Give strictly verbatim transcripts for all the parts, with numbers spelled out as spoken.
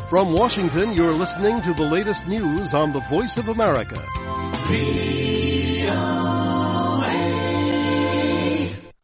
From Washington, you're listening to the latest news on the Voice of America.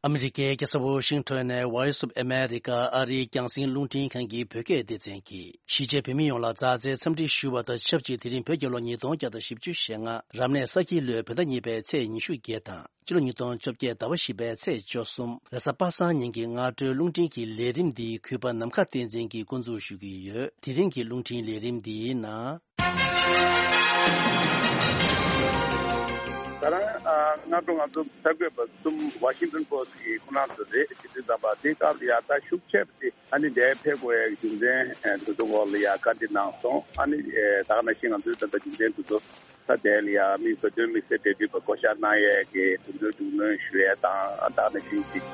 ཨ་མི་རི་ཀའི་རྒྱལ་ས་ཝོ་ཤིང་ཊོན་ནས་Voice of America ཨ་རིའི་རྒྱང་སྲིང་རླུང་འཕྲིན་ཁང་གི་བོད་སྐད་སྡེ་ཚན་གྱིས། གཞིས་བྱེས་བོད་མི་ཡོངས་ལ་མཛའ་བརྩེའི་འཚམས་འདྲི་ཞུ་བ་དང་ཆབས་ཅིག་དེ་རིང་བོད་རྒྱལ་ལོ་ཉིས་སྟོང་བརྒྱ་དང་བཞི་བཅུ་ཞེ་ལྔ་རབ་གནས་ས་ཁྱི་ལོའི་བོད་ཟླ་གཉིས་པའི་ཚེས་ཉི་ཤུ་བརྒྱད་དང་། སྤྱི་ལོ་ཉིས་སྟོང་བཅོ་བརྒྱད་ཟླ་བ་བཞི་པའི་ཚེས་བཅུ་གསུམ་རེས་གཟའ་པ་སངས་ཉིན་གྱི་སྔ་དྲོའི་རླུང་འཕྲིན་གྱི་ལས་རིམ་འདི་གུས་པ་ནམ་མཁའ་བསྟན་འཛིན་གྱིས་འགོ་འཛུགས་ཞུ་གི་ཡོད། དེ་རིང་གི་རླུང་འཕྲིན་ལས་རིམ་འདིའི་ནང་། ད་རང་ཨ་སྔ་དྲོ་ང་ཚོ་གསར་འགོད་པ་གསུམ་ཝ་ཤིང་ཊོན་པོ་སི་ཊི་གི་ཁོ་རང་ཚོ་རེད། དེ་དུས་ཙམ་པ་དེ་སྐབས་ལ་ཡ་ད་ཤུགས་ཆེ་བ་དེ་ཨ་ནི་འདིར་ཕེབས་དགོས་ཡ་གི་རྒྱུ་མཚན་ཨ་དེ་ཚོ་སྐོར་ལ་ཡ་བཀའ་འདྲི་གནང་སོང་། ཨ་ནི་ཨེ་ད་ག་ནང་བཞིན་ང་ཚོའི་ད་ལྟ་རྒྱུ་མཚན་དེ་ཚོ་ད་དེ་ལ་ཡ་མི་བོད་དོན་དམིགས་བསལ་འབྲེལ་མཐུད་པ་བསྐོ་བཞག་གནང་ཡས་ཀྱི་དེ་ཚོའི་རྒྱུས་ལོན་ཞུ་ཡས་དང་ཨ་ད་ག་ནང་བཞིན་གྱི།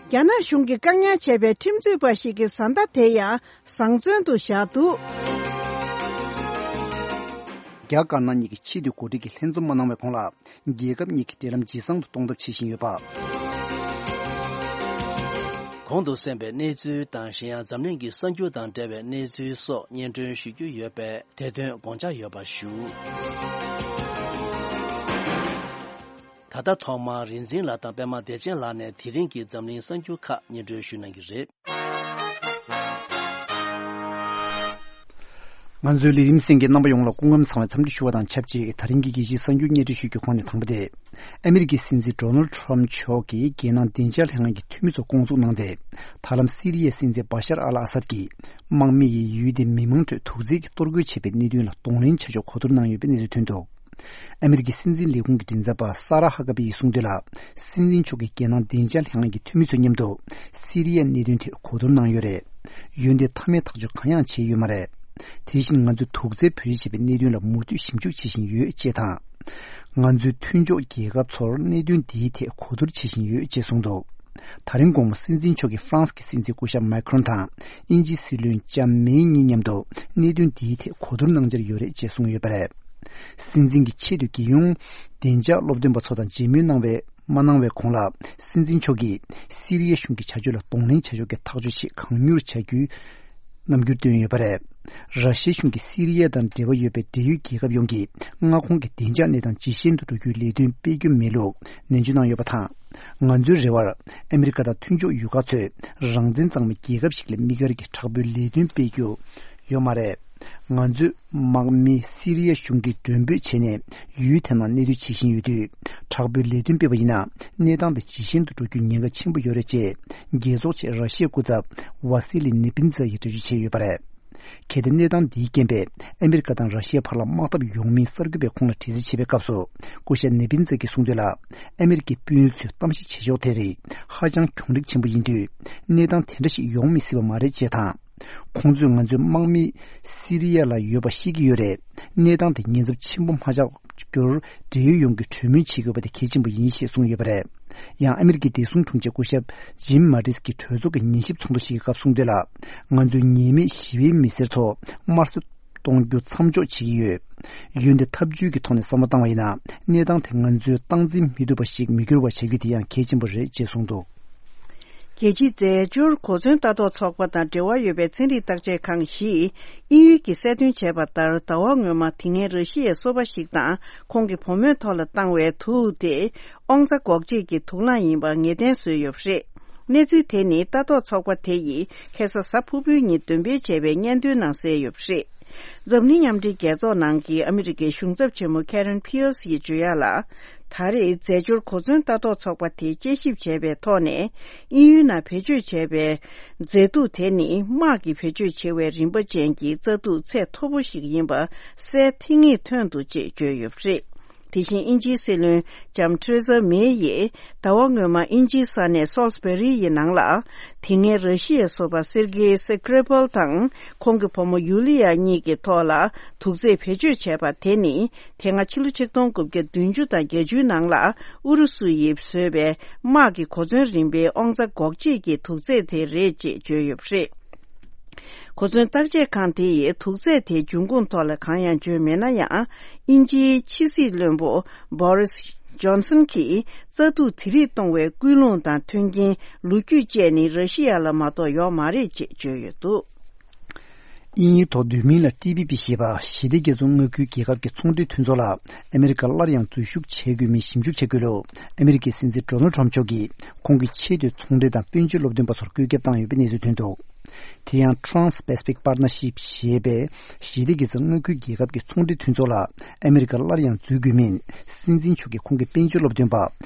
རྒྱ་ནག་གཞུང་གིས་བཀག་ཉར་བྱས་པའི་ཁྲིམས་རྩོད་པ་ཞིག་གི་བཟའ་ཟླ་དེ་ཡང་བཟང་བཙོན་དུ་བཞག་འདུག་རྒྱ་དཀར་ནག་གཉིས་ཀྱི་ཆེས་མཐོའི་འགོ་ཁྲིད་ཀྱིས་ལྷན་འཛོམས་མ་གནང་བའི་གོང་ལ། རྒྱལ་ཁབ་གཉིས་ཀྱི་འབྲེལ་ལམ་ཇེ་བཟང་དུ་གཏོང་ཐབས་བྱེད་བཞིན་ཡོད་པ། གོང་དུ་གསན་པའི་གནས་ཚུལ་དང་གཞན་ཡང་འཛམ་གླིང་གི་གསར་འགྱུར་དང་འབྲེལ་བའི་གནས་ཚུལ་སོགས་སྙན་སྒྲོན་ཞུ་རྒྱུ་ཡོད་པས་དེ་དོན་དགོངས་འཇགས་ཡོད་པ་ཞུ། ད་ལྟ་ཐོག་མར་རིག་འཛིན་ལགས་དང་པད་མ་བདེ་ཆེན་ལགས་ནས་དེ་རིང་གི་འཛམ་གླིང་གསར་འགྱུར་ཁག་སྙན་སྒྲོན་ཞུ་གནང་གི་རེད། ང་ཚོའི་ལས་རིམ་གསན་མཁན་རྣམ་པ་ཡོངས་ལ་སྐུ་ཁམས་བཟང་བའི་འཚམས་འདྲི་ཞུ་བ་དང་ཆབས་ཅིག་དེ་རིང་གི་རྒྱལ་སྤྱིའི་གསར་འགྱུར་སྙན་སྒྲོན་ཞུ་རྒྱུའི་ཁོངས་ནས་དང་པོ་དེ། ཨ་མི་རི་ཀའི་སྲིད་འཛིན་ཌོ་ནལ་ཌི་ཊརམ་མཆོག་གིས་རྒྱལ་ནང་བདེ་འཇགས་ལྷན་ཁང་གི་འཐུས་མི་ཚོ་བསྐོང་ཚོགས་གནང་སྟེ། ད་ལམ་སི་རི་ཡའི་སྲིད་འཛིན་བ་ཤར་ཨལ་ཨ་སད་ཀྱིས་དམག་མི་ཡིས་ཡུལ་དེའི་མི་མང་ཁྲོད་དུག་རྫས་ཀྱི་གཏོར་རྒོལ་བྱས་པའི་གནད་དོན་ལ་གདོང་ལེན་བྱ་ཕྱོགས་གོ་བསྡུར་གནང་ཡོད་པའི་གནས་ཚུལ་ཐོན་འདུག་ཨ་མི་རི་ཀའི་སྲིད་འཛིན་ལས་ཁུངས་ཀྱི་མགྲིན་ཚབ་པ་ས་ར་ཧ་ཀ་པི་ཡིས་གསུངས་དོན་ལ། སྲིད་འཛིན་མཆོག་གིས་རྒྱལ་ནང་བདེ་འཇགས་ལྷན་ཁང་གི་འཐུས་མི་ཚོ་མཉམ་དུ་སི་རི་ཡའི་གནད་དོན་ཐད་གོ་བསྡུར་གནང་ཡོད་རེད། འོན་ཏེ་མཐའ་མའི་ཐག་གཅོད་གང་ཡང་བྱས་ཡོད་མ་རེད། དེ་བཞིན་ང་ཚོས་དུག་རྫས་བེད་སྤྱོད་བྱས་པའི་གནད་དོན་ལ་མུ་མཐུད་ཞིབ་འཇུག་བྱེད་བཞིན་ཡོད་ཅེས་དང་། ང་ཚོའི་མཐུན་ཕྱོགས་རྒྱལ་ཁབ་ཚོར་གནད་དོན་འདིའི་ཐད་གོ་བསྡུར་བྱེད་བཞིན་ཡོད་ཅེས་གསུངས་འདུག་ད་རིང་དགོང་མོ་སྲིད་འཛིན་མཆོག་གིས་ཧྥ་རན་སི་གི་སྲིད་འཛིན་སྐུ་ཞབས་མཱི་ཁྲོན་དང་དབྱིན་ཇིའི་སྲིད་བློན་ལྕམ་མེ་གཉིས་མཉམ་དུ་གནད་དོན་འདིའི་ཐད་གོ་བསྡུར་གནང་འཆར་ཡོད་རེད་ཅེས་གསུངས་ཡོད་པ་རེད། སྲིད་འཛིན་གྱི་ཆེད་དུ་རྒྱལ་ཡོངས་བདེ་འཇགས་སློབ་སྟོན་པ་ཚོ་དང་མཇལ་མོལ་གནང་བའི་མ་གནང་བའི་གོང་ལ། སྲིད་འཛིན་མཆོག་གིས་སི་རི་ཡ་གཞུང་གི་བྱ་སྤྱོད་ལ་གདོང་ལེན་བྱ་ཕྱོགས་ཀྱི་ཐག་གཅོད་ཆེད་གང་མྱུར་བྱ་རྒྱུའི་རྣམ་འགྱུར་བཏོན་ཡོད་པ་རེད། ར་ཤི་ཡའི་གཞུང་གིས་སི་རི་ཡ་དང་འབྲེལ་བ་ཡོད་པའི་འབྲེལ་ཡོད་རྒྱལ་ཁབ་ཡོངས་ཀྱི་མངའ་ཁོངས་ཀྱི་བདེ་འཇགས་གནས་སྟངས་ཇེ་ཞན་དུ་འགྲོ་རྒྱུའི་ལས་དོན་སྤེལ་རྒྱུ་མེད་ལུགས་ནན་བརྗོད་གནང་ཡོད་པ་དང་། ང་ཚོའི་རེ་བར་ཨ་མི་རི་ཀ་དང་མཐུན་ཕྱོགས་ཡུལ་ཁག་ཚོས་རང་བཙན་གཙང་མའི་རྒྱལ་ཁབ་ཞིག་ལ་དམིགས་བཀར་གྱི་དྲག་པོའི་ལས་དོན་སྤེལ་རྒྱུ་ཡོད་མ་རེད། ང་ཚོས་དམག་མི་སི་རི་ཡ་གཞུང་གིས་མགྲོན་འབོད་བྱས་ནས་ཡུལ་དེ་ནང་གནས་སྡོད་བྱེད་བཞིན་ཡོད་དུས། དྲག་པོའི་ལས་དོན་སྤེལ་བ་ཡིན་ན་གནས་སྟངས་དེ་ཇེ་ཞན་དུ་འགྲོ་རྒྱུའི་ཉེན་ཁ་ཆེན་པོ་ཡོད་རེད་ཅེས་རྒྱལ་ཚོགས་ཆེད་ར་ཤི་ཡའི་སྐུ་ཚབ་ཝ་སི་ལི་ནེ་པིན་ཛ་ཡིས་འགྲེལ་བརྗོད་བྱས་ཡོད་པ་རེད། གལ་ཏེ་གནས་སྟངས་འདིའི་རྐྱེན་པས་ཨ་མི་རི་ཀ་དང་ར་ཤི་ཡའི་བར་ལ་དམག་འཐབ་ཡོང་མིན་གསར་འགོད་པས་ཁོང་ལ་དྲི་རྩད་བྱས་པའི་སྐབས་སུ། སྐུ་ཞབས་ནེ་པིན་ཛ་གིས་གསུངས་དོན་ལ། ཨ་མི་རི་ཀའི་དཔོན་རིགས་ཚོས་གཏམ་བཤད་བྱེད་ཕྱོགས་དེ་རིགས་ཧ་ཅང་གྱོང་རིག་ཆེན་པོ་ཡིན་དུས། གནས་སྟངས་དེ་འདྲ་ཞིག་ཡོང་མི་སྲིད་པ་མ་རེད་ཅེས་དང་། ཁོང་ཚོས་ང་ཚོའི་དམག་མི་སི་རི་ཡ་ལ་ཡོད་པ་ཤེས་ཀྱི་ཡོད་རེད། གནས་སྟངས་དེ་ཉེན་ཚབས་ཆེན་པོ་མ་ཆགས་རྒྱུར་འབྲེལ་ཡོད་ཡོངས་ཀྱིས་གྲོས་མོལ་བྱེད་དགོས་པ་དེ་གལ་ཆེན་པོ་ཡིན་ཞེས་གསུངས་ཡོད་པ་རེད། ཡང་ཨ་མི་རི་ཀའི་བདེ་སྲུང་དྲུང་ཆེ་སྐུ་ཞབས་ཇིམ་མ་ཏིས་ཀྱིས་གྲོས་ཚོགས་ཀྱི་ཉན་ཞིབ་ཚོགས་འདུ་ཞིག་གི་སྐབས་གསུངས་དོན་ལ། ང་ཚོས་ཉེས་མེད་ཞི་བའི་མི་སེར་ཚོ་དམར་གསོད་གཏོང་རྒྱུ་མཚམས་འཇོག་བྱེད་ཀྱི་ཡོད། འོན་ཏེ་ཐབས་ཇུས་ཀྱི་ཐོག་ནས་བསམ་བློ་བཏང་བ་ཡིན་ན། གནས་སྟངས་དེ་ང་ཚོས་སྟངས་འཛིན་མི་ཐུབ་པ་ཞིག་མི་འགྱུར་བ་བྱ་རྒྱུ་དེ་ཡང་གལ་ཆེན་པོ་རེད་ཅེས་གསུངས་འདུག་རྒྱལ་སྤྱིའི་རྫས་སྦྱོར་གོ་མཚོན་ལྟ་རྟོག་ཚོགས་པ་དང་འབྲེལ་བ་ཡོད་པའི་ཚན་རིག་བརྟག་དཔྱད་ཁང་བཞིས་དབྱིན་ཡུལ་གྱིས་གསལ་སྟོན་བྱས་པ་ལྟར། ཟླ་བ་སྔོན་མ་དེ་སྔའི་ར་ཤི་ཡའི་སོ་པ་ཞིག་དང་ཁོང་གི་བུ་མོའི་ཐོག་ལ་བཏང་བའི་དུག་དེ་དབང་རྩ་འགོག་བྱེད་ཀྱི་དུག་རླངས་ཡིན་པ་ངེས་གཏན་བཟོས་ཡོད་པ་རེད། གནས་ཚུལ་དེ་ནི་ལྟ་རྟོག་ཚོགས་པ་དེ་ཡིས་ཁ་སང་གཟའ་ཕུར་བུའི་ཉིན་འདོན་སྤེལ་བྱས་པའི་སྙན་ཐོའི་ནང་གསལ་ཡོད་པ་རེད། འཛམ་གླིང་མཉམ་འབྲེལ་རྒྱལ་ཚོགས་ནང་གི་ཨ་མི་རི་ཀའི་གཞུང་ཚབ་ཆེན་མོ་Karen Pierce ཡིས་བརྗོད་ཡག་ལ། ད་རེས་རྫས་སྦྱོར་གོ་མཚོན་ལྟ་རྟོག་ཚོགས་པ་དེས་དཔྱད་ཞིབ་བྱས་པའི་ཐོག་ནས། དབྱིན་ཡུལ་ནང་བེད་སྤྱོད་བྱས་པའི་རྫས་དུག་དེ་ནི་དམག་གིས་བེད་སྤྱོད་བྱེད་པའི་རིན་པ་ཅན་གྱི་རྩ་དུག་ཚད་མཐོ་པོ་ཞིག་ཡིན་པ་གསལ་ཐིང་ངེ་ཐོན་འདུག་ཅེས་བརྗོད་ཡོད་པ་རེད། དེ་བཞིན་དབྱིན་ཇིའི་སྲིད་བློན་ལྕམ་ཐེ་རེ་ས་མེ་ཡིས་ཟླ་བ་སྔོན་མ་དབྱིན་ཇིའི་ས་གནས་སོལ་སི་བེ་རི་ཡི་ནང་ལ། དེ་སྔའི་ར་ཤི་ཡའི་སོ་པ་སེར་གེ་སི་ཀི་རེ་པལ་དང་ཁོང་གི་བུ་མོ་ཡུ་ལི་ཡ་གཉིས་ཀྱི་ཐོག་ལ་དུག་རྫས་བེད་སྤྱོད་བྱས་པ་དེ་ནི། དེ་སྔ་ཕྱི་ལོ་ཆིག་སྟོང་དགུ་བརྒྱ་བདུན་ཅུ་དང་བརྒྱད་ཅུའི་ནང་ལ་ཨུ་རུ་སུ་ཡིས་བཟོས་པའི་དམག་གི་གོ་མཚོན་རིམ་པའི་དབང་རྩ་འགོག་བྱེད་ཀྱི་དུག་རྫས་དེ་རེད་ཅེས་བརྗོད་ཡོད་པ་རེད། གོ་མཚོན་བརྟག་དཔྱད་ཁང་དེ་ཡིས་དུག་རྫས་དེའི་འབྱུང་ཁུངས་ཐོག་ལ་གང་ཡང་བརྗོད་མེད་ན་ཡང་། དབྱིན་ཇིའི་ཕྱི་སྲིད་བློན་པོ་བྷོ་རིས་ ཇོན་སན་གྱིས་བཙག་འཐུ་དེ་རིགས་གཏོང་བའི་ཀུན་སློང་དང་མཐུན་རྐྱེན་ལོ་རྒྱུས་བཅས་ནི་ར་ཤི་ཡ་ལ་མ་གཏོགས་ཡོག་མ་རེད་ཅེས་བརྗོད་ཡོད་འདུག། དབྱིན་ཡུལ་ཐོག་བསྡུས་མིང་ལ་ཊི་བི་པི་ཞེས་པ་ཞི་བདེ་རྒྱ་མཚོ་མངའ་ཁུལ་རྒྱལ་ཁབ་ཀྱི་ཚོང་འབྲེལ་མཐུན་ཚོགས་ལ་ཨ་མེ་རི་ཀ་སླར་ཡང་འཛུལ་ཞུགས་བྱེད་དགོས་མིན་ཞིབ་འཇུག་བྱེད་དགོས་ལུགས་ཨ་མེ་རི་ཀའི་སྲིད་འཛིན་ཌོ་ནལ་ཊམ་མཆོག་གིས་ཁོང་གི་ཆེས་མཐོའི་ཚོང་འབྲེལ་དང་དཔལ་འབྱོར་སློབ་སྟོན་པ་ཚོར་བཀོད་ཁྱབ་བཏང་ཡོད་པའི་གནས་ཚུལ་ཐོན་འདུག། དེ་ཡང་Trans-Pacific Partnership ཞེས་པའི་ཞི་བདེ་རྒྱ་མཚོ་མངའ་ཁུལ་རྒྱལ་ཁབ་ཀྱི་ཚོང་འབྲེལ་མཐུན་ཚོགས་ལ་ཨ་མེ་རི་ཀ་སླར་ཡང་འཛུལ་དགོས་མིན་སྲིད་འཛིན་མཆོག་གིས་ཁོང་གི་དཔལ་འབྱོར་སློབ་སྟོན་པ་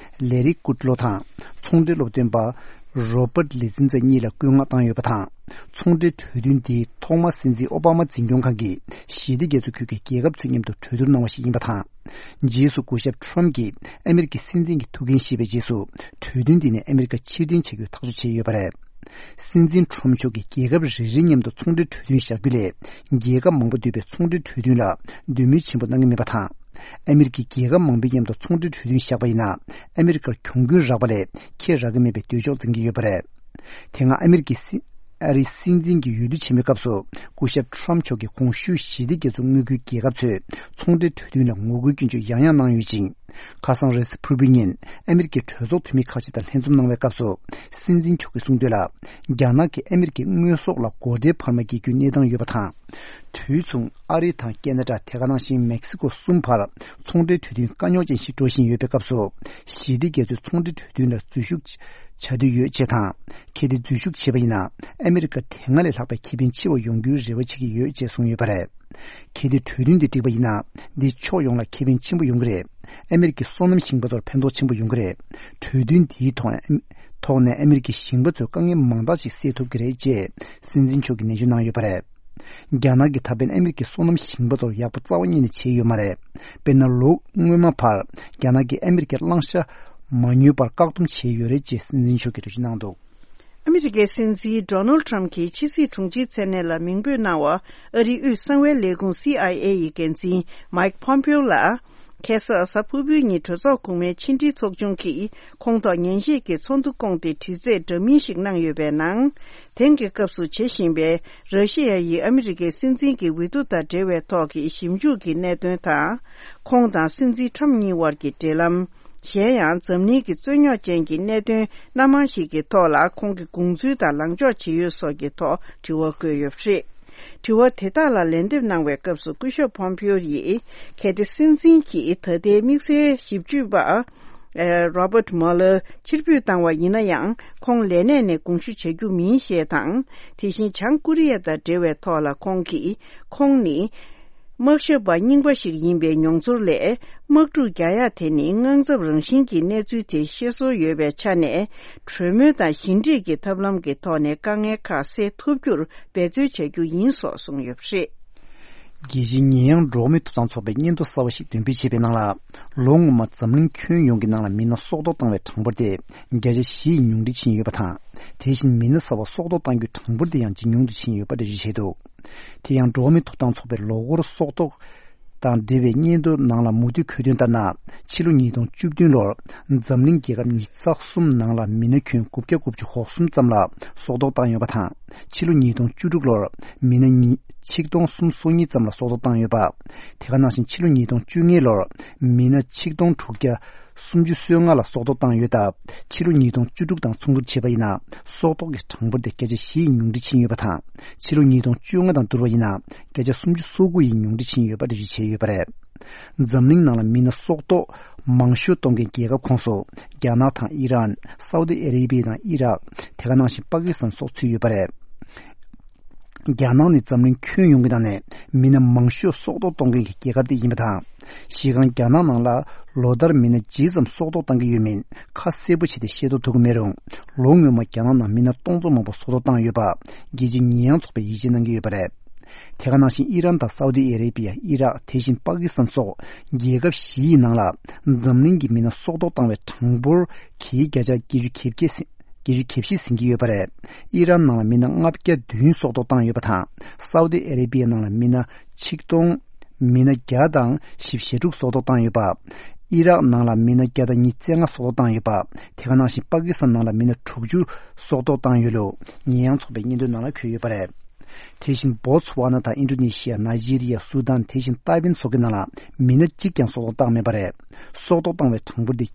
ལེ་རི་ཀུད་ལོ་དང་ཚོང་འབྲེལ་སློབ་སྟོན་པ་རོ་པར་ལི་ཛིན་ཛ་གཉིས་ལ་བཀོད་མངགས་བཏང་ཡོད་པ་དང་། ཚོང་འབྲེལ་གྲོས་མཐུན་འདི་ཐོག་མར་སྲིད་འཛིན་ཨོ་བྷ་མ་འཛིན་སྐྱོང་ཁང་གིས་ཞི་བདེ་རྒྱ་མཚོ་ཁུལ་གྱི་རྒྱལ་ཁབ་ཚོའི་མཉམ་དུ་གྲོས་བསྡུར་གནང་བ་ཞིག་ཡིན་པ་དང་། རྗེས་སུ་སྐུ་ཞབས་ཊམ་གྱིས་ཨ་མེ་རི་ཀའི་སྲིད་འཛིན་གྱི་ཐུགས་འགན་བཞེས་པའི་རྗེས་སུ་གྲོས་མཐུན་འདི་ནས་ཨ་མེ་རི་ཀ་ཕྱིར་འཐེན་བྱ་རྒྱུའི་ཐག་གཅོད་བྱས་ཡོད་པ་རེད། སྲིད་འཛིན་ཊམ་མཆོག་གིས་རྒྱལ་ཁབ་རེ་རེའི་མཉམ་དུ་ཚོང་འབྲེལ་གྲོས་མཐུན་བཞག་རྒྱུ་ལས་རྒྱལ་ཁབ་མང་པོ་འདུས་པའི་ཚོང་འབྲེལ་གྲོས་མཐུན་ལ་འདོད་མོས་ཆེན་པོ་གནང་གི་མེད་པ་དང་། ཨ་མེ་རི་ཀས་རྒྱལ་ཁབ་མང་པོའི་མཉམ་དུ་ཚོང་འབྲེལ་གྲོས་མཐུན་བཞག་པ་ཡིན་ན་ཨ་མེ་རི་ཀར་གྱོང་གུན་རག་པ་ལས་ཁེ་རག་གི་མེད་པའི་འདོད་ཕྱོགས་འཛིན་གྱི་ཡོད་པ་རེད། དེ་སྔ་ཨ་མེ་རི་ཀའི་སྲིད་ཨ་རིའི་སྲིད་འཛིན་གྱི་འོས་བསྡུ་ཆེན་མོའི་སྐབས་སུ་སྐུ་ཞབས་ཊམ་མཆོག་གིས་གོང་ཞུས་ཞི་བདེ་རྒྱ་མཚོ་མངའ་ཁུལ་རྒྱལ་ཁབ་ཚོས་ཚོང་འབྲེལ་གྲོས་མཐུན་ལ་ངོ་རྒོལ་སྐྱོན་བརྗོད་ཡང་ཡང་གནང་ཡོད་ཅིང་། ཁ་སང་རེས་གཟའ་ཕུར་བུའི་ཉིན་ཨ་མེ་རི་ཀའི་གྲོས་ཚོགས་འཐུས་མི་ཁག་ཅིག་དང་ལྷན་འཛོམས་གནང་བའི་སྐབས་སུ་སྲིད་འཛིན་མཆོག་གིས་གསུངས་དོན་ལ། རྒྱ་ནག་གིས་ཨ་མེ་རི་ཀའི་དངོས་ཟོག་ལ་སྒོ་ཁྲལ་འཕར་མ་འགེལ་རྒྱུའི་གནས་སྟངས་ཡོད་པ་དང་། དུས་མཚུངས་ཨ་རི་དང་ཁེ་ན་ཌ་དེ་ག་ནང་བཞིན་མེག་སི་ཀོ་གསུམ་བར་ཚོང་འབྲེལ་གྲོས་མཐུན་དཀའ་རྙོག་ཅན་ཞིག་འགྲོ་བཞིན་ཡོད་པའི་སྐབས་སུ། ཞི་བདེ་རྒྱ་མཚོའི་ཚོང་འབྲེལ་གྲོས་མཐུན་ལ་འཛུལ་ཞུགས་བྱ་འདོད་ཡོད་ཅེས་དང་། གལ་ཏེ་འཛུལ་ཞུགས་བྱས་པ་ཡིན་ན་ཨ་མེ་རི་ཀར་དེ་སྔ་ལས་ལྷག་པའི་ཁེ་ཕན་ཆེ་བ་ཡོང་རྒྱུའི་རེ་བ་བྱེད་ཀྱི་ཡོད་ཅེས་གསུངས་ཡོད་པ་རེད། གལ་ཏེ་གྲོས་མཐུན་འདི་འགྲིག་པ་ཡིན་ན། འདིས་ཕྱོགས་ཡོངས་ལ་ཁེ་ཕན་ཆེན་པོ་ཡོང་གི་རེད། ཨ་མེ་རི་ཀའི་སོ་ནམ་ཞིང་པ་ཚོར་ཕན་ཐོགས་ཆེན་པོ་ཡོང་གི་རེད། གྲོས་མཐུན་འདིའི་ཐོག་ནས་ཐོག་ནས་ཨ་མེ་རི་ཀའི་ཞིང་པ་ཚོས་དཀའ་ངལ་མང་དག་ཅིག་སེལ་ཐུབ་ཀྱི་རེད་ཅེས་སྲིད་འཛིན་མཆོག་གིས་ནན་བརྗོད་གནང་ཡོད་པ་རེད། རྒྱ་ནག་གིས་ད་ཕན་ཨ་མེ་རི་ཀའི་སོ་ནམ་ཞིང་པ་ཚོར་ཡག་པོ་རྩ་བ་ཉིད་ནས་བྱས་ཡོད་མ་རེད། དཔེར་ན་ལོ་སྔོན་མ་བར་རྒྱ་ནག་གིས་ཨ་མེ་རི་ཀའི་བླང་བྱ་མ་ཉོས་པར་བཀག་སྡོམ་བྱས་ཡོད་རེད་ཅེས་སྲིད་འཛིན་མཆོག་གིས་འགྲེལ་བརྗོད་གནང་འདུག། ཨ་མེ་རི་ཀའི་སྲིད་འཛིན་ཌོ་ནལ་ཊམ་གྱིས་ཕྱི་སྲིད་དྲུང་ཆེའི་མཚན་གནས་ལ་མིང་འབོད་གནང་བ། ཨ་རིའི་དབུས་གསང་བའི་ལས་ཁུངས་སི་ཨའི་ཨེ་ཡི་འགན་འཛིན་མའིག་ཕོམ་པེའོ་ལ། ཁ་སང་གཟའ་ཕུར་བུའི་ཉིན་གྲོས་ཚོགས་གོང་མའི་ཕྱི་འབྲེལ་ཚོགས་ཆུང་གིས་ཁོང་ཐོག་ཉན་ཞིབ་ཀྱི་ཚོགས་འདུ་བསྐོངས་ཏེ་དྲི་རྩད་འདྲ་མིན་ཞིག་གནང་ཡོད་པའི་ནང་། དེང་གི་སྐབས་སུ་བྱེད་བཞིན་པའི་ར་ཤི་ཡ་ཡིས་ཨ་མེ་རི་ཀའི་སྲིད་འཛིན་གྱི་འོས་བསྡུ་དང་འབྲེལ་བའི་ཐོག་གི་ཞིབ་འཇུག་གི་གནད་དོན་དང་། ཁོང་དང་སྲིད་འཛིན་ཊམ་གཉིས་དབར་གྱི་འབྲེལ་ལམ། གཞན་ཡང་འཛམ་གླིང་གི་རྩོད་རྙོག་ཅན་གྱི་གནད་དོན་སྣ་མང་ཞིག་གི་ཐོག་ལ་ཁོང་གི་དགོངས་ཚུལ་དང་ལངས་ཕྱོགས་ཇི་ཡོད་སོགས་ཀྱི་ཐོག་དྲི་བ་བཀོད་ཡོད་པ་རེད། དྲི་བ་དེ་དག་ལ་ལན་འདེབས་གནང་བའི་སྐབས་སུ་སྐུ་ཞབས་ཕོམ་པིའོ་ཡིས་གལ་ཏེ་སྲིད་འཛིན་གྱིས་ད་ལྟའི་དམིགས་བསལ་ཞིབ་དཔྱོད་པ། ཨ། Robert Mueller ཕྱིར་འབུད་བཏང་བ་ཡིན་ན་ཡང་ཁོང་ལས་གནས་ནས་དགོངས་ཞུ་བྱ་རྒྱུ་མིན་ཞེས་དང་། དེ་བཞིན་བྱང་ཀོ་རི་ཡ་དང་འབྲེལ་བའི་ཐོག་ལ་ཁོང་གིས། ཁོང་ནི། དམག་ཞབས་པ་རྙིང་པ་ཞིག་ཡིན་པའི་མྱོང་ཚོར་ལས། དམག་འཁྲུག་རྒྱག་ཡ་དེ་ནི་དངངས་འཚབ་རང་བཞིན་གྱི་གནས་ཚུལ་དེ་ཤེས་སོར་ཡོད་པའི་ཆ་ནས། གྲོས་མོལ་དང་ཞི་འགྲིག་གི་ཐབས་ལམ་གྱི་ཐོག་ནས་དཀའ་ངལ་ཁག་སེལ་ཐུབ་རྒྱུར་འབད་རྩོལ་བྱ་རྒྱུ་ཡིན་སོགས་གསུངས་ཡོད་པ་རེད། རྒྱལ་སྤྱིའི་ཉེས་ཡངས་འགྲོ་བ་མིའི་ཐོབ་ཐང་ཚོགས་པས་སྙན་ཐོ་གསར་བ་ཞིག་འདོན་སྤེལ་བྱས་པའི་ནང་ལ། ལོ་སྔོན་མ་འཛམ་གླིང་ཁྱོན་ཡོངས་ཀྱི་ནང་ལ་མི་སྣ་སྲོག་ཐོག་བཏང་བའི་གྲངས་འབོར་དེ་བརྒྱ་ཆ་བཞི་ཡིས་ཉུང་འཕྲི་ཕྱིན་ཡོད་པ་དང་། དེ་བཞིན་མི་སྣ་གསར་པ་སྲོག་ཐོག་བཏང་རྒྱུའི་གྲངས་འབོར་དེ་ཡང་ཇེ་ཉུང་དུ་ཕྱིན་ཡོད་པ་འགྲེལ་བརྗོད་བྱས་འདུག། དེ་ཡང་འགྲོ་བ་མིའི་ཐོབ་ཐང་ཚོགས་པའི་ལོ་འཁོར་སྲོག་ཐོག་དང་འབྲེལ་བའི་སྙན་ཐོའི་ནང་ལ་མུ་མཐུད་འཁོད་དོན་ལྟར་ན། ཕྱི་ལོ་ཉིས་སྟོང་བཅུ་བདུན་ལོར་འཛམ་གླིང་རྒྱལ་ཁབ་ཉི་ཤུ་རྩ་གསུམ་ནང་ལ་མི་སྣ་ཁྱོན་དགུ་བརྒྱ་དགུ་བཅུ་གོ་གསུམ་ཙམ་ལ་སྲོག་ཐོག་བཏང་ཡོད་པ་དང་། ཕྱི་ལོ་ཉིས་སྟོང་བཅུ་དྲུག་ལོར་མི་སྣ་ཉི་ཆིག་སྟོང་སུམ་སོ་གཉིས་ཙམ་ལ་སྲོག་ཐོག་བཏང་ཡོད་པ། དེ་ག་ནང་བཞིན་ཕྱི་ལོ་ཉིས་སྟོང་བཅོ་ལྔ་ལོར་མི་སྣ་ཆིག་སྟོང་དྲུག་བརྒྱ་སུམ་ཅུ་སོ་ལྔ་ལ་སྲོག་ཐོག་བཏང་ཡོད་སྟབས། ཕྱི་ལོ་ཉིས་སྟོང་བཅུ་དྲུག་དང་མཚུངས་བསྡུར་བྱས་པ་ཡིན་ན། སྲོག་ཐོག་གི་གྲངས་འབོར་དེ་བརྒྱ་ཆ་བཞི་ཡིས་ཉུང་འཕྲི་ཕྱིན་ཡོད་པ་དང་། ཕྱི་ལོ་ཉིས་སྟོང་བཅོ་ལྔ་དང་བསྡུར་བ་ཡིན་ན། བརྒྱ་ཆ་སུམ་ཅུ་སོ་དགུ་ཡིས་ཉུང་འཕྲི་ཕྱིན་ཡོད་པ་འགྲེལ་བརྗོད་བྱས་ཡོད་པ་རེད། འཛམ་གླིང་ནང་ལ་མི་སྣ་སྲོག་ཐོག་མང་ཤོས་གཏོང་མཁན་རྒྱལ་ཁབ་ཁོངས་སུ། རྒྱ་ནག་དང་ཨི་རན། སའུ་ཏི་ཨ་རེ་བྷི་ཡ་དང་ཨི་རག་དེ་ག་ནང་བཞིན་པ་ཀི་སི་ཐན་སོགས་ཚུད་ཡོད་པ་རེད། རྒྱ་ནག་ནི་འཛམ་གླིང་ཁྱོན་ཡོངས་ཀྱི་ནང་ནས་མི་སྣ་མང་ཤོས་སྲོག་ཐོག་གཏོང་མཁན་གྱི་རྒྱལ་ཁབ་དེ་ཡིན་པ་དང་། གཞི་རྐང་རྒྱ་ནག་ནང་ལ་ལོ་ལྟར་མི་སྣ་ཇི་ཙམ་སྲོག་ཐོག་བཏང་གི་ཡོད་མིན་ཁ་གསལ་པོ་བྱས་ཏེ་ཤེས་རྟོགས་ཐུབ་ཀྱི་མེད་རུང་། ལོ་སྔོན་མ་རྒྱ་ནག་ནང་མི་སྣ་སྟོང་ཚོ་མང་པོ་སྲོག་ཐོག་བཏང་ཡོད་པ་རྒྱལ་སྤྱིའི་ཉེས་ཡངས་ཚོགས་པས་ཡིད་ཆེས་གནང་གི་ཡོད་པ་རེད། དེ་ག་ནང་བཞིན་ཨི་རན་དང་སའུ་ཏི་ཨ་རེ་བྷི་ཡ། ཨི་རག་དེ་བཞིན་པ་ཀི་སི་ཐན་སོགས་རྒྱལ་ཁབ་བཞི་ཡི་ནང་ལ་འཛམ་གླིང་གི་མི་སྣ་སྲོག་ཐོག་བཏང་བའི་གྲངས་འབོར་གྱི་བརྒྱ་ཆ་བརྒྱད་ཅུ་གྱ་བརྒྱད་ཟིན། བརྒྱད་ཅུ་གྱ་བཞི་ཟིན་གྱི་ཡོད་པ་རེད། ཨི་རན་ནང་ལ་མི་སྣ་ལྔ་བརྒྱ་བདུན་སྲོག་ཐོག་བཏང་ཡོད་པ་དང་། སའུ་ཏི་ཨ་རེ་བྷི་ཡའི་ནང་ལ་མི་སྣ་ཆིག་སྟོང་། མི་སྣ་བརྒྱ་དང་བཞི་བཅུ་ཞེ་དྲུག་སྲོག་ཐོག་བཏང་ཡོད་པ། ཨི་རག་ནང་ལ་མི་སྣ་བརྒྱ་དང་ཉི་ཤུ་རྩ་ལྔ་སྲོག་ཐོག་བཏང་ཡོད་པ། དེ་ག་ནང་བཞིན་པ་ཀི་སི་ཐན་ནང་ལ་མི་སྣ་དྲུག་ཅུ་སྲོག་ཐོག་བཏང་ཡོད་ལུགས་ཉེས་ཡངས་ཚོགས་པའི་སྙན་ཐོའི་ནང་ལ་འཁོད་ཡོད་པ་རེད། དེ་བཞིན་བོ་ཚུ་ཝ་ན་དང་ཨིན་ཌོ་ནེ་ཤི་ཡ། ནཱི་ཇི་རི་ཡ། སུ་དཱན། དེ་བཞིན་ཏའེ་ཝན་སོགས་ཀྱི་ནང་ལ་མི་སྣ་གཅིག་ཀྱང་སྲོག་ཐོག་བཏང་མེད་པ་རེད། སྲོག་ཐོག་བཏང་བའི་གྲངས་འབོར་དེ་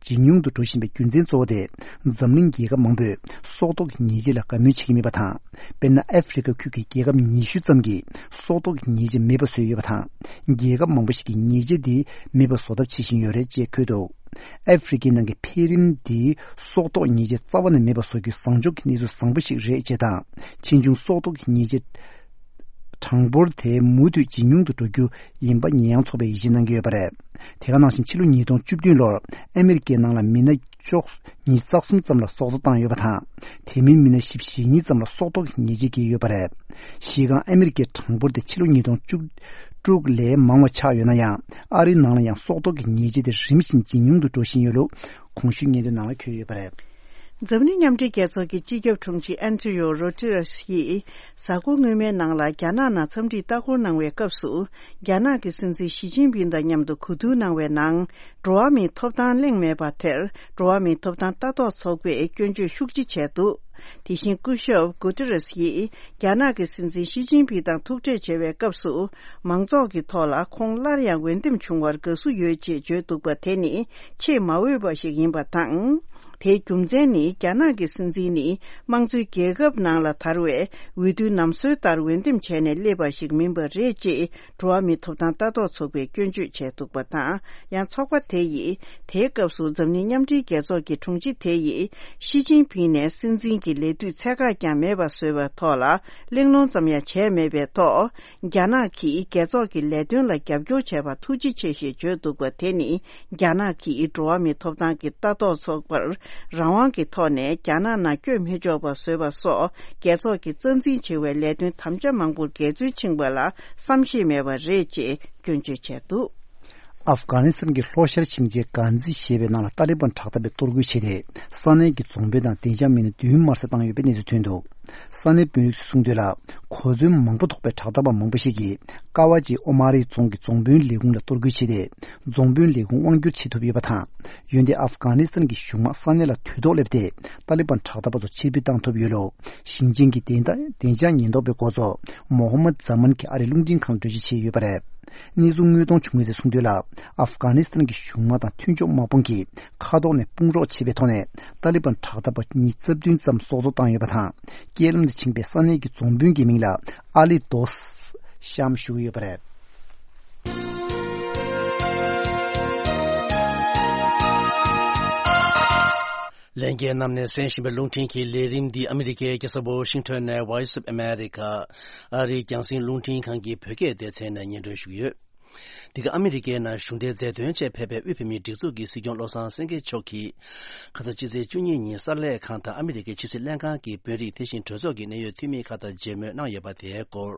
ཇེ་ཉུང་དུ་འགྲོ་བཞིན་པའི་རྒྱུ་མཚན་གཙོ་བོ་དེ། འཛམ་གླིང་རྒྱལ་ཁབ་མང་པོས་སྲོག་ཐོག་གི་ཉེས་ཆད་ལ་དགའ་མོས་བྱེད་ཀྱི་མེད་པ་དང་། དཔེར་ན། ཨ་ཧྥེ་རི་ཁ་ཁུལ་གྱི་རྒྱལ་ཁབ་ཉི་ཤུ་ཙམ་གྱིས་སྲོག་ཐོག་གི་ཉེས་ཆད་མེད་པ་བཟོས་ཡོད་པ་དང་། རྒྱལ་ཁབ་མང་པོ་ཞིག་གིས་ཉེས་ཆད་དེ་མེད་པ་བཟོ་ཐབས་བྱེད་བཞིན་ཡོད་རེད་ཅེས་འཁོད་འདུག་ཨ་ཧྥེ་རི་ཁའི་ནང་གི་འཕེལ་རིམ་འདིས་སྲོག་ཐོག་ཉེས་ཆད་རྩ་བ་ནས་མེད་པ་བཟོ་རྒྱུ་བཟང་ཕྱོགས་ཀྱི་གནས་ཚུལ་བཟང་པོ་ཞིག་རེད་ཅེས་དང་། ཕྱིས་འབྱུང་སྲོག་ཐོག་གི་ཉེས་ཆད་གྲངས་འབོར་དེ་མུ་མཐུད་ཇེ་ཉུང་དུ་འགྲོ་རྒྱུ་ཡིན་པ་ཉེས་ཡངས་ཚོགས་པས་ཡིད་ཆེས་གནང་གི་ཡོད་པ་རེད། དེ་ག་ནང་བཞིན་ཕྱི་ལོ་ཉིས་སྟོང་བཅུ་བདུན་ལོར་ཨ་མི་རི་ཀའི་ནང་ལ་མི་སྣ་བཅུ་གཉིས་རྩ་གསུམ་ཙམ་ལ་སྲོག་ཐོག་བཏང་ཡོད་པ་དང་། དེ་མིན་མི་སྣ་བཞི་བཅུ་ཞེ་གཉིས་ཙམ་ལ་སྲོག་ཐོག་གི་ཉེས་ཆད་བཀལ་ཡོད་པ་རེད། གཞི་རྐང་ཨ་མི་རི་ཀའི་གྲངས་འབོར་དེ་ཕྱི་ལོ་ཉིས་སྟོང་བཅུ་དྲུག་ལས་མང་བ་ཆགས་ཡོད་ན་ཡང་། ཨ་རིའི་ནང་ལ་ཡང་སྲོག་ཐོག་གི་ཉེས་ཆད་དེ་རིམ་བཞིན་ཇེ་ཉུང་དུ་འགྲོ་བཞིན་ཡོད་ལུགས་གོང་ཞུས་སྙན་ཐོའི་ནང་ལ་འཁོད་ཡོད་པ་རེད། འཛམ་གླིང་མཉམ་འབྲེལ་རྒྱལ་ཚོགས་ཀྱི་སྤྱི་ཁྱབ་དྲུང་ཆེ་ཨན་ཐི་ཡོ་རོ་ཏི་རེས་ཡིས་གཟའ་འཁོར་སྔོན་མའི་ནང་ལ་རྒྱ་ནག་ནང་འཚམས་འདྲིར་ལྟ་སྐོར་གནང་བའི་སྐབས་སུ། རྒྱ་ནག་གི་སྲིད་འཛིན་ཞི་ཅིན་ཕིང་དང་མཉམ་དུ་གོ་བསྡུར་གནང་བའི་ནང་། འགྲོ་བ་མིའི་ཐོབ་ཐང་གླེང་མེད་པ་དེར། འགྲོ་བ་མིའི་ཐོབ་ཐང་ལྟ་རྟོག་ཚོགས་པས་སྐྱོན་བརྗོད་ཤུགས་ཆེ་བྱས་འདུག་དེ་བཞིན་སྐུ་ཞབས་གུ་ཏི་རེས་ཡིས་རྒྱ་ནག་གི་སྲིད་འཛིན་ཞི་ཅིན་ཕིང་དང་ཐུག་འཕྲད་བྱས་པའི་སྐབས་སུ། མང་ཚོགས་ཀྱི་ཐོག་ལ་ཁོང་སླར་ཡང་འོས་འདེམས་བྱུང་བར་དགའ་བསུ་ཡོད་ཅེས་བརྗོད་འདུག་པ་དེ་ནི་ཆེས་མ་འོས་པ་ཞིག་ཡིན་པ་དང་། དེའི་རྒྱུ་མཚན་ནི་རྒྱ་ནག་གི་སྲིད་འཛིན་ནི་དམངས་གཙོའི་རྒྱལ་ཁབ་ནང་ལ་དར་བའི་འོས་བསྡུའི་ནམ་སྲོལ་ལྟར་འོས་འདེམས་བྱས་ནས་སླེབས་པ་ཞིག་མིན་པ་རེད་ཅེས་འགྲོ་བ་མིའི་ཐོབ་ཐང་ལྟ་རྟོག་ཚོགས་པས་སྐྱོན་བརྗོད་བྱས་འདུག་པ་དང་། ཡང་ཚོགས་པ་དེ་ཡིས་དེའི་སྐབས་སུ་འཛམ་གླིང་མཉམ་འབྲེལ་རྒྱལ་ཚོགས་ཀྱི་དྲུང་ཆེ་དེ་ཡིས་ཞི་ཅིན་ཕིང་ནས་སྲིད་འཛིན་གྱི་ལས་དུས་ཚད་བཀག་ཀྱང་མེད་པ་བཟོས་པའི་ཐོག་ལ་གླེང་སློང་ཙམ་ཡང་བྱས་མེད་པའི་ཐོག་རྒྱ་ནག་གིས་རྒྱལ་ཚོགས་ཀྱི་ལས་དོན་ལ་རྒྱབ་སྐྱོར་བྱས་པར་ཐུགས་རྗེ་ཆེ་ཞེས་བརྗོད་འདུག་པ་དེ་ནི། རྒྱ་ནག་གིས་འགྲོ་བ་མིའི་ཐོབ་ཐང་གི་ལྟ་རྟོག་ཚོགས་པར་རང་དབང་གི་ཐོག་ནས་རྒྱ་ནག་ནང་བསྐྱོད་མི་ཆོག་པ་བཟོས་པ་སོགས་རྒྱལ་ཚོགས་ཀྱི་རྩ་འཛིན་བྱེད་པའི་ལས་དོན་དམ་བཅའ་མང་པོར་འགལ་འཛོལ་ཕྱིན་པ་ལ་བསམ་ཤེས་མེད་པ་རེད་ཅེས་སྐྱོན་བརྗོད་བྱས་འདུག་ཨབ་གྷ་ནི་སི་ཐན་གྱི་ལྷོ་ཤར་ཕྱིན་ཆད་གྷན་ཛི་ཞེས་པའི་ནང་ལ་ཏཱ་ལི་བན་དྲག་འཐབ་པས་གཏོར་རྒོལ་བྱས་ཏེ། ས་གནས་ཀྱི་རྫོང་དཔོན་དང་བདེ་འཇགས་མི་སྣ་བདུན་དམར་གསོད་བཏང་ཡོད་པའི་གནས་ཚུལ་ཐོན་འདུག་ས་གནས་དཔོན་རིགས་ཚོས་གསུངས་དོན་ལ། གོ་མཚོན་མང་པོ་ཐོགས་པའི་དྲག་འཐབ་པ་མང་པོ་ཞིག་གིས་ཀ་ཝ་ཇི་ཨོ་མ་རི་རྫོང་གི་རྫོང་དཔོན་ལས་ཁུངས་ལ་གཏོར་རྒོལ་བྱས་ཏེ། རྫོང་དཔོན་ལས་ཁུངས་དབང་བསྒྱུར་བྱེད་ཐུབ་ཡོད་པ་དང་། འོན་ཏེ་ཨབ་གྷ་ནི་སི་ཐན་གྱི་གཞུང་དམག་ས་གནས་ལ་དུས་ཐོག་སླེབས་ཏེ། ཏཱ་ལི་བན་དྲག་འཐབ་པ་ཚོ་ཕྱིར་འབུད་བཏང་ཐུབ་ཡོད་ལུགས། ཞིང་ཆེན་གྱི་བདེ་ཐང་བདེ་འཇགས་ཉེན་རྟོག་པའི་འགོ་གཙོ་མོ་ཧམ་མད་ཛ་མན་གྱིས་ཨ་རིའི་རླུང་འཕྲིན་ཁང་ལ་འགྲེལ་བརྗོད་བྱས་ཡོད་པ་རེད། གནས་ཚུལ་དངོས་མཐོང་བྱུང་མཁན་ཚོས་གསུངས་དོན་ལ། ཨབ་གྷ་ནི་སི་ཐན་གྱི་གཞུང་དམག་དང་མཐུན་ཕྱོགས་དམག་དཔུང་གིས་མཁའ་ཐོག་ནས་དཔུང་རོགས་བྱས་པའི་ཐོག་ནས་ཏཱ་ལི་བན་དྲག་འཐབ་པ་ཉིས་རྩ་བདུན་ཙམ་སྲོག་ཐོག་བཏང་ཡོད་པ་དང་། རྐྱེན་ལམ་དུ་ཕྱིན་པའི་ས་གནས་ཀྱི་རྫོང་དཔོན་གྱི་མིང་ལ་ཨ་ལི་དོས་ཤམ་ཞུ་གི་ཡོད་པ་རེད། ལྷན་རྒྱས་རྣམས་ནས་གསན་བཞིན་པའི་རླུང་འཕྲིན་གྱི་ལས་རིམ་འདི་ཨ་མི་རི་ཀའི་རྒྱལ་ས་ཝོ་ཤིང་ཊོན་ནས་Voice of America ཨ་རིའི་རྒྱང་སྲིང་རླུང་འཕྲིན་ཁང་གི་བོད་སྐད་སྡེ་ཚན་ནས་སྙན་སྒྲོན་ཞུ་གི་ཡོད། འདི་ག་ཨ་མི་རི་ཀའི་ནང་གཞུང་འབྲེལ་མཛད་དོན་ཆེད་ཕེབས་པའི་དབུས་བོད་མིའི་སྒྲིག་འཛུགས་ཀྱི་སྲིད་སྐྱོང་བློ་བཟང་སེང་གེ་མཆོག་གིས། ཁ་སང་ཕྱི་ཚེས་བཅུ་གཉིས་ཉིན་གསར་ལས་ཁང་དང་ཨ་མི་རི་ཀའི་ཕྱི་སྲིད་ལྷན་ཁང་གི་དཔོན་རིགས་དེ་བཞིན་གྲོས་ཚོགས་ཀྱི་གནད་ཡོད་འཐུས་མིའི་ཁག་དང་མཇལ་མོལ་གནང་ཡོད་པ་དེའི་སྐོར།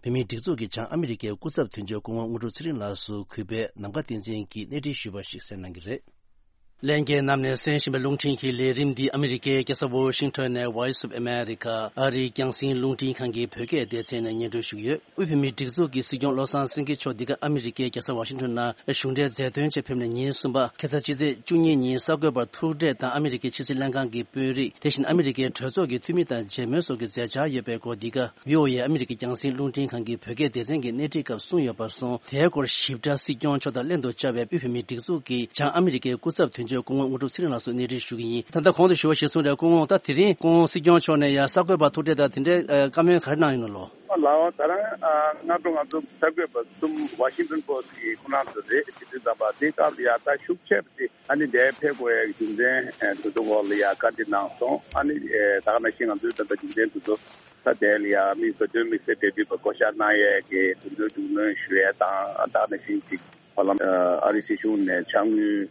བོད་མིའི་སྒྲིག་འཛུགས་ཀྱི་བྱང་ཨ་མི་རི་ཀའི་སྐུ་ཚབ་དོན་གཅོད་སྐུ་ངོ་དངོས་གྲུབ་ཚེ་རིང་ལགས་སུ་གུས་པས་ནམ་མཁའ་བསྟན་འཛིན་གྱིས་གནས་འདྲི་ཞུས་པ་ཞིག་གསན་གནང་གི་རེད། ལྷན་རྒྱས་རྣམས་ནས་གསན་བཞིན་པའི་རླུང་འཕྲིན་གྱི་ལས་རིམ་འདི་ཨ་མི་རི་ཀའི་རྒྱལ་ས་ཝོ་ཤིང་ཊོན་ནས་Voice of America ཨ་རིའི་རྒྱང་སྲིང་རླུང་འཕྲིན་ཁང་གི་བོད་སྐད་སྡེ་ཚན་ནས་སྙན་སྒྲོན་ཞུ་གི་ཡོད། དབུས་བོད་མིའི་སྒྲིག་འཛུགས་ཀྱི་སྲིད་སྐྱོང་བློ་བཟང་སེང་གེ་མཆོག་འདི་ག་ཨ་མི་རི་ཀའི་རྒྱལ་ས་ཝ་ཤིང་ཊོན་ནང་གཞུང་འབྲེལ་མཛད་དོན་ཆེད་ཕེབས་ནས་ཉིན་གསུམ་པ་ཁ་སང་ཕྱི་ཚེས་བཅུ་གཉིས་ཉིན་གསར་འགོད་པར་ཐུག་འཕྲད་དང་ཨ་མི་རི་ཀའི་ཕྱི་སྲིད་ལྷན་ཁང་གི་དཔོན་རིགས་དེ་བཞིན་ཨ་མི་རི་ཀའི་གྲོས་ཚོགས་ཀྱི་འཐུས་མི་དང་མཇལ་མོལ་སོགས་ཀྱི་མཛད་འཆར་ཡོད་པའི་སྐོར་འདི་ག་བྷི་ཨོ་ཨེ་ཨ་མི་རི་ཀའི་རྒྱང་སྲིང་རླུང་འཕྲིན་ཁང་གི་བོད་སྐད་སྡེ་ཚན་གྱིས་གནས་འདྲི་སྐབས་གསུངས་ཡོད་པར་སོང་། དེའི་སྐོར་ཞིབ་ཕྲ་སྲིད་སྐྱོང་མཆོག་དང་ལྷན་དུ་བཅར་བའི་དབུས་བོད་མིའི་སྒྲིག་འཛུགས་ཀྱི་བྱང་ཨ་མི་རི་ཀའི་སྐུ་ཚབ་དོན་གཅོད་སྐུ་ངོ་དངོས་གྲུབ་ཚེ་རིང་ལགས་སུ་གནས་འདྲི་ཞུ་གི་ཡིན། ད་ལྟ་གོང་དུ་ཞུ་བ་གཞིར་བཟུང་རེད། སྐུ་ངོ་ད་དེ་རིང་སྐུ་ངོ་སྲིད་སྐྱོང་མཆོག་ནས་ཡང་གསར་འགོད་པར་ཐུག་འཕྲད་དང་དེ་འདྲའི་བཀའ་མོལ་ག་རེ་གནང་ཡོད་ན་ལོ། ལགས་ད་རང་སྔ་དྲོ་ང་ཚོ་གསར་འགོད་པ་གསུམ་ཝ་ཤིང་ཏོན་པོ་སི་གི་ཁོ་རང་ཚོ་རེད། ཕྱི་དྲིལ་ཚན་པ་དེ་སྐབས་ལ་ཡ་ད་ཤུགས་ཆེ་བ་དེ་ཨ་ནི་འདིར་ཕེབས་དགོས་ཡ་གི་རྒྱུ་མཚན་དེ་ཚོ་སྐོར་ལ་ཡ་བཀའ་འདྲི་གནང་སོང་། ཨ་ནི་ད་ག་ནང་བཞིན་ང་ཚོའི་ད་ལྟ་རྒྱུ་མཚན་དེ་ཚོ་ད་དེ་ལ་ཡ་མི་བོད་དོན་དམིགས་བསལ་འབྲེལ་མཐུད་པ་བསྐོ་བཞག་གནང་ཡས་ཀྱི་དེ་ཚོའི་རྒྱུས་ལོན་ཞུ་ཡས་དང་ད་ག་ནང་བཞིན་ཅིག་ཧ་ལམ་ཨ་རི་སྲིད་གཞུང་ནས་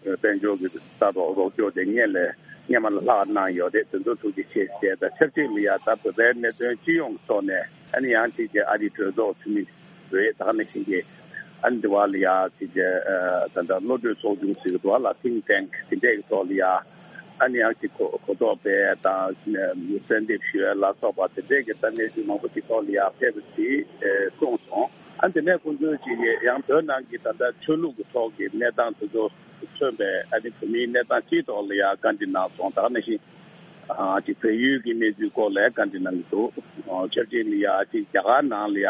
དཔལ་འབྱོར་གྱི་ལྟ་རྟོག་རོགས་སྐྱོར་དེ་སྔོན་ལ་སྔོན་མ་ལ་ལྷག་གནང་ཡོད་རེད། དེ་ཚོ་ཐུགས་རྗེ་ཆེ་ཞེས་དང་ཆབས་ཅིག་ལ་ཡ་ད་བོད་པའི་གནད་དོན་སྤྱི་ཡོངས་ཀྱི་ཐོག་ནས་ཨ་ནི་ཡང་ཅིག་གི་ཨ་རིའི་གྲོས་ཚོགས་འཐུས་མི་རེད། ད་ག་ནང་བཞིན་གྱི་ཨ་ནི་དེ་བ་ལ་ཡ་ཅིག་གི་ད་ལྟ་བློ་གྲོས་ཚོགས་ཆུང་ཟེར་གི་འདུག་བ་ལ་ཐིང་ཊེང་དེ་འདྲས་ཀྱི་ཐོག་ལ་ཡ་ཨ་ནི་ཡང་ཅིག་གོ་གོ་རྟོགས་སྤེལ་དང་གསལ་འདེབས་ཞུ་ཡ་ལ་སོགས་པ་དེ་འདྲས་ཀྱི་ད་གནས་ཚུལ་མང་པོ་ཅིག་ཐོག་ལ་ཡ་ཕེབས་པ་ཅིག་གསུངས་སོང་། ཨ་ནི་དེ་ནས་ཁོང་ཚོས་ཅིག་ཡང་བོད་ནང་གི་ད་ལྟ་ཆོས་ལུགས་ཀྱི་ཐོག་གི་གནས་སྟངས་དེ་ཚོ་མཚོན་པའི་ཨ་ནི་བོད་མིའི་གནས་སྟངས་སྤྱིའི་ཐོག་ལ་ཡང་བཀའ་འདྲི་གནང་སོང་། ད་ག་ནང་བཞིན་ ཨ་ཅིག་བལ་ཡུལ་གྱི་གནས་ཚུལ་སྐོར་ལ་བཀའ་འདྲི་གནང་གི་འདུག་ཨ་ཆབས་ཅིག་ལ་ཡ་ཅིག་རྒྱ་གར་ནང་ལ་ཡ་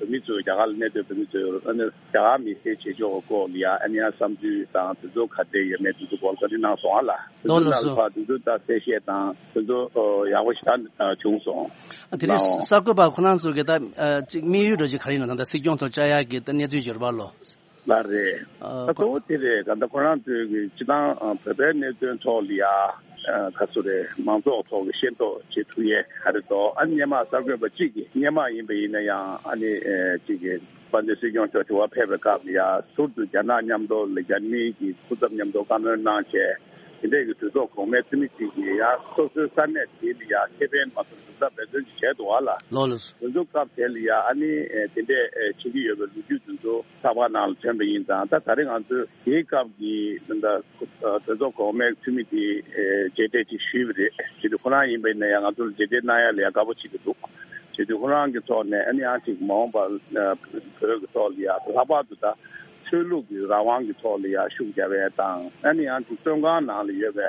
བོད་མི་ཚོས་རྒྱ་གར་ལ་གནས་སྡོད་བོད་མི་ཚོས་ཨ་ནི་རྒྱ་གར་མི་སེར་བྱེད་ཕྱོགས་སྐོར་ལ་ཡ་ཨ་ནི་ཡ་བསམ་ཚུལ་དང་དེ་ཚོ་ག་འདྲ་ཡོད་མེད་དེ་ཚོ་སྐོར་བཀའ་འདྲི་གནང་སོང་ཨ་ལ། དེ་ལོ་ཚོ་ལ་ནང་ལ་སོ། ཕར་དེ་ཚོ་ད་གསལ་བཤད་དང་དེ་ཚོ་ཨ་ཡག་པོ་ཞེ་དྲག་བྱུང་སོང་། ཨ་དེ་རིང་ལའོ། གསར་འགོད་པ་ཁོ་རང་ཚོ་གི་ད་ཨ་ཅིག་དམིགས་ཡུལ་འདྲ་ཅིག་ག་རེ་ཡིན་ན། ད་ལྟ་སྲིད་སྐྱོང་ཚོ་བཅར་ཡག་གི་ད་གནས་ཚུལ་ཡོད་རེད་པ་ལོ། ལགས་རེད། ཨ་ད་གཙོ་བོ་དེ་རེད། ག་ད་ཁོ་རང་ཚོས་གི་སྤྱི་བཏང་ཨ་བོད་པའི་གནད་དོན་ཐོག་ལ་ཡ་ཨ་ག་ཚོད་རེད། མང་ཚོགས་ཐོག་གི་ཤེས་རྟོགས་བྱེད་ཐུབ་ཡས་ག་རེ་འདུག་ཨ་ནི་སྔོན་མ་གསར་འགོད་པ་གཅིག་གིས་སྔོན་མ་ཡིན་པ་ཡིན་ན་ཡང་ཨ་ནི་ཨེ་གཅིག་གིས་དཔལ་ལྡན་སྲིད་སྐྱོང་མཆོག་དྲི་བར་ཕེབས་པའི་སྐབས་ལ་ཡ་ཟུར་དུ་རྒྱ་ནག་མཉམ་དུ་ལ་རྒྱ་མིའི་གི་སྐུ་ཚབ་མཉམ་དུ་བཀའ་མོལ་གནང་བྱས། དེ་འདྲས་ཀྱི་གྲོས་ཚོགས་གོང་མའི་འཐུས་མི་གཅིག་གིས་ཡང་སོ་སོའི་ས་གནས་དེ་ལ་ཡང་ཁེ་ཕན་མ་ཐོབ་གྲུབ་ཚབ་འབད་བརྩོན་ཅིག་བྱས་འདུག་བ་ལ། ལོ་ལོ། དེ་ཚོ་སྐབས་དེ་ལ་ཡང་ཨ་ནི་ཨེ་དེ་འདྲས་ཨེ་བྱེད་ཀྱི་ཡོད་པའི་ལོ་རྒྱུས་དེ་ཚོ་ཚགས་པར་ནང་ལ་ཐོན་པ་ཡིན་ཙང་། ད་ད་རེས་ང་ཚོས་དེའི་སྐབས་ཀྱི་ད་ལྟ་གྲོས་ཚོགས་གོང་མའི་འཐུས་མི་དེ་ཨེ་མཇལ་འཕྲད་ཅིག་ཞུས་པ་རེད། བྱས་དུས་ཁོ་རང་ཡིན་པ་ཡིན་ན་ཡང་ང་ཚོ་ལ་མཇལ་འཕྲད་གནང་ཡ་ལ་ཡང་དགའ་པོ་བྱེད་ཀྱི་འདུག་བྱས་དུས་ཁོ་རང་གི་ཐོག་ནས་ཨ་ནི་ཡང་ཅིག་མ་འོངས་པ་ཨ་བོད་ཀྱི་ཐོག་ལ་ཡང་ལྷག་པར་དུ་ད་ཆོས་ལུགས་ཀྱི་རང་དབང་གི་ཐོག་ལ་ཡང་ཤུགས་རྒྱབ་ཡས་དང་། ཨ་ནི་ཡང་ཅིག་བཙོན་ཁང་ནང་ལ་ཡོད་པའི་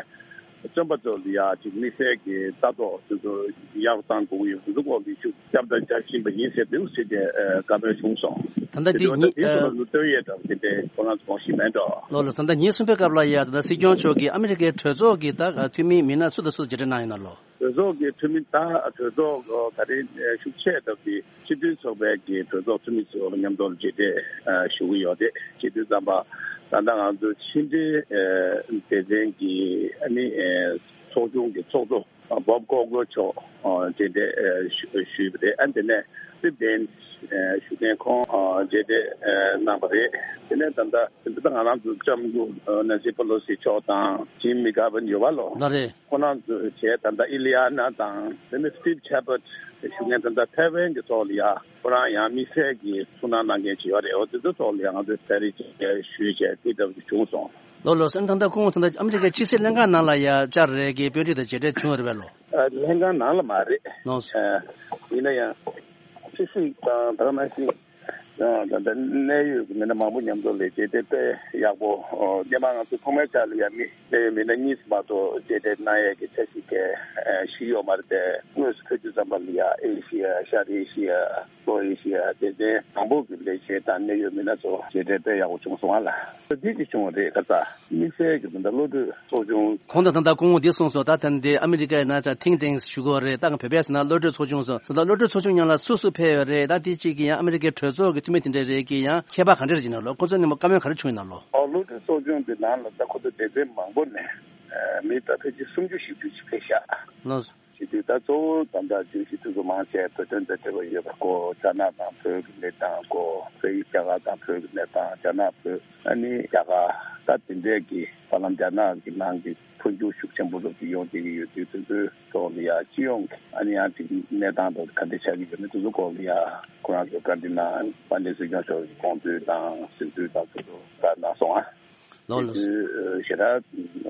བཙོན་པ་ཚོ་ལ་ཡང་ཅིག་དམིགས་བསལ་གྱི་ལྟ་རྟོག་དེ་ཚོ་ཡག་པོ་གནང་དགོས་ཀྱི་ཡོད། དེ་ཚོ་སྐོར་ལ་ཤུགས་རྒྱབ་དང་རྒྱག་བཞིན་པ་ཡིན་ཟེར་འདུག་ཟེར་ཏེ་ཨ་བཀའ་མོལ་བྱུང་སོང་། ད་ལྟ་དེ་དེ་འདྲ་ད་ཉིན་དེ་ཚོ་ཨ་ལ་ལུང་སྟོན་ཡས་འདྲ་བ་དེ་འདྲའི་ཁོ་རང་ཚོ་གོ་ཤེས་མེད་འགྲོ། ལོ་ལོ། ད་ལྟ་ཉིན་གསུམ་པའི་སྐབས་ལ་ཡ་ད་ལྟ་སྲིད་སྐྱོང་མཆོག་གིས་ཨ་མི་རི་ཀའི་གྲོས་ཚོགས་ཀྱི་ད་འཐུས་མི་མི་སྣ་སུ་དང་སུ་མཇལ་འཕྲད་གནང་ཡོད་ན་ལོ། གྲོས་ཚོགས་ཀྱི་འཐུས་མི་ད་གྲོས་ཚོགས་ག་རེ་ཤུགས་ཆེ་སྟབས་ཀྱིས་སྤྱི་མཐུན་ཚོགས་པའི་གི་གྲོས་ཚོགས་འཐུས་མི་ཚོ་མཉམ་དུ་མཇལ་འཕྲད་ཞུ་གི་ཡོད་རེད། སྤྱི་མཐུན་ཚོགས་པ་ད་ལྟ་ང་ཚོ་ཕྱི་འབྲེལ་སྡེ་ཚན་གྱི་ཨ་ནི་ཚོགས་ཆུང་གི་ཚོགས་གཙོ་བོབ་ཀོག་གྷོ་མཆོག་མཇལ་འཕྲད་ཞུས་པ་རེད། ཨ་དེ་ནས་སི་པེན་ཞུ་མཁན་ཁོང་མཇལ་འཕྲད་གནང་བ་རེད། དེ་ནས་ད་ལྟ་ད་ལྟ་ང་རང་ཚོ་ལྕམ་སྐུ་ནན་སི་པེ་ལོ་སི་མཆོག་དང་ཇིམ་མེ་གྷ་ཝིན་ཡོད་པ་ལོ། ལགས་རེད། ཁོང་རྣམ་ཚོས་བྱས་ད་ལྟ་ཨི་ལི་ཡ་ན་དང་དེ་ནས་སི་ཊིབ་ཆེ་པར་ཞུ་མཁན་ད་ལྟ་ཐའེ་ཝན་གྱི་ཐོག་ལ་ཡ་ཁོ་རང་ཡང་དམིགས་བསལ་གྱི་ཐུགས་སྣང་གནང་མཁན་ཅིག་ཡོད་རེད། འོ་དེ་ཚོའི་ཐོག་ལ་ཡ་ང་ཚོས་ད་རེས་ཅིག་ཞུས་བྱས་དེ་འདྲ་བྱུང་སོང་། ལོ་ལོ། སེམས་ད་ལྟ་ཁོང་ད་ལྟ་ཨ་མི་རི་ཀའི་ཕྱི་སྲིད་ལྷན་ཁང་ནང་ལ་ཡ་བཅར་རེད་ཀྱི་དཔོན་རིགས་དང་མཇལ་འཕྲད་བྱུང་ཡོད་རེད་པས་ལོ། ཨ་ལྷན་ཁང་ནང་ལ་མ་རེད། ལོ། ཨ་ཡིན་ན་ཡང་ཕྱི་སྲིད་དང་ད་ག་ནང་བཞིན། ད་ལྟ་གནད་ཡོད་ཀྱི་མི་སྣ་མང་པོ་མཉམ་དུ་ལ་མཇལ་འཕྲད་དཔེ་ཡག་པོ། སྔོན་མ་ང་ཚོ་ཐོག་མའི་ཆར་ལ་ཡང་མི་གནད་ཡོད་མི་སྣ་གཉིས་མ་གཏོགས་མཇལ་འཕྲད་གནང་ཡས་ཀྱི་འཆར་གཞི་གལ་ཞིག་ཡོད་མ་རེད་དེ། དངོས་སུ་ཕེབས་དུས་ཙམ་པ་ལ་ཡ་ཨེ་ཤི་ཡ་ཤར་ཨེ་ཤི་ཡ་ལྷོ་ཨེ་ཤི་ཡ་སྡེ་ཚན་མང་པོ་གི་ལས་བྱེད་དང་གནད་ཡོད་མི་སྣ་ཚོ་མཇལ་འཕྲད་དཔེ་ཡག་པོ་བྱུང་སོང་བ་ལ། འདི་ཅིག་བྱུང་བ་རེད། ཁ་ས་དམིགས་བསལ་གྱི་ད་ལྟ་བློ་གྲོས་ཚོགས་ཆུང་། ཁོང་དང་ད་ལྟ་སྐུ་ངོ་འདི་གསུངས་སོང་། ད་ད་འདི་ཨ་མི་རི་ཀའི་ནང་ཚ་ཐིང་ཐེངས་ཞུ་གི་རེད། ད་བོད་པའི་ཟེར་ན་བློ་གྲོས་ཚོགས་ཆུང་སོང་། ད་ལྟ་བློ་གྲོས་ཚོགས་ཆུང་ནང་ལ་སུ་སུ་ཕེབས་ཡོད་རེད། ད་དེ་གཅིག་གི་ཡང་ཨ་མི་རི་ཀའི་གྲོས་ཚོགས་ཀྱི་འཐུས་མི་དེ་འདྲ་རེད་ཀྱི་ཡང་ཁྱད་པར་ག་འདྲ་རེད་ཅེ་ན་ལོ། ཁོ་ཚོ་ནས་མོ་བཀའ་མོལ་ག་རེ་བྱུང་ཡོད་ན་ལོ། ཨོ་བློ་གྲོས་ཚོགས་ཆུང་དེ་ནང་ལ་ད་ཁོ་ཚོ་སྡེ་ཚན་མང་པོ་ནས་མི་ད་ཕལ་ཆེར་སུམ་ཅུ་བཞི་བཅུ་ཅིག་ཕེབས་ཤག་ལོ། བྱེད་དུས་ད་གཙོ་བོ་ད་ལྟ་བརྗོད་གཞི་དེ་ཚོ་མང་ཆེ་བོད་དོན་དང་འབྲེལ་བ་ཡོད་པ་སྐོར། རྒྱ་ནག་དང་བོད་ཀྱི་གནས་སྟངས་སྐོར། བོད་ཡིག་རྒྱ་གར་དང་བོད་ཀྱི་གནས་སྟངས། རྒྱ་ནག་བོད། ཨ་ནི་རྒྱ་གར་ད་དེ་འདྲས་ཀྱི་བར་ལམ་རྒྱ་ནག་གི་ནང་གི་འཕོ་འགྱུར་ཤུགས་ཆེན་པོ་རབ་ཏུ་ཡོང་བསྡད་ཀྱི་ཡོད་དུས་དེ་ཚོའི་ཐོག་ལ་ཡ་སྤྱི་ཡོངས་ཀྱི་ཨ་ནི་ཡང་ཅིག་གནས་སྟངས་དང་ག་འདྲས་ཆགས་ཀྱི་ཡོད་མེད་དེ་ཚོ་སྐོར་ལ་ཡ་ཁོ་རང་ཚོས་བཀའ་འདྲི་གནང་། དཔལ་ལྡན་སྲིད་སྐྱོང་མཆོག་གི་དགོངས་ཚུལ་དང་ཟིན་ཚུལ་དང་དེ་ཚོ་བཀའ་གནང་སོང་ཨ། ལོ་ལོ། དེ་དུས་ཞེ་དྲག་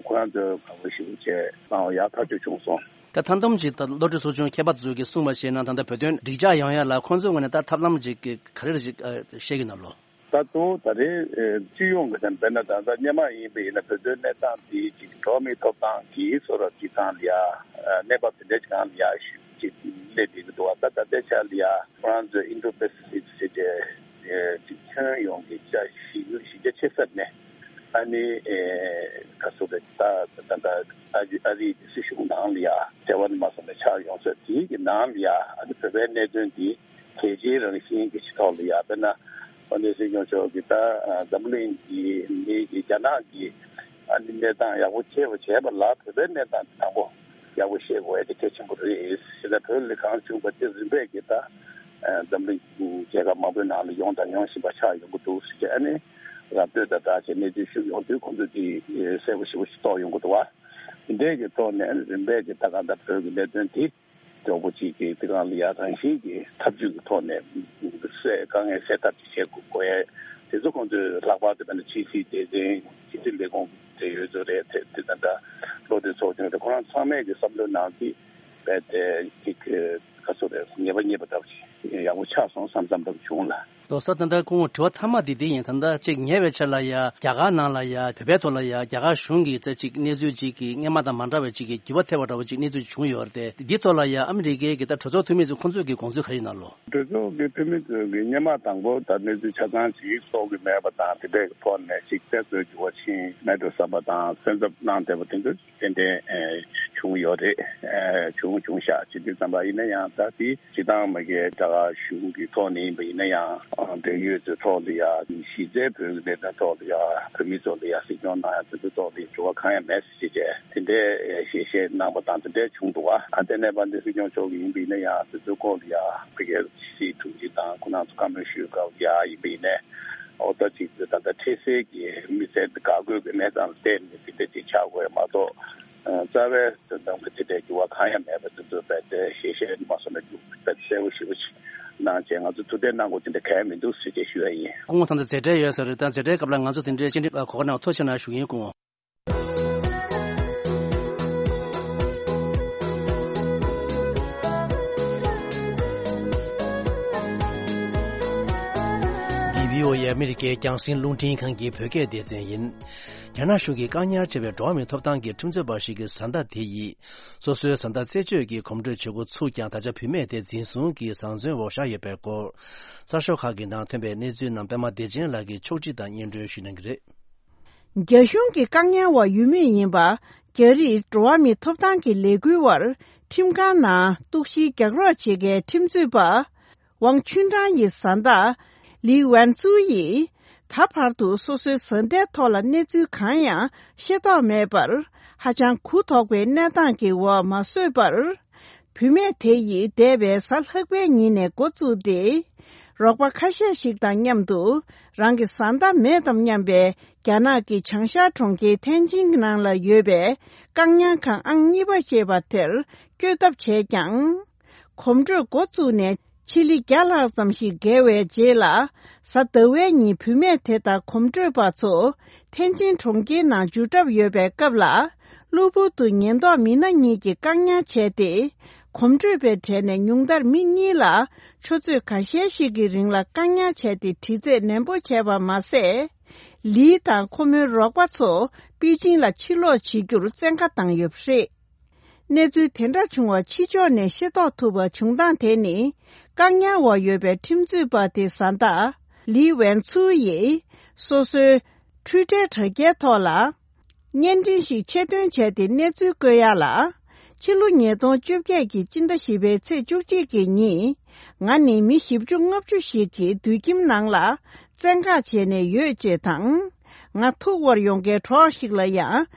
ཁོ་རང་ཚོས་དགའ་པོ་ཞེ་པོ་བྱས་གནང་བ་ཡག་ཐག་ཆོད་བྱུང་སོང་། ད་ཐང་དམ་གྱི་ད་བློ་གྲོས་ཚོགས་ཆུང་ཁྱད་པར་ཚོ་གིས་གསུངས་པ་བྱས་ན་ད་ལྟ་བོད་དོན་འགྲིག་འཇགས་ཡོང་ཡ་ལ་ཁོང་ཚོའི་ངོས་ནས་ད་ཐབས་ལམ་ཅིག་ག་རེ་ཞིག་བཤད་ཀྱི་ན་ལོ། ད་གཙོ་བོ་ད་རེས་སྤྱི་ཡོངས་ཀྱི་དང་དཔེར་ན་ད་ལྟ་སྔོན་མ་ཡིན་པ་ཡིན་ན་བོད་དོན་གནས་སྟངས་འདི་ཅིག་འགྲོ་མིའི་ཐོབ་ཐང་གི་སོ་རབ་ཅིག་སྒང་ལ་ཡ་གནས་བབ་དེ་འདྲ་ཅིག་སྒང་ལ་ཡ་ཞུ་ཅིག་སླེབས་བསྡད་ཀྱི་འདུག་བ། ད་ད་ལྟའི་ཆ་ལ་ཡ་ཁོ་རང་ཚོས་ཨིན་ཌོ་པེ་སི་ཕིག་ཟེར་ཏེ་ཅིག་ཁྱོན་ཡོངས་ཀྱི་ཆ་གཞི་གཞི་རྒྱ་ཆེ་ས་ནས་ཨ་ནི་ག་ཚོད་རེད། ད་ད་ད་ཨ་རི་ཨ་རིའི་སྲིད་གཞུང་ནང་ལ་ཡ་འབྲེལ་བ་ནས་མ་སོང་ནས་ཆགས་ཡོང་ས་དེའི་གི་ནང་ལ་ཡ་ཨ་ནི་བོད་པའི་གནད་དོན་འདི་གལ་ཆེའི་རང་བཞིན་གྱི་ཆེད་ཐོག་ལ་ཡ་དཔེར་ན་དཔལ་ལྡན་སྲིད་སྐྱོང་མཆོག་གིས་ད་འཛམ་གླིང་གི་མི་གི་རྒྱ་ནག་གི་ཨ་ནི་གནས་སྟངས་ཡག་པོ་ཤེས་པ་བྱས་པ་ལ་བོད་པའི་གནས་སྟངས་དེ་དང་པོ་ཡག་པོ་ཤེས་དགོས་ཡ་དེ་གལ་ཆེན་པོ་རེད། ཞེ་ན་བོད་ལ་གང་བྱུང་བ་དེ་རིམ་པས་ཀྱིས་ད་འཛམ་གླིང་རྒྱལ་ཁབ་མང་པོའི་ནང་ལ་ཡོང་དང་ཡོང་བཞིན་པ་ཆགས་ཡོང་གི་འདུག་ཟེར་ཨ་ནི་ར་སྤྲོད་དང་སྦྲགས་བྱས་གནས་ཚུལ་ཞུ་ཡོང་དུས་ཁོང་ཚོས་དེ་གསལ་པོ་ཞེ་པོ་ཞིག་རྟོགས་ཡོང་གི་འདུག་བ། དེ་འདྲའི་གི་ཐོག་ནས་རིམ་པས་ཀྱིས་ད་གང་ལྟར་བོད་ཀྱི་གནད་དོན་དེ་མགྱོགས་པོ་ཅིག་གིས་དེ་གང་ལ་ཡ་རང་བཞིན་གྱི་ཐབས་ཇུས་ཀྱི་ཐོག་ནས་སེལ་དཀའ་ངལ་སེལ་ཐབས་ཅིག་བྱེད་དགོས་དགོས་ཡས་དེ་ཚོ་ཁོང་ཚོས་ལྷག་པར་དུ་དཔེར་ན་ཕྱི་སྲིད་སྡེ་ཚན་ཕྱི་སྲིད་ལས་ཁུངས་དེ་ཡོད་ཚོད་རེད། དེ་དེ་ད་ལྟ་བློ་གྲོས་ཚོགས་ཆུང་དེ་ཁོ་རང་ཚང་མས་ཀྱི་བསམ་བློའི་ནང་གི་རྦད་དེ་ཅིག་ག་ཚོད་རེད། ངེས་པ་རྙེད་པ་འདྲ་བོ་ཅིག་ཡག་པོ་ཆགས་སོང་བསམ་བསམ་འདྲ་བོ་བྱུང་ལ། ལགས་སོ། ད་ལྟ་ཁོང་དྲི་བ་མཐའ་མ་འདི་འདི་ཡིན། ད་ལྟ་ཅིག་ཉེ་བའི་ཆར་ལ་ཡ་རྒྱ་གར་ནང་ལ་ཡ་བོད་པའི་ཐོག་ལ་ཡ་རྒྱ་གར་གཞུང་གིས་ཙེ་ཅིག་གནས་ཚུལ་ཅིག་གི་སྔོན་མ་དང་མ་འདྲ་བའི་ཅིག་གི་འགྱུར་བ་ཐེབས་པ་འདྲ་བོ་ཅིག་གནས་ཚུལ་བྱུང་ཡོད་རེད་དེ། འདི་ཐོག་ལ་ཡ་ཨ་མི་རི་ཀའི་གི་ད་གྲོས་ཚོགས་འཐུས་མི་ཚོ་ཁོང་ཚོས་གི་དགོངས་ཚུལ་ག་རེ་ཡིན་ན་ལོ། གྲོས་ཚོགས་ཀྱི་འཐུས་མི་ཚོས་ཀྱི་སྔོན་མ་དང་པོ་ད་གནས་ཚུལ་ཆ་ཚང་ཞིག་རྟོགས་ཀྱི་མེད་པ་དང་དེ་འདྲའི་ཐོག་ནས་ཅིག་དཔེ་མཚོན་གྱི་བ་ཕྱིན་མེད་འགྲོ་བསམ་པ་དང་སེམས་འཚབ་གནང་བསྡད་པ་དེ་ཚོ་ཏན་ཏན་ཨེ་བྱུང་ཡོད་རེད། ཨེ་བྱུང་བྱུང་ཤག་བྱེད་དུས་ཙམ་པ་ཡིན་ན་ཡང་ད་དེ་སྤྱི་བཏང་མ་གི་རྒྱ་གར་གཞུང་གི་ཐོག་ནས་ཡིན་པ་ཡིན་ན་ཡང་འབྲེལ་ཡོད་ཚོའི་ཐོག་ཏུ་ཡ་གཞི་རྩའི་བོད་ཀྱི་གནད་དོན་ཐོག་ཏུ་ཡ་བོད་མི་ཚོ་ལ་ཡ་གཟིགས་སྐྱོང་གནང་ཡ་དེ་ཚོའི་ཐོག་ཏུ་འགྱུར་བ་གང་ཡང་མེད་ཟེར་བྱས་བྱས་དེ་འདྲའི་ཞལ་བཞེས་གནང་པ་དང་དེ་འདྲའི་བྱུང་འདུག་བ། ཨ་དེ་ནས་བར་འདི་སྲིད་སྐྱོང་མཆོག་གིས་ཡིན་པ་ཡིན་ན་ཡང་དེ་ཚོའི་སྐོར་ལ་ཡ་ཕ་གིའི་ཕྱི་སྲིད་དྲུང་ཆེ་དང་ཁོང་རྣམ་ཚོ་བཀའ་མོལ་ཞུས་སྐབས་ཡ་ཡིན་པ་ཡིན་ནའི་ཨོ་ད་ཅིག་ད་ལྟ་འཕྲལ་སེལ་གྱི་མི་སེར་འགག་སྒོའི་གི་གནས་སྟངས་ལ་བལྟས་ནས་དེ་འདྲ་ཅིག་ཆགས་དགོས་མ་གཏོགས་རྩ་བའི་དོན་དམ་གྱི་དེ་འདྲའི་འགྱུར་བ་གང་ཡང་མེད་པ་དེ་ཚོ་རྦད་དེ་ཞལ་བཞེས་མ་སོང་ན་རྒྱུ་རྦད་དེ་གསལ་པོ་ཞེ་པོ་ཅིག་གནང་བྱས་ང་ཚོ་ཐུགས་གཏན་གནང་དགོས་དེ་འདྲ་གང་ཡང་མི་འདུག་ཟེར་བྱས་ཞུ་ཡ་ཡིན། སྐུ་ངོ་ད་ལྟ་མཛད་འཕྲིན་ཡོད་ས་རེད། ད་མཛད་འཕྲིན་སྐབས་ལ་ང་ཚོ་དེ་འདྲའི་སྤྱི་འགྲིམ་གོ་སྐབས་གནང་བ་ཐུགས་རྗེ་གནང་ཞུ་གི་ཡིན་སྐུ་ངོ། འདི་བྷི་ཨོ་ཨེ་ཨ་མི་རི་ཀའི་རྒྱང་སྲིང་རླུང་འཕྲིན་ཁང་གི་བོད་སྐད་སྡེ་ཚན་ཡིན། རྒྱ་ནག་གཞུང་གིས་བཀག་ཉར་བྱས་པའི་འགྲོ་བ་མིའི་ཐོབ་ཐང་གི་ཁྲིམས་རྩོད་པ་ཞིག་གི་བཟའ་ཟླ་དེ་ཡིས་སོ་སོའི་བཟའ་ཟླ་རྩད་གཅོད་ཀྱི་གོམ་བགྲོད་བྱེད་འགོ་ཚུགས་ཀྱང་ད་ཆ་བུད་མེད་དེ་འཛིན་བཟུང་གིས་བཟའ་འཛིན་འོག་བཞག་ཡོད་པའི་སྐོར། གསར་ཤོག་ཁག་གི་ནང་ཐོན་པའི་གནས་ཚུལ་རྣམས་པད་མ་བདེ་ཆེན་ལགས་ཀྱིས་ཕྱོགས་སྒྲིག་དང་སྙན་སྒྲོན་ཞུ་གནང་གི་རེད། རྒྱ་གཞུང་གི་བཀག་ཉར་འོག་ཡོད་མུས་ཡིན་པ། རྒྱ་རིགས་འགྲོ་བ་མིའི་ཐོབ་ཐང་གི་ལས་འགུལ་བར་ཁྲིམས་ཁང་ནང་གཏུག་བཤེར་རྒྱག་རོགས་བྱེད་མཁན་ཁྲིམས་རྩོད་པ། ཝང་ཆུན་ཀྲང་ཡི་བཟའ་ཟླ། ལི་ཝན་ཙུའུ་ཡིས། ད་བར་དུ་སོ་སོའི་བཟའ་ཟླའི་ཐོག་ལ་གནས་ཚུལ་གང་ཡང་ཤེས་རྟོགས་མེད་པར། ཧ་ཅང་གུ་དོག་པའི་གནས་སྟངས་ཀྱི་འོག་མ་བཟོད་པར། བུད་མེད་དེ་ཡིས་འདས་པའི་གཟའ་ལྷག་པའི་ཉིན་ནས་འགོ་བཙུགས་ཏེ། རོགས་པ་ཁ་ཤས་ཤིག་དང་མཉམ་དུ་རང་གི་བཟའ་ཟླ་མེད་དམ་སྙམ་པའི་རྒྱ་ནག་གི་བྱང་ཤར་གྲོང་ཁྱེར་ཐེན་ཅིན་ནང་ལ་ཡོད་པའི་བཀག་ཉར་ཁང་ཨང་གཉིས་པ་ཞེས་པ་དེར་བསྐྱོད་ཐབས་བྱས་ཀྱང་། གོམ་བགྲོད་འགོ་བཙུགས་ནས་ཕྱི་ལི་བརྒྱ་ལྷག་ཙམ་ཞིག་བརྒལ་བའི་རྗེས་ལ། གཟའ་ཟླ་བའི་ཉིན་བུད་མེད་དེ་དང་གོམ་བགྲོད་པ་ཚོ་ཐེན་ཅིན་གྲོང་ཁྱེར་ནང་འཇུག་གྲབས་ཡོད་པའི་སྐབས་ལ། གློ་བུར་དུ་ཉེན་རྟོག་མི་སྣ་གཉིས་ཀྱིས་བཀག་ཉར་བྱས་ཏེ། གོམ་བགྲོད་པའི་གྲས་ནས་ཉུང་མཐར་མི་གཉིས་ལ་ཆུ་ཚོད་ཁ་ཤས་ཤིག་གི་རིང་ལ་བཀག་ཉར་བྱས་ཏེ་དྲི་རྩད་ནན་པོ་བྱས་པ་མ་ཟད། ལི་དང་ཁོ་མོའི་རོགས་པ་ཚོ་པེ་ཅིང་ལ་ཕྱིར་ལོག་བྱེད་རྒྱུར་བཙན་བཀའ་བཏང་ཡོད་པ་རེད། གནས་ཚུལ་དེ་འདྲ་བྱུང་བ་ཕྱི་ཕྱོགས་ནས་ཤེས་རྟོགས་ཐུབ་པ་བྱུང་སྟངས་དེ་ནི། བཀག་ཉར་འོག་ཡོད་པའི་ཁྲིམས་རྩོད་པ་དེ་བཟའ་ཟླ་ལི་ཝན་ཚུའུ་ཡིས་སོ་སོའི་འཕྲུལ་འཕྲལ་དྲ་རྒྱའི་ཐོག་ལ། བརྙན་འཕྲིན་ཞིག་ཆེད་འདོན་བྱས་ཏེ་གནས་ཚུལ་བཀོད་ཡ་ལ། ཕྱི་ལོ་ཉིས་སྟོང་བཅོ་བརྒྱད་ཀྱི་སྤྱི་ཟླ་བཞི་པའི་ཚེས་བཅུ་གཅིག་གི་ཉིན། ང་ནི་མི་བཞི་བཅུ་ལྔ་བཅུ་ཞིག་གི་དུད་ཁྱིམ་ནང་ལ་བཙན་བཀག་བྱས་ནས་ཡོད་ཅེས་དང་། ང་ཐུག་པར་ཡོང་མཁན་གྲོགས་ཤིག་ལ་ཡང་།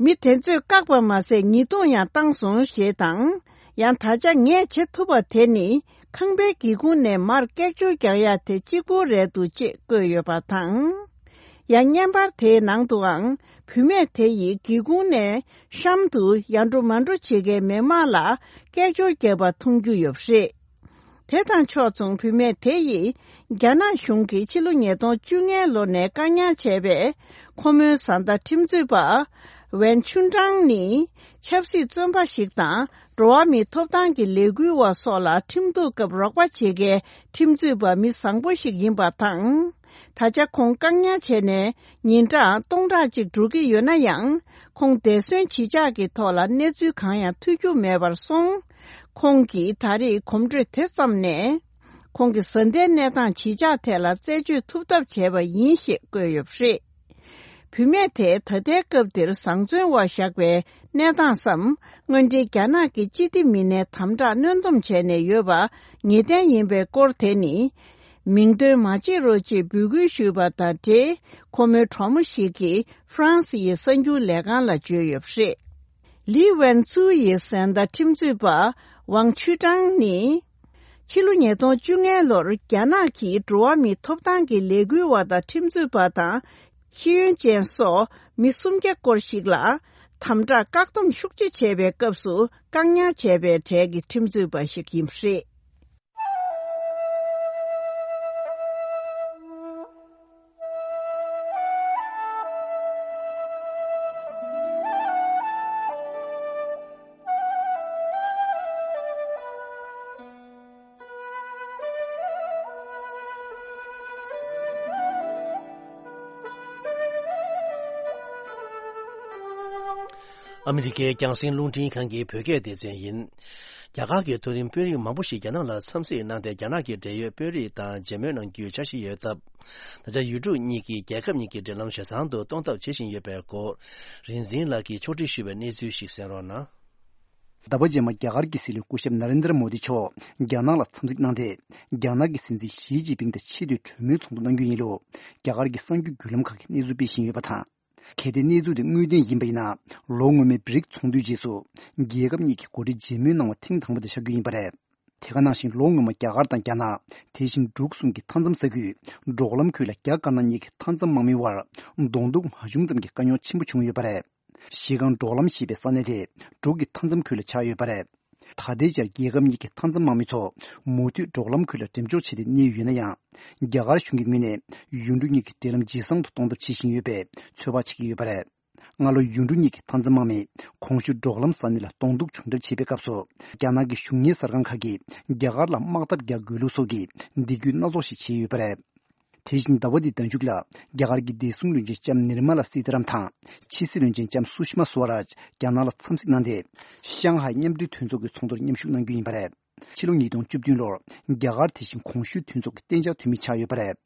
མི་དེ་ཚོས་བཀག་པ་མ་ཟད་ཉེས་རྡུང་ཡང་བཏང་སོང་ཞེས་དང་། ཡང་ད་ཆ་ངས་བྱེད་ཐུབ་པ་དེ་ནི་ཁང་པའི་སྒེའུ་ཁུང་ནས་མར་སྐད་ཅོར་རྒྱག་ཡ་དེ་གཅིག་པུ་རེད་འདུག་ཅེས་བཀོད་ཡོད་པ་དང་། ཡང་བརྙན་པར་དེའི་ནང་དུའང་བུད་མེད་དེ་ཡིས་སྒེའུ་ཁུང་ནས་གཤམ་དུ་ཡར་འགྲོ་མར་འགྲོ་བྱེད་མཁན་མི་མང་ལ་སྐད་ཅོར་བརྒྱབ་པ་མཐོང་རྒྱུ་ཡོད་པ་རེད། དེ་དང་ཕྱོགས་མཚུངས་བུད་མེད་དེ་ཡིས་རྒྱ་ནག་གཞུང་གིས་ཕྱི་ལོ་ཉིས་སྟོང་བཅོ་ལྔའི་ལོ་ནས་བཀག་ཉར་བྱས་པའི་ཁོ་མོའི་བཟའ་ཟླ་ཁྲིམས་རྩོད་པ་ཝན་ཆུན་ཀྲང་ནི་ཆབ་སྲིད་བཙོན་པ་ཞིག་དང་འགྲོ་བ་མིའི་ཐོབ་ཐང་གི་ལས་འགུལ་བ་སོགས་ལ་ཁྲིམས་གཏུག་སྐབས་རོགས་པ་བྱེད་མཁན་ཁྲིམས་རྩོད་པ་མི་བཟང་པོ་ཞིག་ཡིན་པ་དང་། ད་ཆ་ཁོང་བཀག་ཉར་བྱས་ནས་ཉིན་གྲངས་སྟོང་ཕྲག་གཅིག་འགྲོ་གི་ཡོད་ན་ཡང་། ཁོང་འདས་གསོན་བྱེད་ཕྱག་གི་ཐོག་ལ་གནས་ཚུལ་གང་ཡང་ཐོས་རྒྱུ་མེད་པར་སོང་། ཁོང་གིས་ད་རེས་གོམ་བགྲོད་དེ་བརྩམས་ནས། ཁོང་གི་བཟའ་ཟླའི་གནས་སྟངས་ཇི་ཆགས་ཐད་ལ་རྩད་གཅོད་ཐུབ་ཐབས་བྱས་པ་ཡིན་ཞེས་བཀོད་ཡོད་པ་རེད། བུད་མེད་དེ་ད་ལྟའི་སྐབས་འདིར་བཟང་བཙོན་འོག་བཞག་པའི་གནས་སྟངས་སམ། དངོས་འབྲེལ་རྒྱ་ནག་གི་སྤྱི་བདེ་མི་སྣས་དམ་དྲག་གནོན་སྡོམ་བྱས་ནས་ཡོད་པ་ངེས་གཏན་ཡིན་པའི་སྐོར་དེ་ནི། མིང་འདོན་མ་བྱེད་རོགས་ཅེས་འབོད་སྐུལ་ཞུས་པ་དང་འབྲེལ། ཁོ་མོའི་གྲོགས་མོ་ཞིག་གིས་ཧྥ་རན་སི་ཡི་གསར་འགྱུར་ལས་ཁང་ལ་བརྗོད་ཡོད་པ་རེད། ལི་ཝན་ཙུའུ་ཡི་བཟའ་ཟླ་ཁྲིམས་རྩོད་པ་ཝང་ཆུ་ཀྲང་ནི། ཕྱི་ལོ་ཉིས་སྟོང་བཅོ་ལྔའི་ལོར་རྒྱ་ནག་གིས་འགྲོ་བ་མིའི་ཐོབ་ཐང་གི་ལས་འགུལ་བ་དང་ཁྲིམས་རྩོད་པ་དང་། ཤེས་ཡོན་ཅན་སོགས་མི་སུམ་བརྒྱ་སྐོར་ཞིག་ལ་དམ་དྲག་བཀག་སྡོམ་ཤུགས་ཆེ་བྱས་པའི་སྐབས་སུ་བཀག་ཉར་བྱས་པའི་གྲས་ཀྱི་ཁྲིམས་རྩོད་པ་ཞིག་ཡིན་པ་རེད། ཨ་མི་རི་ཀའི་རྒྱང་སྲིང་རླུང་འཕྲིན་ཁང་གི་བོད་སྐད་སྡེ་ཚན་ཡིན། རྒྱ་གར་གྱི་མཐོ་རིམ་དཔོན་རིགས་མང་པོ་ཞིག་རྒྱ་ནག་ལ་འཚམས་གཟིགས་གནང་སྟེ། རྒྱ་ནག་གི་འབྲེལ་ཡོད་དཔོན་རིགས་དང་མཇལ་མོལ་གནང་རྒྱུའི་འཆར་གཞི་ཡོད་སྟབས། ད་ཆ་ཡུལ་གྲུ་གཉིས་ཀྱིས་རྒྱལ་ཁབ་གཉིས་ཀྱི་འབྲེལ་ལམ་ཞེ་ཚང་དུ་གཏོང་ཐབས་བྱེད་བཞིན་ཡོད་པའི་སྐོར། རིག་འཛིན་ལགས་ཀྱིས་ཕྱོགས་སྒྲིག་ཞུས་པའི་གནས་ཚུལ་ཞིག་གསན་རོགས་གནང་། ཟླ་བ་རྗེས་མ་རྒྱ་གར་གྱི་སྲིད་བློན་སྐུ་ཞབས་ན་རེན་དྲ་མོ་དི་མཆོག་རྒྱ་ནག་ལ་འཚམས་གཟིགས་གནང་སྟེ། རྒྱ་ནག་གི་སྲིད་འཛིན་ཞི་ཅིན་ཕིང་དང་ཆེས་མཐོའི་གྲོས་མོལ་ཚོགས་འདུ་གནང་རྒྱུ་ཡིན་ལུགས་རྒྱ་གར་གྱི་གསར་འགྱུར་བརྒྱུད་ལམ་ཁག་གིས་གནས་ཚུལ་སྤེལ་བཞིན་ཡོད་པ་དང་། གལ་ཏེ་གནས་ཚུལ་དེ་དངོས་བདེན་ཡིན་པ་ཡིན་ན། ལོ་སྔོན་མའི་བྷི་རིག་ཚོགས་འདུའི་རྗེས་སུ། རྒྱལ་ཁབ་གཉིས་ཀྱི་འགོ་ཁྲིད་མཇལ་མོལ་གནང་བ་ཐེངས་དང་པོ་དེ་ཆགས་རྒྱུ་ཡིན་པ་རེད། དེ་ག་ནང་བཞིན་ལོ་སྔོན་མ་རྒྱ་གར་དང་རྒྱ་ནག་དེ་བཞིན་འབྲུག་གསུམ་གྱི་མཐའ་མཚམས་ས་ཁུལ་འབྲོག་ལམ་ཁུལ་ལ་རྒྱ་དཀར་ནག་གཉིས་ཀྱི་མཐའ་མཚམས་དམག་མིའི་དབར་གདོང་ཐུག་མ་བྱུང་ཙམ་གྱི་དཀའ་རྙོག་ཆེན་པོ་བྱུང་ཡོད་པ་རེད། གཞི་སྒང་འབྲོག་ལམ་ཞེས་པའི་ས་གནས་དེ་འབྲུག་གི་མཐའ་མཚམས་ཁུལ་ལ་ཆགས་ཡོད་པ་རེད། ད་ལྟའི་ཆར་རྒྱལ་ཁབ་གཉིས་ཀྱི་མཐའ་མཚམས་དམག་མི་ཚོ་མུ་མཐུད་འབྲོག་ལམ་ཁུལ་ལ་འགྲེམས་འཇོག་བྱས་ཏེ་གནས་ཡོད་ན་ཡང་། རྒྱ་གར་གཞུང་གི་ངོས་ནས་ཡུལ་གྲུ་གཉིས་ཀྱི་འབྲེལ་ལམ་ཇེ་བཟང་དུ་གཏོང་ཐབས་བྱེད་བཞིན་ཡོད་པའི་ཚོད་དཔག་བྱེད་ཀྱི་ཡོད་པ་རེད། སྔ་ལོ་ཡུལ་གྲུ་གཉིས་ཀྱི་མཐའ་མཚམས་དམག་མིས་གོང་ཞུས་འབྲོག་ལམ་ས་གནས་ལ་གདོང་ཐུག་བྱུང་གྲབས་བྱས་པའི་སྐབས་སུ། རྒྱ་ནག་གི་གཞུང་གཉེར་གསར་ཁང་ཁག་གིས་རྒྱ་གར་ལ་དམག་འཐབ་རྒྱག་དགོས་ལུགས་སོགས་ཀྱི་འདེགས་སྐྱོར་སྣ་ཚོགས་ཤིག་བྱས་ཡོད་པ་རེད། དེ་བཞིན་ཟླ་བ་འདིའི་ཟླ་མཇུག་ལ། རྒྱ་གར་གྱི་བདེ་སྲུང་བློན་ཆེན་ལྕམ་ནིར་མ་ལ་སི་ཏཱ་རམ་དང་། ཕྱི་སྲིད་བློན་ཆེན་ལྕམ་སུ་ཤི་མ་སུ་ཝ་རཱཇ་རྒྱ་ནག་ལ་འཚམས་གཟིགས་གནང་སྟེ། ཤང་ཧའེ་མཉམ་འབྲེལ་མཐུན་ཚོགས་ཀྱི་ཚོགས་འདུར་མཉམ་ཞུགས་གནང་རྒྱུ་ཡིན་པ་རེད། ཕྱི་ལོ་ཉིས་སྟོང་བཅུ་བདུན་ལོར་རྒྱ་གར་དེ་བཞིན་གོང་ཞུས་མཐུན་ཚོགས་ཀྱི་གཏན་འཇགས་འཐུས་མི་ཆགས་ཡོད་པ་རེད།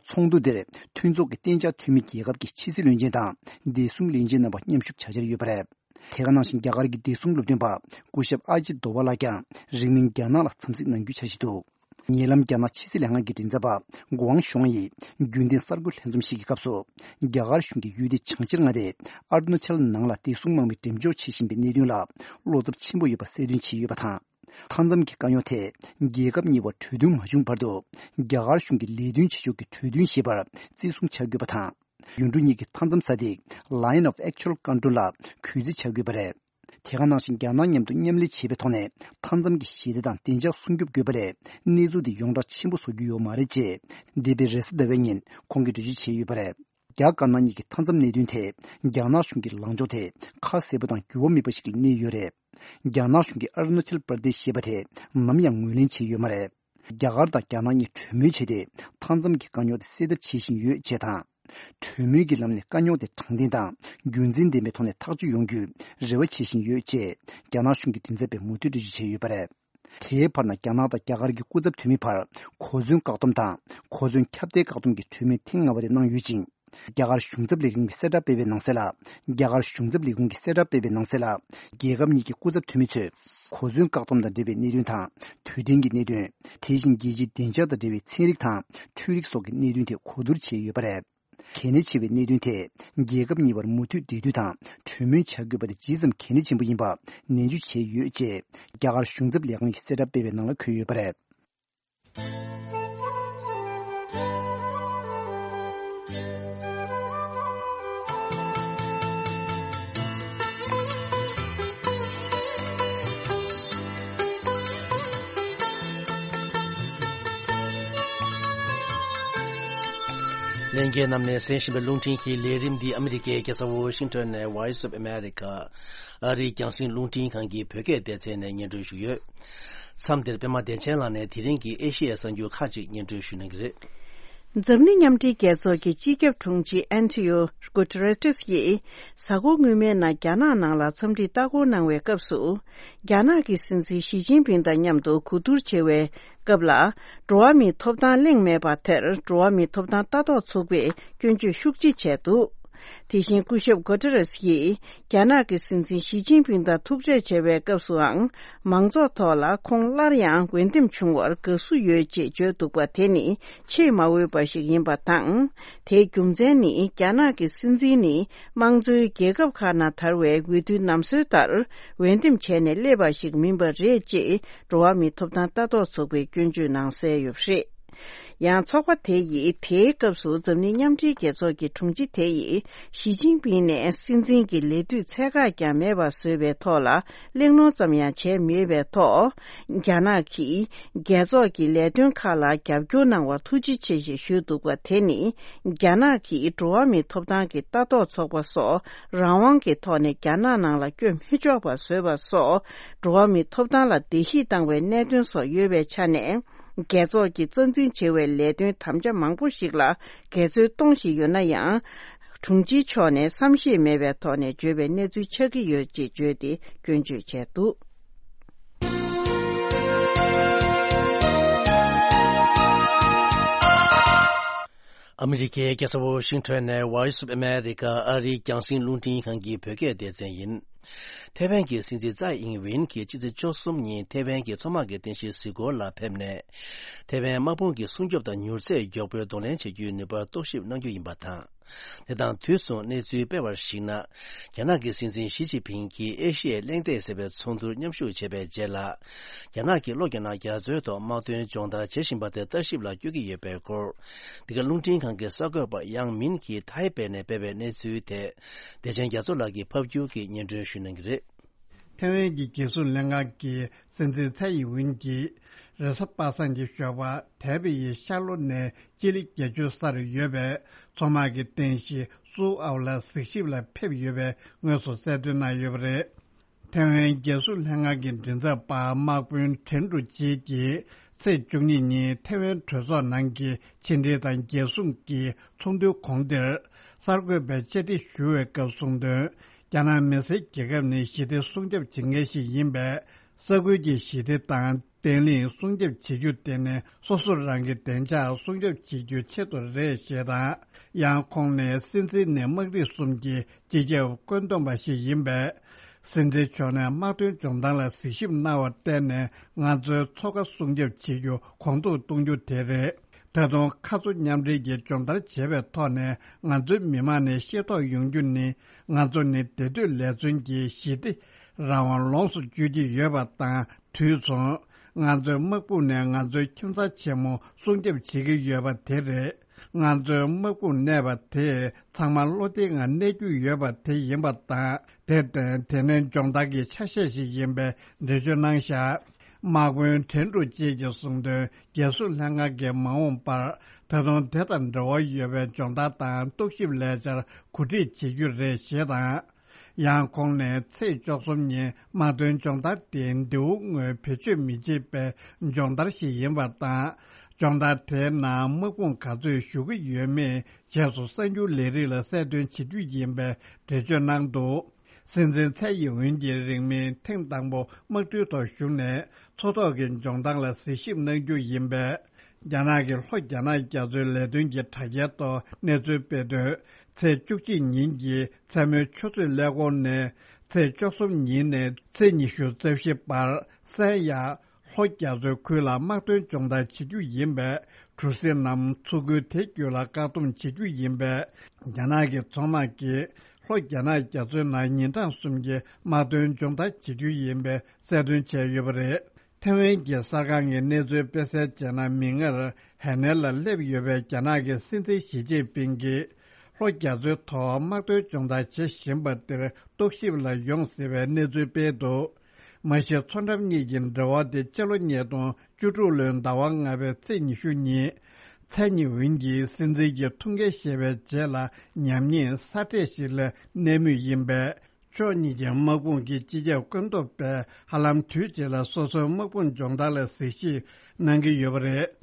ཚོགས་འདུ་དེར་མཐུན་ཚོགས་ཀྱི་གཏན་འཇགས་འཐུས་མི་རྒྱལ་ཁབ་ཀྱི་ཕྱི་སྲིད་བློན་ཆེན་དང་བདེ་སྲུང་བློན་ཆེན་རྣམ་པ་མཉམ་ཞུགས་བྱ་འཆར་ཡོད་པ་རེད། དེ་ག་ནང་བཞིན་རྒྱ་གར་གྱི་བདེ་སྲུང་སློབ་སྟོན་པ་སྐུ་ཞབས་ཨ་ཇིད་དོ་བྷ་ལགས་ཀྱང་རིང་མིན་རྒྱ་ནག་ལ་འཚམས་གཟིགས་གནང་རྒྱུའི་འཆར་གཞི་འདུག་ཉེ་ལམ་རྒྱ་ནག་ཕྱི་སྲིད་ལྷན་ཁང་གི་མགྲིན་ཚབ་པ་གུའང་ཞུའང་ཡིས་རྒྱུན་ལྡན་གསར་འགོད་ལྷན་འཛོམས་ཤིག་གི་སྐབས་སུ། རྒྱ་གར་གཞུང་གིས་ཡུལ་དེའི་བྱང་ཤར་མངའ་སྡེ་ཨ་རུ་ན་ཅལ་ནང་ལ་བདེ་སྲུང་དམག་མི་འགྲེམས་འཇོག་བྱེད་བཞིན་པའི་གནད་དོན་ལ་བློ་འཚབ་ཆེན་པོ་ཡོད་པ་གསལ་སྟོན་བྱས་ཡོད་པ་དང་། མཐའ་མཚམས་ཀྱི་དཀའ་རྙོག་དེ་རྒྱལ་ཁབ་གཉིས་བར་གྲོས་མཐུན་མ་བྱུང་བར་དུ། རྒྱ་གར་གཞུང་གིས་ལས་དོན་བྱེད་ཕྱོགས་ཀྱི་གྲོས་མཐུན་ཞེས་པར་བརྩི་སྲུང་བྱ་དགོས་པ་དང་། ཡུལ་གྲུ་གཉིས་ཀྱི་མཐའ་མཚམས་ས་ཐིག་Line of Actual Control ལ་གུས་བརྩི་བྱ་དགོས་པ་རེད། དེ་ག་ནང་བཞིན་རྒྱ་ནག་མཉམ་དུ་མཉམ་ལས་བྱེད་པའི་ཐོག་ནས་མཐའ་མཚམས་ཀྱི་ཞི་བདེ་དང་བདེ་འཇགས་སྲུང་སྐྱོབ་དགོས་པ་ལས་གནས་ཚུལ་འདི་ཡོངས་བསྒྲགས་ཆེན་པོ་བཟོ་རྒྱུ་ཡོད་མ་རེད་ཅེས་འདས་པའི་རེས་གཟའ་ཟླ་བའི་ཉིན་ཁོང་གིས་འགྲེལ་བརྗོད་བྱས་ཡོད་པ་རེད། རྒྱ་དཀར་ནག་གཉིས་ཀྱི་མཐའ་མཚམས་གནད་དོན་ཐད་རྒྱ་ནག་གཞུང་གི་ལངས་ཕྱོགས་དེ་ཁ་གསལ་པོ་དང་འགྱུར་བ་མེད་པ་ཞིག་ལ་གནས་ཡོད་རེད། རྒྱ་ནག་གཞུང་གིས་ཨ་རུ་ན་ཅལ་པར་དེཤ་ཞེས་པ་དེ་ནམ་ཡང་ངོས་ལེན་བྱས་ཡོད་མ་རེད། རྒྱ་གར་དང་རྒྱ་ནག་གཉིས་གྲོས་མོལ་བྱས་ཏེ་མཐའ་མཚམས་ཀྱི་དཀའ་རྙོག་དེ་སེལ་ཐབས་བྱེད་བཞིན་ཡོད་ཅེས་དང་། གྲོས་མོལ་གྱི་ལམ་ནས་དཀའ་རྙོག་དེ་དྲང་བདེན་དང་རྒྱུན་འཛིན་ལྡན་པའི་ཐོག་ནས་ཐག་གཅོད་ཡོང་རྒྱུའི་རེ་བ་བྱེད་བཞིན་ཡོད་ཅེས་རྒྱ་ནག་གཞུང་གི་མགྲིན་ཚབ་པས་མུ་མཐུད་འགྲེལ་བརྗོད་བྱས་ཡོད་པ་རེད། དེའི་བར་ན་རྒྱ་ནག་དང་རྒྱ་གར་གྱི་སྐུ་ཚབ་འཐུས་མིའི་བར་གོ་མཚོན་བཀག་སྡོམ་དང་གོ་མཚོན་ཁྱབ་གདལ་བཀག་སྡོམ་གྱི་གྲོས་མོལ་ཐེངས་ལྔ་པ་དེ་གནང་ཡོད་ཅིང་། རྒྱ་གར་གཞུང་ཚབ་ལས་ཁུངས་ཀྱིས་གསལ་བསྒྲགས་སྤེལ་བའི་ནང་གསལ་ལ། རྒྱ་གར་གཞུང་ཚབ་ལས་ཁུངས་ཀྱིས་གསལ་བསྒྲགས་སྤེལ་བའི་ནང་གསལ་ལ། རྒྱལ་ཁབ་གཉིས་ཀྱི་སྐུ་ཚབ་འཐུས་མི་ཚོས་གོ་མཚོན་བཀག་སྡོམ་དང་འབྲེལ་བའི་གནད་དོན་དང་དུས་དྲན་གྱི་གནད་དོན། དེ་བཞིན་རྒྱལ་སྤྱིའི་བདེ་འཇགས་དང་འབྲེལ་བའི་ཚན་རིག་དང་འཕྲུལ་རིག་སོགས་ཀྱི་གནད་དོན་ཐད་གོ་བསྡུར་བྱས་ཡོད་པ་རེད། གལ་གནད་ཆེ་བའི་གནད་དོན་ཐད་རྒྱལ་ཁབ་གཉིས་བར་མུ་མཐུད་འབྲེལ་མཐུད་དང་གྲོས་མོལ་བྱ་དགོས་པ་དེ་ཇི་ཙམ་གལ་གནད་ཆེན་པོ་ཡིན་པ་ནན་བརྗོད་བྱས་ཡོད་ཅེས་རྒྱ་གར་གཞུང་ཚབ་ལས་ཁང་གིས་གསལ་བསྒྲགས་སྤེལ་བའི་ནང་ལ་འཁོད་ཡོད་པ་རེད། ལྷན་རྒྱས་རྣམས་ནས་གསན་བཞིན་པའི་རླུང་འཕྲིན་གྱི་ལས་རིམ་འདི་ཨ་མི་རི་ཀའི་རྒྱལ་ས་ཝོ་ཤིང་ཊོན་ནས་Voice of America ཨ་རིའི་རྒྱང་སྲིང་རླུང་འཕྲིན་ཁང་གི་བོད་སྐད་སྡེ་ཚན་ནས་སྙན་སྒྲོན་ཞུས་ཡོད། མཚམས་འདིར་པད་མ་བདེ་ཆེན་ལགས་ནས་དེ་རིང་གི་ཨེ་ཤེ་ཡའི་གསར་འགྱུར་ཁག་ཅིག་སྙན་སྒྲོན་ཞུ་གནང་གི་རེད། འཛམ་གླིང་མཉམ་འབྲེལ་རྒྱལ་ཚོགས་ཀྱི་སྤྱི་ཁྱབ་དྲུང་ཆེ་ཨན་ཐི་ཡོ་གུ་ཏེ་རེ་ཏིས་ཡིས་གཟའ་འཁོར་སྔོན་མའི་ནང་རྒྱ་ནག་ནང་ལ་འཚམས་འདྲིའི་ལྟ་སྐོར་གནང་བའི་སྐབས་སུ། རྒྱ་ནག་གི་སྲིད་འཛིན་ཞི་ཅིན་ཕིང་དང་མཉམ་དུ་གོ་བསྡུར་བྱེད་པའི་སྐབས་ལ། འགྲོ་བ་མིའི་ཐོབ་ཐང་གླེང་མེད་པ་དེར་འགྲོ་བ་མིའི་ཐོབ་ཐང་ལྟ་རྟོག་ཚོགས་པས་སྐྱོན་བརྗོད་ཤུགས་ཆེ་བྱས་འདུག་དེ་བཞིན་སྐུ་ཞབས་གོ་ཏེ་རེས་ཡིས་རྒྱ་ནག་གི་སྲིད་འཛིན་ཞི་ཅིན་ཕིང་དང་ཐུག་འཕྲད་བྱས་པའི་སྐབས་སུའང་མང་ཚོགས་ཐོག་ལ་ཁོང་སླར་ཡང་འོས་འདེམས་བྱུང་བར་དགའ་བསུ་ཡོད་ཅེས་བརྗོད་འདུག་པ་དེ་ནི་ཆེས་མ་འོས་པ་ཞིག་ཡིན་པ་དང་། དེའི་རྒྱུ་མཚན་ནི་རྒྱ་ནག་གི་སྲིད་འཛིན་ནི་དམངས་གཙོའི་རྒྱལ་ཁབ་ཁག་ནང་དར་བའི་འོས་བསྡུའི་ནམ་སྲོལ་ལྟར་འོས་འདེམས་བྱས་ནས་སླེབས་པ་ཞིག་མིན་པ་རེད་ཅེས་འགྲོ་བ་མིའི་ཐོབ་ཐང་ལྟ་རྟོག་ཚོགས་པས་སྐྱོན་བརྗོད་གནང་གསལ་ཡོད་པ་རེད། ཡང་ཚོགས་པ་དེ་ཡིས་དེའི་སྐབས་སུ་འཛམ་གླིང་མཉམ་འབྲེལ་རྒྱལ་ཚོགས་ཀྱི་དྲུང་ཆེ་དེ་ཡིས་ཞི་ཅིན་ཕིང་ནས་སྲིད་འཛིན་གྱི་ལས་དུས་ཚད་བཀག་ཀྱང་མེད་པ་བཟོས་པའི་ཐོག་ལ་གླེང་སློང་ཙམ་ཡང་བྱས་མེད་པའི་ཐོག་རྒྱ་ནག་གིས་རྒྱལ་ཚོགས་ཀྱི་ལས་དོན་ཁག་ལ་རྒྱབ་སྐྱོར་གནང་བར་ཐུགས་རྗེ་ཆེ་ཞེས་ཞུས་འདུག་པ་དེ་ནི་རྒྱ་ནག་གིས་འགྲོ་བ་མིའི་ཐོབ་ཐང་གི་ལྟ་རྟོག་ཚོགས་པ་སོགས་རང་དབང་གི་ཐོག་ནས་རྒྱ་ནག་ནང་ལ་བསྐྱོད་མི་ཆོག་པ་བཟོས་པ་སོགས་འགྲོ་བ་མིའི་ཐོབ་ཐང་ལ་བརྡལ་བཤིག་བཏང་བའི་གནད་དོན་སོགས་ཡོད་པའི་ཆ་ནས། རྒྱལ་ཚོགས་ཀྱི་རྩ་འཛིན་བྱེད་པའི་ལས་དོན་དམ་བཅའ་མང་པོ་ཞིག་ལ་འགལ་འཛོལ་གཏོང་བཞིན་ཡོད་ན་ཡང་། དྲུང་ཆེ་མཆོག་ནས་བསམ་ཤེས་མེད་པའི་ཐོག་ནས་བརྗོད་པའི་གནས་ཚུལ་ཆགས་ཀྱི་ཡོད་ཅེས་བརྗོད་དེ་སྐྱོན་བརྗོད་བྱས་འདུག། ཨ་མི་རི་ཀའི་རྒྱལ་ས་ཝོ་ཤིང་ཊོན་ནས་Voice of America ཨ་རིའི་རྒྱང་སྲིང་རླུང་འཕྲིན་ཁང་གི་བོད་སྐད་སྡེ་ཚན་ཡིན། ཐའེ་ཝན་གྱི་སྲིད་འཛིན་ཙའེ་ཨིང་ཝིན་གྱིས་ཕྱི་ཚེས་བཅུ་གསུམ་ཉིན་ཐའེ་ཝན་གྱི་མཚོ་དམག་གི་རྟེན་གཞི་གཟིགས་སྐོར་ལ་ཕེབས་ནས། ཐའེ་ཝན་དམག་དཔུང་གི་སྲུང་སྐྱོབ་དང་མྱུར་ཚད་མགྱོགས་པོས་གདོང་ལེན་བྱེད་རྒྱུའི་ནུས་པར་རྟོག་ཞིབ་གནང་རྒྱུ་ཡིན་པ་དང་། དེ་དང་དུས་མཚུངས་གནས་ཚུལ་སྤེལ་བར་གཞིགས་ན། རྒྱ་ནག་གི་སྲིད་འཛིན་ཞི་ཅིན་ཕིང་གིས་ཨེ་ཤི་ཡའི་གླེང་སྟེགས་ཟེར་བའི་ཚོགས་འདུར་མཉམ་ཞུགས་བྱས་པའི་རྗེས་ལ། རྒྱ་ནག་གིས་ལྷོ་རྒྱ་ནག་རྒྱ་མཚོའི་ཐོག་དམག་དོན་སྦྱོང་བརྡར་བྱེད་བཞིན་པ་དེ་ལྟ་ཞིབ་ལ་བསྐྱོད་ཀྱི་ཡོད་པའི་སྐོར། འདི་ག་རླུང་འཕྲིན་ཁང་གི་གསར་འགོད་པ་ཡང་མིན་གྱིས་ཐའེ་པེ་ནས་སྤེལ་བའི་གནས་ཚུལ་དེ། བདེ་ཆེན་རྒྱ་མཚོ་ལགས་ཀྱིས་ཕབ་སྒྱུར་གྱིས་སྙན་སྒྲོན་ཞུ་གནང་གི་རེད། ཐའེ་ཝན་གྱི་རྒྱལ་སྲུང་ལྷན་ཁང་གི་སྲིད་འཛིན་ཚའེ་ཡིན་ཝིན་གྱིས། རེས་གཟའ་པ་སངས་ཀྱི་ཞོགས་པ་ཐའེ་པེ་ཡི་ཤར་ལྷོ་ནས་སྤྱི་ལེ་བརྒྱད་ཅུ་སར་ཡོད་པའི་མཚོ་དམག་གི་རྟེན་གཞི་སུའུ་ཨའོ་ལ་གཟིགས་ཞིབ་ལ་ཕེབས་ཡོད་པའི་དངོས་སུ་གསལ་སྟོན་གནང་ཡོད་པ་རེད། ཐའེ་ཝན་རྒྱལ་སྲུང་ལྷན་ཁང་གི་མགྲིན་ཚབ་པ་དམག་དཔོན་ཁྲེན་ཀྲུའུ་ཅི་གིས་ཚེས་བཅུ་གཉིས་ཉིན་ཐའེ་ཝན་གྲོས་ཚོགས་ནང་གི་ཕྱི་འབྲེལ་དང་རྒྱལ་སྲུང་གི་ཚོགས་འདུའི་གོང་དེར་གསར་འགོད་པའི་བཅར་འདྲི་ཞུ་བའི་སྐབས་གསུངས་དོན། རྒྱ་ནག་མི་སེར་རྒྱལ་ཁབ་ནི་ཞི་བདེ་སྲུང་སྐྱོབ་བྱེད་མཁན་ཞིག་ཡིན་པས། ས་ཁུལ་གྱི་ཞི་བདེ་དང་བརྟན་ལྷིང་སྲུང་སྐྱོབ་བྱེད་རྒྱུ་དེ་ནི་སོ་སོ་རང་གི་བདེ་འཇགས་སྲུང་སྐྱོབ་བྱེད་རྒྱུའི་ཆེད་དུ་རེད་ཞེས་དང་། ཡང་ཁོང་ནས་སྲིད་འཛིན་ནི་དམག་རིགས་གསུམ་གྱི་སྤྱི་ཁྱབ་བཀོད་འདོམས་པ་ཞིག་ཡིན་པས། སྲིད་འཛིན་མཆོག་ནས་དམག་དོན་སྦྱོང་བརྡར་ལ་གཟིགས་ཞིབ་གནང་བར་བརྟེན་ནས་ང་ཚོའི་མཚོ་ཁ་སྲུང་སྐྱོབ་བྱེད་རྒྱུ་གོང་མཐོར་གཏོང་རྒྱུ་དེ་རེད། ད་དུང་ཁ་མཚོ་མཉམ་འབྲེལ་གྱི་སྦྱོང་བརྡར་བྱེད་པའི་ཐོག་ནས་ང་ཚོའི་མི་དམངས་ནས་ཤེས་རྟོགས་ཡོང་རྒྱུ་ནི། ང་ཚོ་ནི་བདེ་སྡོད་ལས་བརྩོན་གྱི་ཞི་བདེ་རང་དབང་ལོངས་སུ་སྤྱོད་ཀྱི་ཡོད་པ་དང་དུས་མཚུངས། ང་ཚོའི་དམག་དཔུང་ནས་ང་ཚོའི་ཁྱིམ་ཚང་ཆེན་མོ་སྲུང་སྐྱོབ་བྱེད་ཀྱི་ཡོད་པ་དེ་རེད། ང་ཚོའི་དམག་དཔུང་གནས་པ་དེས་ཚང་མ་བློ་བདེ་ངང་གནས་རྒྱུ་ཡོད་པ་དེ་ཡིན་པ་དང་། དེར་བརྟེན་དེ་ནི་སྦྱོང་བརྡར་གྱི་ཆ་ཤས་ཤིག་ཡིན་པའི་འགྲེལ་བརྗོད་གནང་བཞག། དམག་དཔོན་ཁྲེན་ཀྲུའུ་ཅི་གིས་གསུངས་དོན། རྒྱལ་སྲུང་ལྷན་ཁང་གིས་མ་འོངས་པར་ད་དུང་དེ་དང་འབྲེལ་བ་ཡོད་པའི་སྦྱོང་བརྡར་དང་རྟོག་ཞིབ་ལས་འཆར་གོ་སྒྲིག་བྱེད་རྒྱུ་རེད་ཞེས་དང་། ཡང་ཁོང་ནས་ཚེས་བཅུ་གསུམ་ཉིན་དམག་དོན་སྦྱོང་བརྡར་དེ་མདེའུ་དངོས་བེད་སྤྱོད་མི་བྱེད་པའི་སྦྱོང་བརྡར་ཞིག་ཡིན་པ་དང་། སྦྱོང་བརྡར་དེའི་ནང་དམག་དཔུང་ག་ཚོད་ཞུགས་ཀྱི་ཡོད་མེད་རྗེས་སུ་གསར་འགྱུར་ལས་རིགས་ལ་གསལ་སྟོན་བྱེད་རྒྱུ་ཡིན་པའི་འགྲེལ་བརྗོད་གནང་འདུག། སྲིད་འཛིན་ཚའེ་ཡིན་ཝིན་གྱིས་རིང་མིན་ཐེངས་དང་པོ་དམག་གྲུའི་ཐོག་ཞུགས་ནས་མཚོ་ཐོག་གི་སྦྱོང་བརྡར་ལ་གཟིགས་ཞིབ་གནང་རྒྱུ་ཡིན་པས། རྒྱ་ནག་གི་ལྷོ་རྒྱ་ནག་རྒྱ་མཚོའི་ལས་དོན་གྱི་དྲ་རྒྱའི་ཐོག་གནས་ཚུལ་སྤེལ་དོན། ཚེས་བཅུ་གཅིག་ཉིན་གྱི་མཚན་མོའི་ཆུ་ཚོད་ཀླད་ཀོར་ནས་ཚེས་བཅུ་གསུམ་ཉིན་ནས་ཚེས་ཉི་ཤུ་རྩ་བཞི་བར་སན་ཡ། ལྷོ་རྒྱ་མཚོའི་ཁུལ་ལ་དམག་དོན་སྦྱོང་བརྡར་བྱེད་རྒྱུ་ཡིན་པས། གྲུ་གཟིངས་རྣམས་མཚོ་ཁུལ་དེ་བརྒྱུད་ལ་བཀག་སྡོམ་བྱེད་རྒྱུ་ཡིན་པས། རྒྱ་ནག་གི་མཚོ་དམག་གིས་ལྷོ་རྒྱ་ནག་རྒྱ་མཚོའི་ནང་ཉིན་གྲངས་གསུམ་གྱི་དམག་དོན་སྦྱོང་བརྡར་བྱེད་རྒྱུ་ཡིན་པའི་གསལ་སྟོན་བྱས་ཡོད་པ་རེད། ཐེ་ཝན་གྱི་གསར་ཁང་གི་གནས་ཚུལ་སྤེལ་གསལ་བྱས་ན། མིག་སྔར་ཧའེ་ནན་ལ་སླེབས་ཡོད་པའི་རྒྱ་ནག་གི་སྲིད་འཛིན་ཞི་ཅིན་ཕིང་གིས་ལྷོ་རྒྱ་མཚོའི་ཐོག་དམག་དོན་སྦྱོང་བརྡར་བྱེད་བཞིན་པ་དེར་རྟོག་ཞིབ་ལ་ཡོང་ཟེར་བའི་གནས་ཚུལ་སྤེལ་འདུག། མ་གཞི་མཚོ་འགྲམ་གཉིས་ཀྱི་འབྲེལ་བ་དེ་སྤྱི་ལོ་ཉིས་སྟོང་བཅུ་དྲུག་ལོའི་ཟླ་བ་ལྔ་པའི་ཚེས་ཉི་ཤུ་ཉིན། ཚའེ་ཉི་ཝུན་གྱིས་སྲིད་འཛིན་གྱི་ཐུགས་འགན་བཞེས་པའི་རྗེས་ལ་ཉམས་ཉེས་གསར་འཕྲད་ཞིག་ལ་གནས་མུས་ཡིན་པས། ཕྱོགས་གཉིས་ཀྱི་དམག་དཔུང་གི་སྤྱི་ཁྱབ་བཀོད་འདོམས་པས་ཧ་ལམ་དུས་གཅིག་ལ་སོ་སོའི་དམག་དཔུང་སྦྱོང་བརྡར་ལ་གཟིགས་ཞིབ་གནང་གི་ཡོད་པ་རེད།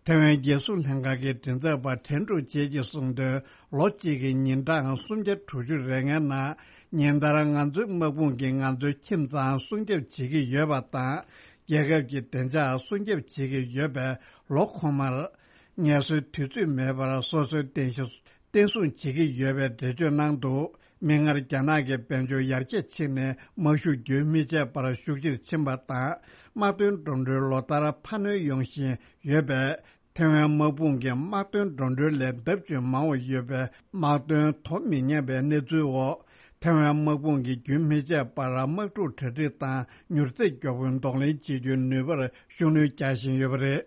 ཐེ་ཝན་རྒྱལ་སྲུང་ལྷན་ཁང་གི་མགྲིན་ཚབ་པ་ཁྲེན་ཀྲུའུ་ཅི་གིས་གསུངས་དོན། ལོ་གཅིག་གི་ཉིན་གྲངས་སུམ་བརྒྱ་དྲུག་ཅུ་རེ་ལྔའི་ནང་ཉིན་ལྟར་ང་ཚོའི་དམག་དཔུང་གིས་ང་ཚོའི་ཁྱིམ་ཚང་སྲུང་སྐྱོབ་བྱེད་ཀྱི་ཡོད་པ་དང་། རྒྱལ་ཁབ་ཀྱི་བདེ་འཇགས་སྲུང་སྐྱོབ་བྱེད་ཀྱི་ཡོད་པས། ལོ་ཁོ་མར་ངལ་གསོའི་དུས་ཚོད་མེད་པར་སོ་སོའི་རྟེན་གཞི་བརྟན་སྲུང་བྱེད་ཀྱི་ཡོད་པའི་འགྲེལ་བརྗོད་གནང་འདུག། མིག་སྔར་རྒྱ་ནག་གི་དཔལ་འབྱོར་ཡར་རྒྱས་ཕྱིན་ནས་དམག་ཤུགས་རྒྱུན་མི་ཆད་པར་ཤུགས་ཆེར་ཕྱིན་པ་དང་། དམག་དོན་འགྲོ་གྲོན་ལོ་ལྟར་འཕར་སྣོན་ཡོང་བཞིན་ཡོད་པས། ཐེ་ཝན་དམག་དཔུང་གི་དམག་དོན་འགྲོ་གྲོན་ལས་ལྡབ་ཅུ་མང་བ་ཡོད་པའི་དམག་དོན་དོ་མི་མཉམ་པའི་གནས་ཚུལ་འོག། ཐེ་ཝན་དམག་དཔུང་གིས་རྒྱུན་མི་ཆད་པར་དམག་འཁྲུག་གྲ་སྒྲིག་དང་མྱུར་ཚད་མགྱོགས་པོའི་གདོང་ལེན་བྱེད་རྒྱུའི་ནུས་པར་ཤུགས་སྣོན་རྒྱག་བཞིན་ཡོད་པ་རེད།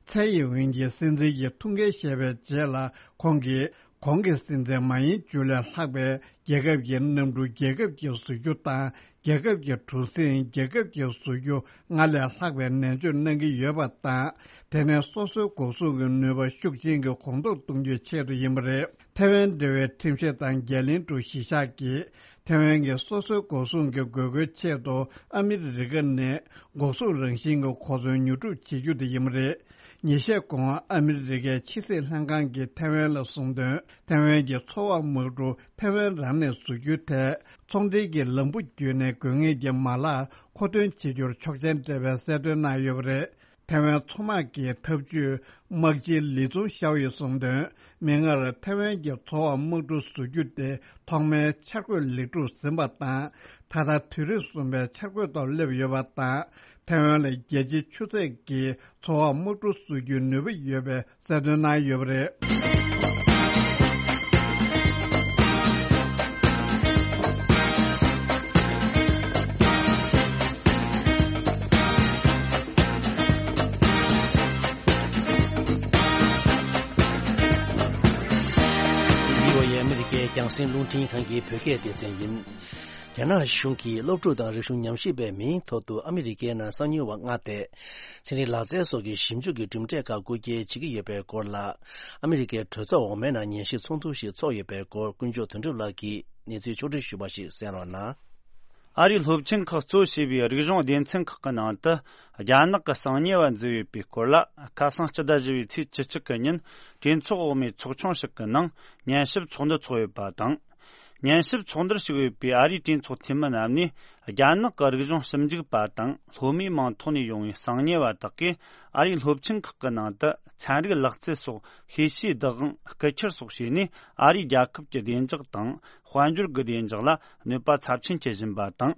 ཚའེ་ཡིན་ཝིན་གྱིས་སྲིད་འཛིན་གྱི་ཐུགས་འགན་བཞེས་པའི་རྗེས་ལ། ཁོང་གིས་གོང་གི་སྲིད་འཛིན་མ་ཡིན་ཅུ་ལས་ལྷག་པའི་རྒྱལ་ཁབ་ཀྱི་གནམ་གྲུ་རྒྱལ་ཁབ་ཀྱིས་བཟོ་རྒྱུ་དང་། རྒྱལ་ཁབ་ཀྱི་གྲུ་གཟིངས་རྒྱལ་ཁབ་ཀྱིས་བཟོ་རྒྱུ་ལྔ་ལས་ལྷག་པའི་ནན་བརྗོད་གནང་གི་ཡོད་པ་དང་། དེ་ནི་སོ་སོའི་འགོག་སྲུང་གི་ནུས་པ་ཤུགས་ཆེན་གྱིས་གོང་མཐོར་གཏོང་རྒྱུའི་ཆེད་དུ་ཡིན་པ་རེད། ཐེ་ཝན་འབྲེལ་བའི་ཁྲིམས་ཞིབ་དང་རྒྱལ་གླིང་ཀྲུའུ་གཞིས་ཆགས་ཀྱིས། ཐའེ་ཝན་གྱི་སོ་སོའི་འགོག་སྲུང་གི་དགོས་མཁོའི་ཆེད་དུ་ཨ་མི་རི་ཀ་ནས་འགོག་སྲུང་རང་བཞིན་གྱི་གོ་མཚོན་ཉོ་སྒྲུབ་བྱེད་རྒྱུ་དེ་ཡིན་པ་རེད། ཉིན་ཤས་གོང་ཨ་མི་རི་ཀའི་ཕྱི་སྲིད་ལྷན་ཁང་གིས་ཐའེ་ཝན་ལ་གསུངས་དོན། ཐའེ་ཝན་གྱི་འཚོ་བ་དམག་གྲུ་ཐའེ་ཝན་རང་ནས་བཟོ་རྒྱུའི་ཐད། ཚོང་འབྲེལ་གྱི་ལམ་བུ་བརྒྱུད་ནས་དགོས་ངེས་ཀྱི་མ་ལག་མཁོ་འདོན་བྱེད་རྒྱུར་ཆོག་མཆན་སྤྲད་པའི་གསལ་སྟོན་གནང་ཡོད་པ་རེད། ཐའེ་ཝན་མཚོ་དམག་གི་ཐབས་ཇུས་དམག་སྤྱི་ལི་ཙུང་ཤའོ་ཡིས་གསུངས་དོན། མིག་སྔར་ཐའེ་ཝན་གྱི་འཚོ་བ་དམག་གྲུ་བཟོ་རྒྱུ་དེ་ཐོག་མའི་འཆར་འགོད་ལེགས་གྲུབ་ཟིན་པ་དང་། ད་ལྟ་དུས་རབས་གསུམ་པའི་འཆར་འགོད་ཐོག་སླེབས་ཡོད་པ་དང་། ཐའེ་ཝན་ལ་རྒྱལ་སྤྱིའི་ཆུ་ཚད་ཀྱི་འཚོ་བ་དམག་གྲུ་བཟོ་རྒྱུའི་ནུས་པ་ཡོད་པའི་གསལ་སྟོན་གནང་ཡོད་པ་རེད། འདི་བོ་ཡི་ཨ་མི་རི་ཀའི་རྒྱང་སྲིང་རླུང་འཕྲིན་ཁང་གི་བོད་སྐད་སྡེ་ཚན་ཡིན། རྒྱ་ནག་གཞུང་གིས་སློབ་ཕྲུག་དང་རིག་གཞུང་ཉམས་ཞིབ་པའི་མིང་ཐོག་ཏུ་ཨ་མི་རི་ཀའི་ནང་གསང་ཉུལ་བ་མངགས་ཏེ། ཚན་རིག་ལག་རྩལ་སོགས་ཀྱི་ཞིབ་འཇུག་གི་གྲུབ་འབྲས་ཁག་རྐུ་འཁྱེར་བྱེད་ཀྱི་ཡོད་པའི་སྐོར་ལ། ཨ་མི་རི་ཀའི་གྲོས་ཚོགས་འོག་མའི་ནང་ཉན་ཞིབ་ཚོགས་འདུ་ཞིག་ཚོགས་ཡོད་པའི་སྐོར་དཀོན་མཆོག་དོན་གྲུབ་ལགས་ཀྱིས་གནས་ཚུལ་ཕྱོགས་བསྒྲིགས་ཞུས་པ་ཞིག་གསན་རོགས་གནང་། ཨ་རིའི་སློབ་ཆེན་ཁག་གཙོ་བྱས་པའི་རིག་གཞུང་སྡེ་ཚན་ཁག་གི་ནང་དུ། རྒྱ་ནག་གི་གསང་ཉེ་བ་འཛུལ་ཡོད་པའི་སྐོར་ལ། ཁ་སང་སྤྱི་ཟླ་བཞི་པའི་ཚེས་བཅུ་གཅིག་གི་ཉིན་གྲོས་ཚོགས་འོག་མའི་ཚོགས་ཆུང་ཞིག་གི་ནང་ཉན་ཞིབ་ཚོགས་འདུ་ཚོགས་ཡོད་པ་དང་། ཉན་ཞིབ་ཚོགས་འདུར་ཞུགས་ཡོད་པའི་ཨ་རིའི་གྲོས་ཚོགས་འཐུས་མི་རྣམས་ནས། རྒྱ་ནག་གི་རིག་གཞུང་ཞིབ་འཇུག་པ་དང་སློབ་མའི་མིང་ཐོག་ནས་ཡོང་བའི་གསང་ཉེ་བ་དག་གིས་ཨ་རིའི་སློབ་ཆེན་ཁག་གི་ནང་དུ་ཚན་རིག་ལག་རྩལ་སོགས་ཤེས་བྱའི་བདག་དབང་རྐུ་འཁྱེར་སོགས་བྱས་ནས། ཨ་རིའི་རྒྱལ་ཁབ་ཀྱི་བདེ་འཇགས་དང་དཔལ་འབྱོར་གྱི་བདེ་འཇགས་ལ་གནོད་པ་ཚབས་ཆེན་བསྐྱལ་བཞིན་པ་དང་།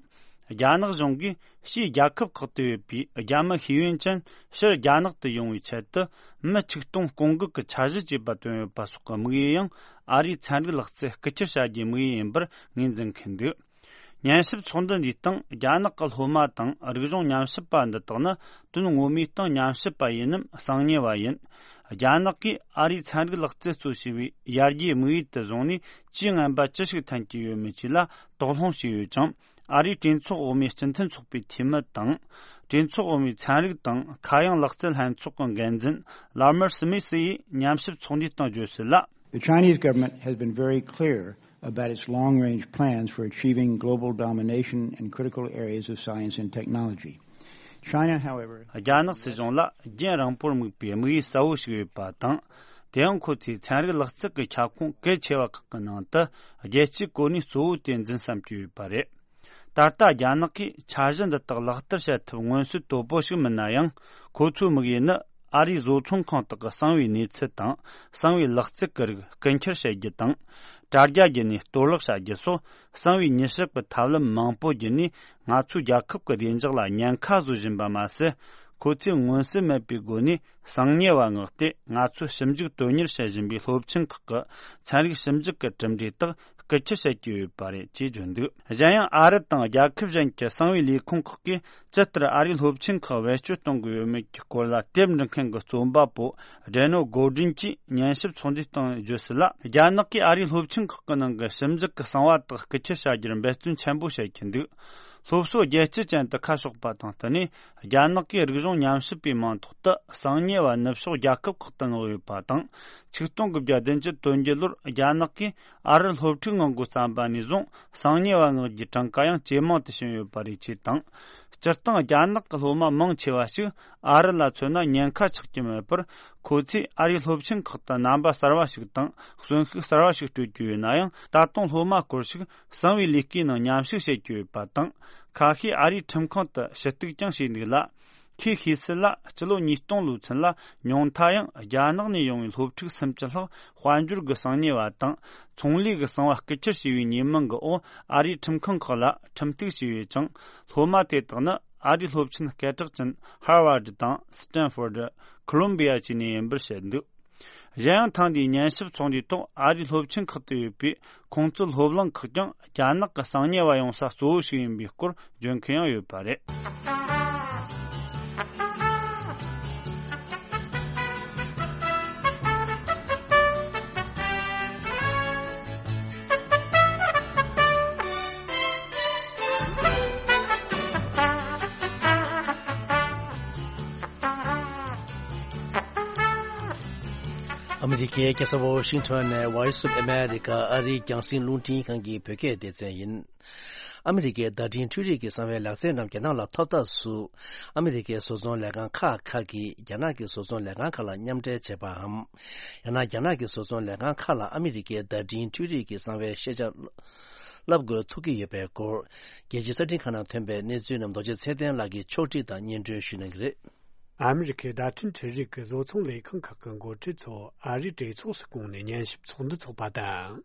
རྒྱ་ནག་གཞུང་གིས་ཕྱིའི་རྒྱལ་ཁབ་ཁག་ཏུ་ཡོད་པའི་རྒྱ་མི་ཤེས་ཡོན་ཅན་ཕྱིར་རྒྱ་ནག་ཏུ་ཡོང་བའི་ཆེད་དུ། མི་ཆིག་སྟོང་སྐོང་འགུག་གི་འཆར་གཞི་བཅས་པ་བཏོན་ཡོད་པ་སོགས་ཀྱི་དམིགས་ཡུལ་ཡང་ཨ་རིའི་ཚན་རིག་ལག་རྩལ་རྐུ་འཁྱེར་བྱ་རྒྱུའི་དམིགས་ཡུལ་ཡིན་པར་ངོས་འཛིན་མཁན་འདུག་ཉན་ཞིབ་ཚོགས་འདུ་འདིའི་སྟེང་རྒྱ་ནག་གི་སློབ་མ་དང་རིག་གཞུང་ཉམས་ཞིབ་པ་འདི་དག་ནི་དོན་ངོ་མའི་སྟེང་ཉམས་ཞིབ་པ་ཡིན་ནམ་གསང་ཉེ་བ་ཡིན། རྒྱ་ནག་གིས་ཨ་རིའི་ཚན་རིག་ལག་རྩལ་གཙོ་བྱས་པའི་ཡར་རྒྱས་དམིགས་ཡུལ་དུ་བཟུང་ནས་ཇུས་ངན་པ་ཅི་ཞིག་འཐེན་གྱི་ཡོད་མེད་བཅས་ལ་དོགས་སློང་བྱས་ཡོད་ཅིང་། ཨ་རིའི་གྲོས་ཚོགས་འོག་མའི་སྤྱི་མཐུན་ཚོགས་པའི་འཐུས་མི་དང་། གྲོས་ཚོགས་འོག་མའི་ཚན་རིག་དང་མཁའ་དབྱིངས་ལག་རྩལ་ལྷན་ཚོགས་ཀྱི་འགན་འཛིན་ལར་མར་སི་མི་སི་ཡིས་ཉམས་ཞིབ་ཚོགས་འདུའི་སྟེང་བརྗོད་གསལ་ལ། The Chinese government has been very clear about its long-range plans for achieving global domination in critical areas of science and technology. China, however, རྒྱ་ནག་སྲིད་གཞུང་ལ་རྒྱུན་རིང་པོར་དམིགས་པའི་དམིགས་ཡུལ་གསལ་བོ་ཞིག་ཡོད་པ་དང་། དེ་ཡང་ཁོ་ཚོས་ཚན་རིག་ལག་རྩལ་གྱི་ཁྱབ་ཁོངས་གལ་ཆེ་བ་ཁག་གི་ནང་དུ་རྒྱལ་སྤྱིའི་གོ་གནས་གཙོ་བོ་དེ་འཛིན་བསམ་གྱི་ཡོད་པ་རེད། ད་ལྟ་རྒྱ་ནག་གིས་འཆར་གཞི་འདི་དག་ལག་བསྟར་བྱ་ཐབས་མངོན་གསལ་དོད་པོ་ཞིག་མིན་ན་ཡང་། ཁོ་ཚོའི་དམིགས་ཡུལ་ནི་ཨ་རིའི་བཟོ་ཚོང་ཁང་དག་གི་གསང་བའི་གནས་ཚུལ་དང་གསང་བའི་ལག་རྩལ་གྱི་རིགས་རྐུ་འཁྱེར་བྱེད་རྒྱུ་དང་། དྲ་རྒྱ་བརྒྱུད་ནས་གཏོར་བརླག་བྱ་རྒྱུ་སོགས་གསང་བའི་ཉེས་ཞིབ་ཀྱི་ཐབས་ལམ་མང་པོ་བརྒྱུད་ནས་ང་ཚོའི་རྒྱལ་ཁབ་ཀྱི་བདེ་འཇགས་ལ་ཉེན་ཁ་བཟོ་བཞིན་པ་མ་ཟད། ཁོ་ཚོས་མངོན་གསལ་མེད་པའི་སྒོ་ནས་གསང་ཉེ་བ་མངགས་ཏེ་ང་ཚོའི་ཞིབ་འཇུག་དོན་གཉེར་བྱེད་བཞིན་པའི་སློབ་ཆེན་ཁག་གི་ཚན་རིག་ཞིབ་འཇུག་གི་གྲུབ་འབྲས་དག་རྐུ་འཁྱེར་བྱེད་ཀྱི་ཡོད་པ་རེད་ཅེས་བརྗོད་འདུག་གཞན་ཡང་ཨ་རི་དང་རྒྱལ་ཁབ་གཞན་གྱི་གསང་བའི་ལས་ཁུངས་ཁག་གིས་ཇི་ལྟར་ཨ་རིའི་སློབ་ཆེན་ཁག་བེད་སྤྱོད་གཏོང་གི་ཡོད་མེད་ཀྱི་སྐོར་ལ་དེབ་འབྲི་མཁན་གྱི་རྩོམ་པ་པོ་ཌེ་ནོ་གོ་ཌིན་གྱིས་ཉན་ཞིབ་ཚོགས་འདུའི་སྟེང་བརྗོད་གསལ་ལ། རྒྱ་ནག་གིས་ཨ་རིའི་སློབ་ཆེན་ཁག་གི་ནང་གི་ཞིབ་འཇུག་གི་གསང་བ་དག་རྐུ་འཁྱེར་བྱ་རྒྱུར་འབད་བརྩོན་ཆེན་པོ་བྱེད་ཀྱི་འདུག་སློབ་གསོ་རྒྱལ་སྤྱི་ཅན་དུ་ཁ་ཕྱོགས་པ་དང་བསྟུན་ནས། རྒྱ་ནག་གིས་རིག་གཞུང་ཉམས་ཞིབ་པའི་མིང་ཐོག་ཏུ་གསང་ཉེ་བ་ནུབ་ཕྱོགས་རྒྱལ་ཁབ་ཁག་ཏུ་མངགས་ཡོད་པ་དང་། ཆིག་སྟོང་དགུ་བརྒྱ་བདུན་ཅུ་དོན་བརྒྱད་ལོར་རྒྱ་ནག་གིས་ཨ་རིར་སློབ་ཕྲུག་མངགས་འགོ་བརྩམས་པ་ནས་བཟུང་གསང་ཉེ་བ་མངགས་རྒྱུའི་གྲངས་ཀ་ཡང་ཇེ་མང་དུ་ཕྱིན་ཡོད་པ་རེད་ཅེས་དང་། སྤྱིར་བཏང་རྒྱ་ནག་གི་སློབ་མ་མང་ཆེ་བ་ཞིག་ཨ་རི་ལ་མཚོན་ན་ཉེན་ཁ་ཆགས་ཀྱི་མེད་པར། ཁོ་ཚོས་ཨ་རིའི་སློབ་ཆེན་ཁག་ཏུ་རྣམ་པ་གསར་བ་ཞིག་དང་གསོན་ཤུགས་གསར་བ་ཞིག་སྤྲོད་ཀྱི་ཡོད་ན་ཡང་། ད་དུང་སློབ་མ་སྐོར་ཞིག་གསང་བའི་ལས་ཀའི་ནང་མཉམ་ཞུགས་བྱེད་ཀྱི་ཡོད་པ་དང་། ཁ་ཤས་ཨ་རིའི་ཁྲིམས་ཁང་དུ་ཞུ་གཏུག་ཀྱང་བྱས་འདུག་ལ། ཁོས་ཤེས་གསལ་ལ། སྤྱི་ལོ་ཉིས་སྟོང་ལོའི་ཚུན་ལ་ཉུང་མཐའ་ཡང་རྒྱ་ནག་ནས་ཡོང་བའི་སློབ་ཕྲུག་སུམ་ཅུ་ལྷག་དཔལ་འབྱོར་གྱི་གསང་ཉེ་བ་དང་ཚོང་ལས་ཀྱི་གསང་བ་རྐུ་འཁྱེར་བྱས་པའི་ཉེས་མིང་གི་འོག་ཨ་རིའི་ཁྲིམས་ཁང་ཁག་ལ་ཁྲིམས་གཏུག་བྱས་ཡོད་ཅིང་། སློབ་མ་དེ་དག་ནི་ཨ་རིའི་སློབ་ཆེན་སྐད་གྲགས་ཅན་ཧར་ཝར་ཌི་དང་སི་ཏན་ཧྥོར་ཌི། ཁོ་ལོམ་བི་ཡ་བཅས་ནས་ཡིན་པར་བཤད་འདུག་གཞན་ཡང་ཐེངས་འདིའི་ཉན་ཞིབ་ཚོགས་འདུའི་ཐོག་ཨ་རིའི་སློབ་ཆེན་ཁག་ཏུ་ཡོད་པའི་ཁོང་ཚོའི་སློབ་གླིང་ཁག་ཀྱང་རྒྱ་ནག་གི་གསང་ཉེ་བ་ཡོང་ས་གཙོ་བོ་ཞིག་ཡིན་པའི་སྐོར་བརྗོད་མཁན་ཡང་ཡོད་པ་རེད། ཨ་མི་རི་ཀའི་རྒྱལ་ས་ཝོ་ཤིང་ཊོན་ནས་Voice of America ཨ་རིའི་རྒྱང་སྲིང་རླུང་འཕྲིན་ཁང་གི་བོད་སྐད་སྡེ་ཚན་ཡིན། ཨ་མི་རི་ཀའི་བརྡ་འཕྲིན་འཕྲུལ་རིག་གི་གསང་བའི་ལག་རྩལ་རྣམས་རྒྱ་ནག་ལ་ཐོབ་ཐབས་སུ། ཨ་མི་རི་ཀའི་བཟོ་ཚོང་ལས་ཁང་ཁག་ཁག་གིས་རྒྱ་ནག་གི་བཟོ་ཚོང་ལས་ཁང་ཁག་ལ་མཉམ་འབྲེལ་བྱས་པའམ། ཡང་ན་རྒྱ་ནག་གི་བཟོ་ཚོང་ལས་ཁང་ཁག་ལ་ཨ་མི་རི་ཀའི་བརྡ་འཕྲིན་འཕྲུལ་རིག་གི་གསང་བའི་ཤེས་བྱ་བསླབ་དགོས་ཐུག་གི་ཡོད་པའི་སྐོར། རྒྱལ་སྤྱིའི་གསར་འཕྲིན་ཁང་ནང་ཐོན་པའི་གནས་ཚུལ་རྣམས་རྡོ་རྗེ་ཚེ་བརྟན་ལགས་ཀྱིས་ཕྱོགས་སྒྲིག་དང་སྙན་སྒྲོན་ཞུ་གནང་གི་རེད། ཨ་མི་རི་ཁའི་བརྡ་འཕྲིན་འཕྲུལ་རིག་གི་བཟོ་ཚོང་ལས་ཁང་ཁག་གི་འགོ་ཁྲིད་ཚོ་ཨ་རིའི་གྲོས་ཚོགས་སུ་བསྐོངས་ནས་ཉན་ཞིབ་ཚོགས་འདུ་འཚོགས་པ་དང་།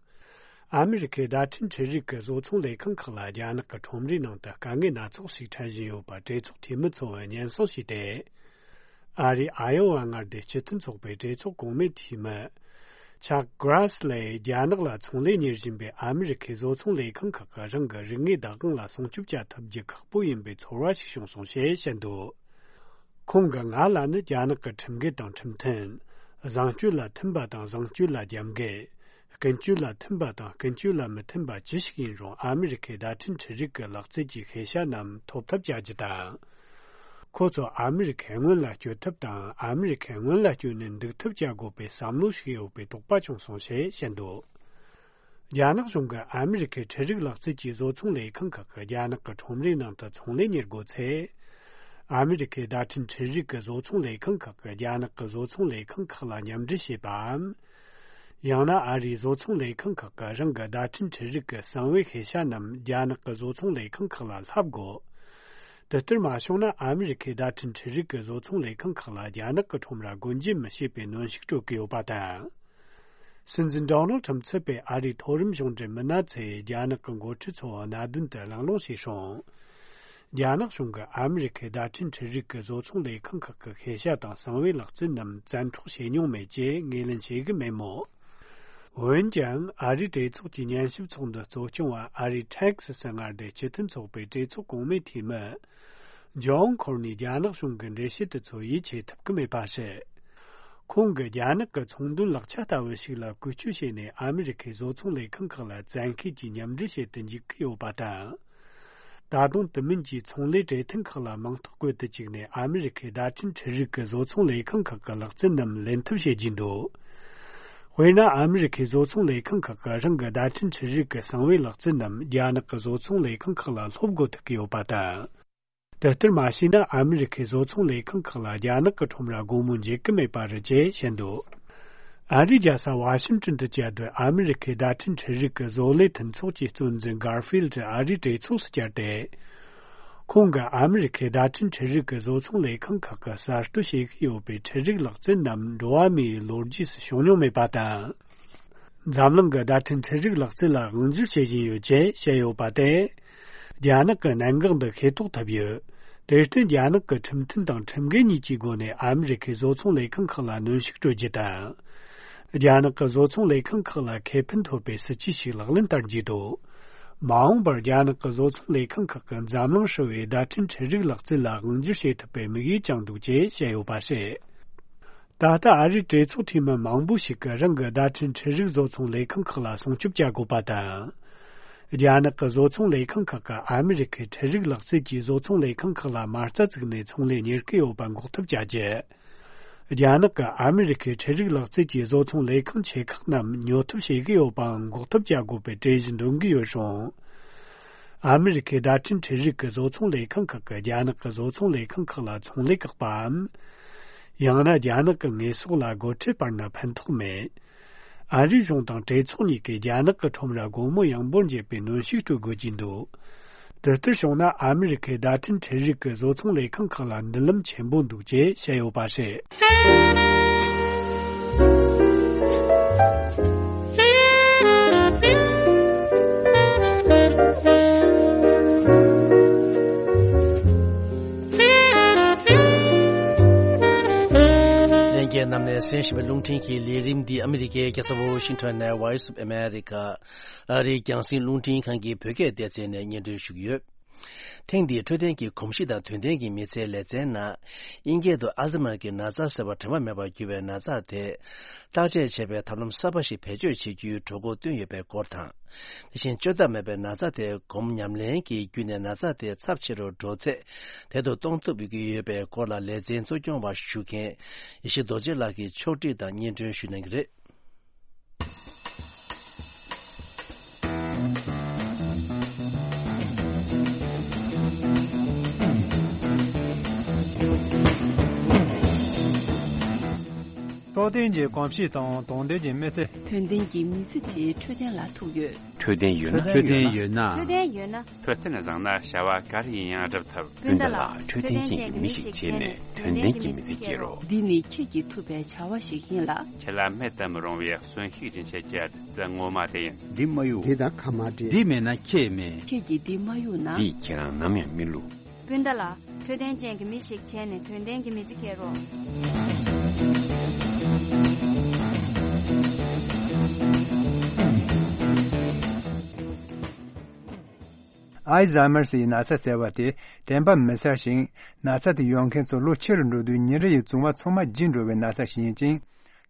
ཨ་མི་རི་ཁའི་བརྡ་འཕྲིན་འཕྲུལ་རིག་གི་བཟོ་ཚོང་ལས་ཁང་ཁག་ལ་རྒྱ་ནག་གི་ཁྲོམ་རའི་ནང་དུ་དཀའ་ངལ་སྣ་ཚོགས་ཤིག་འཕྲད་བཞིན་ཡོད་པ་གྲོས་ཚོགས་འཐུས་མི་ཚོས་སྙན་སེང་ཞུས་ཏེ། ཨ་རིའི་ཨ་ཡོ་ཝ་མངའ་སྡེའི་སྤྱི་མཐུན་ཚོགས་པའི་གྲོས་ཚོགས་གོང་མའི་འཐུས་མི། ཆག་གྷ་རེ་སི་ལས་རྒྱ་ནག་ལ་ཚོང་ལས་གཉེར་བཞིན་པའི་ཨ་མི་རི་ཁའི་བཟོ་ཚོང་ལས་ཁང་ཁག་གིས་རང་གི་རིག་དངོས་བདག་དབང་ལ་སྲུང་སྐྱོབ་བྱ་ཐུབ་རྒྱུ་ཁག་པོ་ཡིན་པའི་ཚོར་བ་ཞིག་བྱུང་སོང་ཞེས་བཤད་འདུག་ཁོང་གིས་ང་ལ་ནི་རྒྱ་ནག་གི་ཁྲིམས་འགལ་དང་ཁྲིམས་མཐུན། བཟང་སྤྱོད་ལ་མཐུན་པ་དང་བཟང་སྤྱོད་ལ་རྒྱབ་འགལ། ཀུན་སྤྱོད་ལ་མཐུན་པ་དང་ཀུན་སྤྱོད་ལ་མི་མཐུན་པ་ཅི་ཞིག་ཡིན་རུང་ཨ་མི་རི་ཁའི་བརྡ་འཕྲིན་འཕྲུལ་རིག་གི་ལག་རྩལ་གྱི་ཤེས་བྱ་རྣམས་ཐོབ་ཐབས་བྱ་རྒྱུ་དང་། ཁོ་ཚོ་ཨ་མི་རི་ཁས་སྔོན་ལ་སྐྱོད་ཐབས་དང་ཨ་མི་རི་ཁས་སྔོན་ལ་སྐྱོད་ནས་འདུག་ཐབས་བྱ་དགོས་པའི་བསམ་བློ་ཞིག་ཡོད་པའི་དོགས་པ་བྱུང་སོང་ཞེས་བཤད་འདུག་རྒྱ་ནག་གཞུང་གིས་ཨ་མི་རི་ཁའི་འཕྲུལ་རིག་ལག་རྩལ་གྱི་བཟོ་ཚོང་ལས་ཁང་ཁག་གིས་རྒྱ་ནག་གི་ཁྲོམ་རའི་ནང་དུ་ཚོང་ལས་གཉེར་དགོས་ཚེ། ཨ་མི་རི་ཁའི་བརྡ་འཕྲིན་འཕྲུལ་རིག་གི་བཟོ་ཚོང་ལས་ཁང་ཁག་གིས་རྒྱ་ནག་གི་བཟོ་ཚོང་ལས་ཁང་ཁག་ལ་མཉམ་འབྲེལ་བྱེད་པའམ། ཡང་ན་ཨ་རིའི་བཟོ་ཚོང་ལས་ཁང་ཁག་གིས་རང་གི་བརྡ་འཕྲིན་འཕྲུལ་རིག་གི་གསང་བའི་ཤེས་བྱ་རྣམས་རྒྱ་ནག་གི་བཟོ་ཚོང་ལས་ཁང་ཁག་ལ་བསླབ་དགོས། དེ་ལྟར་མ་བྱུང་ན་ཨ་མི་རི་ཁའི་བརྡ་འཕྲིན་འཕྲུལ་རིག་གི་བཟོ་ཚོང་ལས་ཁང་ཁག་ལ་རྒྱ་ནག་གི་ཁྲོམ་ར་སྒོ་འབྱེད་མི་བྱེད་པའི་གནོན་ཤུགས་སྤྲོད་ཀྱི་ཡོད་པ་དང་། སྲིད་འཛིན་ཌོ་ནལ་ཁྲམ་གཙོས་པའི་ཨ་རིའི་མཐོ་རིམ་གཞུང་འབྲེལ་མི་སྣ་ཚོས་རྒྱ་ནག་གི་འགོ་ཁྲིད་ཚོའི་གནད་དོན་དེ་གླེང་སློང་བྱས་སོང་། རྒྱ་ནག་གཞུང་གིས་ཨ་མི་རི་ཁའི་བརྡ་འཕྲིན་འཕྲུལ་རིག་གི་བཟོ་ཚོང་ལས་ཁང་ཁག་གི་ཤེས་བྱ་དང་གསང་བའི་ལག་རྩལ་རྣམས་བཙན་འཕྲོག་བྱས་མྱོང་མེད་ཅེས་ངོས་ལེན་བྱེད་ཀྱི་མེད་མོད། འོན་ཀྱང་ཨ་རིའི་གྲོས་ཚོགས་ཀྱི་ཉན་ཞིབ་ཚོགས་འདུ་གཙོ་སྐྱོང་བ་ཨ་རིའི་ཊེག་སི་སི་མངའ་སྡེའི་སྤྱི་མཐུན་ཚོགས་པའི་གྲོས་ཚོགས་གོང་མའི་འཐུས་མི། ཇོན་ཁོར་ནི་རྒྱ་ནག་གཞུང་གི་འགྲེལ་བཤད་དེ་ཚོར་ཡིད་ཆེས་ཐུབ་ཀྱི་མེད་པ་རེད། ཁོང་གིས་རྒྱ་ནག་གི་ཚོང་དོན་ལག་ཆ་ལྟ་བུ་ཞིག་ལ་བཀོལ་སྤྱོད་བྱས་ནས་ཨ་མི་རི་ཁའི་བཟོ་ཚོང་ལས་ཁང་ཁག་ལ་བཙན་ཤེད་ཀྱིས་མཉམ་འབྲེལ་བྱེད་དུ་འཇུག་གི་ཡོད་པ་དང་། ད་དུང་དེ་མིན་གྱི་ཚོང་ལས་གྲོས་མཐུན་ཁག་ལ་མིང་རྟགས་བཀོད་དུ་བཅུག་ནས་ཨ་མི་རི་ཁའི་བརྡ་འཕྲིན་འཕྲུལ་རིག་གི་བཟོ་ཚོང་ལས་ཁང་ཁག་གི་ལག་རྩལ་རྣམས་ལེན་ཐབས་བྱེད་ཀྱིན་འདུག་དཔེར་ན་ཨ་མི་རི་ཁའི་བཟོ་ཚོང་ལས་ཁང་ཁག་གིས་རང་གི་བརྡ་འཕྲིན་འཕྲུལ་རིག་གི་གསང་བའི་ལག་རྩལ་རྣམས་རྒྱ་ནག་གི་བཟོ་ཚོང་ལས་ཁང་ཁག་ལ་སློབ་དགོས་ཐུག་གི་ཡོད་པ་དང་། དེ་ལྟར་མ་བྱས་ན་ཨ་མི་རི་ཁའི་བཟོ་ཚོང་ལས་ཁང་ཁག་ལ་རྒྱ་ནག་གི་ཁྲོམ་ར་སྒོ་མོ་འབྱེད་ཀྱི་མེད་པ་རེད་ཅེས་བཤད་འདུག་ཨ་རིའི་རྒྱལ་ས་ཝ་ཤིང་ཏོན་དུ་བཅའ་སྡོད་ཨ་མི་རི་ཁའི་བརྡ་འཕྲིན་འཕྲུལ་རིག་གི་བཟོ་ལས་མཐུན་ཚོགས་ཀྱི་གཙོ་འཛིན་གར་ཧྥིལ་ཏྲི་ཨ་རིའི་གྲོས་ཚོགས་སུ་བཅར་ཏེ། ཁོང་གིས་ཨ་མི་རི་ཁའི་བརྡ་འཕྲིན་འཕྲུལ་རིག་གི་བཟོ་ཚོང་ལས་ཁང་ཁག་གིས་གསར་གཏོད་བྱེད་ཀྱི་ཡོད་པའི་འཕྲུལ་རིག་ལག་རྩལ་རྣམས་འགྲོ་བ་མིའི་ལོ་རྒྱུས་སུ་བྱུང་མྱོང་མེད་པ་དང་། འཛམ་གླིང་གི་བརྡ་འཕྲིན་འཕྲུལ་རིག་ལག་རྩལ་ལ་དབང་སྒྱུར་བྱེད་བཞིན་ཡོད་ཅེས་བཤད་ཡོད་པ་དེ། རྒྱ་ནག་གི་གནད་འགག་འདི་ཤེས་རྟོགས་ཐུབ་ཡོད། དེར་བརྟེན་རྒྱ་ནག་གི་ཁྲིམས་མཐུན་དང་ཁྲིམས་འགལ་གཉིས་ཀྱི་སྒོ་ནས་ཨ་མི་རི་ཁའི་བཟོ་ཚོང་ལས་ཁང་ཁག་ལ་གནོན་ཤུགས་སྤྲོད་རྒྱུ་དང་། རྒྱ་ནག་གི་བཟོ་ཚོང་ལས་ཁང་ཁག་ལ་ཁེ་ཕན་ཐོབ་པའི་སྲིད་ཇུས་ཤིག་ལག་ལེན་བསྟར་རྒྱུ་དང་། མ་འོངས་པར་རྒྱ་ནག་གི་བཟོ་ཚོང་ལས་ཁང་ཁག་གིས་འཛམ་གླིང་ཧྲིལ་བོའི་བརྡ་འཕྲིན་འཕྲུལ་རིག་ལག་རྩལ་ལ་དབང་སྒྱུར་བྱེད་ཐུབ་པའི་དམིགས་ཡུལ་བཅངས་འདུག་ཅེས་བཤད་ཡོད་པ་རེད། ད་ལྟ་ཨ་རིའི་གྲོས་ཚོགས་འཐུས་མི་མང་པོ་ཞིག་གིས་རང་གི་བརྡ་འཕྲིན་འཕྲུལ་རིག་བཟོ་ཚོང་ལས་ཁང་ཁག་ལ་སྲུང་སྐྱོབ་བྱ་དགོས་པ་དང་། རྒྱ་ནག་གི་བཟོ་ཚོང་ལས་ཁང་ཁག་གིས་ཨ་མི་རི་ཁའི་འཕྲུལ་རིག་ལག་རྩལ་གྱི་བཟོ་ཚོང་ལས་ཁང་ཁག་ལ་མ་རྩ་བཙུགས་ནས་ཚོང་ལས་གཉེར་གྱི་ཡོད་པ་འགོག་ཐབས་བྱ་རྒྱུ། རྒྱ་ནག་གིས་ཨ་མི་རི་ཁའི་འཕྲུལ་རིག་ལག་རྩལ་གྱི་བཟོ་ཚོང་ལས་ཁང་ཆེ་ཁག་རྣམས་ཉོ་ཐབས་བྱེད་ཀྱི་ཡོད་པའང་འགོག་ཐབས་བྱ་དགོས་པའི་གྲོས་གཞི་འདོན་གྱི་ཡོད་རུང་། ཨ་མི་རི་ཁའི་བརྡ་འཕྲིན་འཕྲུལ་རིག་གི་བཟོ་ཚོང་ལས་ཁང་ཁག་གིས་རྒྱ་ནག་གི་བཟོ་ཚོང་ལས་ཁང་ཁག་ལ་ཚོང་ལས་བཀག་པའམ། ཡང་ན་རྒྱ་ནག་གི་དངོས་ཟོག་ལ་སྒོ་ཁྲལ་སྤར་ན་ཕན་ཐོགས་མེད། ཨ་རིའི་གཞུང་དང་གྲོས་ཚོགས་གཉིས་ཀས་རྒྱ་ནག་གི་ཁྲོམ་ར་སྒོ་མོ་ཡངས་པོར་འབྱེད་པའི་གནོན་ཤུགས་སྤྲོད་དགོས་ཀྱི་འདུག་དེ་ལྟར་བྱུང་ན་ཨ་མི་རི་ཁའི་བརྡ་འཕྲིན་འཕྲུལ་རིག་གི་བཟོ་ཚོང་ལས་ཁང་ཁག་ལ་མདུན་ལམ་ཆེན་པོ་འདུག་ཅེས་བཤད་ཡོད་པ་རེད། ལྷན་རྒྱས་རྣམས་ནས་གསན་བཞིན་པའི་རླུང་འཕྲིན་གྱི་ལས་རིམ་འདི་ཨ་མི་རི་ཀའི་རྒྱལ་ས་ཝོ་ཤིང་ཊོན་ནས་Voice of America ཨ་རིའི་རྒྱང་སྲིང་རླུང་འཕྲིན་ཁང་གི་བོད་སྐད་སྡེ་ཚན་ནས་སྙན་སྒྲོན་ཞུ་གི་ཡོད། ཐེངས་འདིའི་འཕྲོད་བསྟེན་གྱི་གོམས་གཤིས་དང་དོན་ལྡན་གྱི་མི་ཚེའི་ལེ་ཚན་ནང་། དབྱིན་སྐད་དུ་ཨལ་ཛི་མར་གྱི་ན་ཚ་ཟེར་བ་དྲན་པ་མེད་པར་གྱུར་བའི་ན་ཚ་དེ། བརྟག་དཔྱད་བྱེད་པའི་ཐབས་ལམ་གསར་པ་ཞིག་བེད་སྤྱོད་བྱེད་རྒྱུའི་གྲོས་འགོ་བཏོན་ཡོད་པའི་སྐོར་དང་། དེ་བཞིན་བཅོས་ཐབས་མེད་པའི་ན་ཚ་དེ་སྒོམ་ཉམས་ལེན་གྱི་བརྒྱུད་ནས་ན་ཚ་དེ་ཚབས་ཆེ་རུ་འགྲོ་ཚད་དལ་དུ་གཏོང་ཐུབ་ཀྱི་ཡོད་པའི་སྐོར་ལ་ལེ་ཚན་གཙོ་སྐྱོང་བ་ཞུ་མཁན་ཡེ་ཤེས་རྡོ་རྗེ་ལགས་ཀྱིས་ཕྱོགས་སྒྲིག་དང་སྙན་སྒྲོན་ཞུ་གནང་གི་རེད། རྟོགས་ལྡན་གྱི་གོམས་གཤིས་དང་དོན་ལྡན་གྱི་མི་ཚེ། དོན་ལྡན་གྱི་མི་ཚེ་དེ་འཕྲོད་བསྟེན་ལ་ཐུག་ཡོད། འཕྲོད་བསྟེན་ཡོད་ན། འཕྲོད་བསྟེན་ཡོད་ན། འཕྲོད་བསྟེན་ཡོད་ན། འཕྲོད་བསྟེན་བཟང་ན་བྱ་བ་ག་རེ་ཡིན་ཡང་འགྲུབ་ཐུབ། སྤུན་ཟླ་ལགས། འཕྲོད་བསྟེན་ཅན་གྱི་མི་ཞིག་བྱས་ནས་དོན་ལྡན་གྱི་མི་ཚེ་སྐྱེལ་རོགས། འདི་ནི་ཁྱེད་ཀྱིས་ཐུབ་པའི་བྱ་བ་ཞིག་ཡིན་ལ། ཁྱེད་ལ་མེད་དུ་མི་རུང་བའི་གསོན་ཤུགས་སྦྱིན་བྱེད་ཀྱི་བདུད་རྩི་ངོ་མ་དེ་ཡིན། འདི་མ་གཡུག་འདི་དང་ཁ་མ་འབྲལ། འདི་མེད་ན་ཁྱེད་མེད། ཁྱེད་ཀྱིས་འདི་མ་གཡུག་ན། འདིས་ཁྱེད་རང་ནམ་ཡང་མི་བསླུ། སྤུན་ཟླ་ལགས། འཕྲོད་བསྟེན་ཅན་གྱི་མི་ཞིག་བྱས་ནས་དོན་ལྡན་གྱི་མི་ཚེ་སྐྱེལ་རོགས། ཨལ་ཛ་མར་སི་ཡི་ན་ཚ་ཟེར་བ་དེ་དྲན་པ་མི་གསལ་ཞིང་། ན་ཚ་དེ་ཡོད་མཁན་ཚོ་ལོ་ཆེ་རུ་འགྲོ་དུས་ཉིན་རེ་ཡི་བཙོང་བ་ཚང་མ་བརྗེད་འགྲོ་བའི་ན་ཚ་ཞིག་ཡིན་ཅིང་།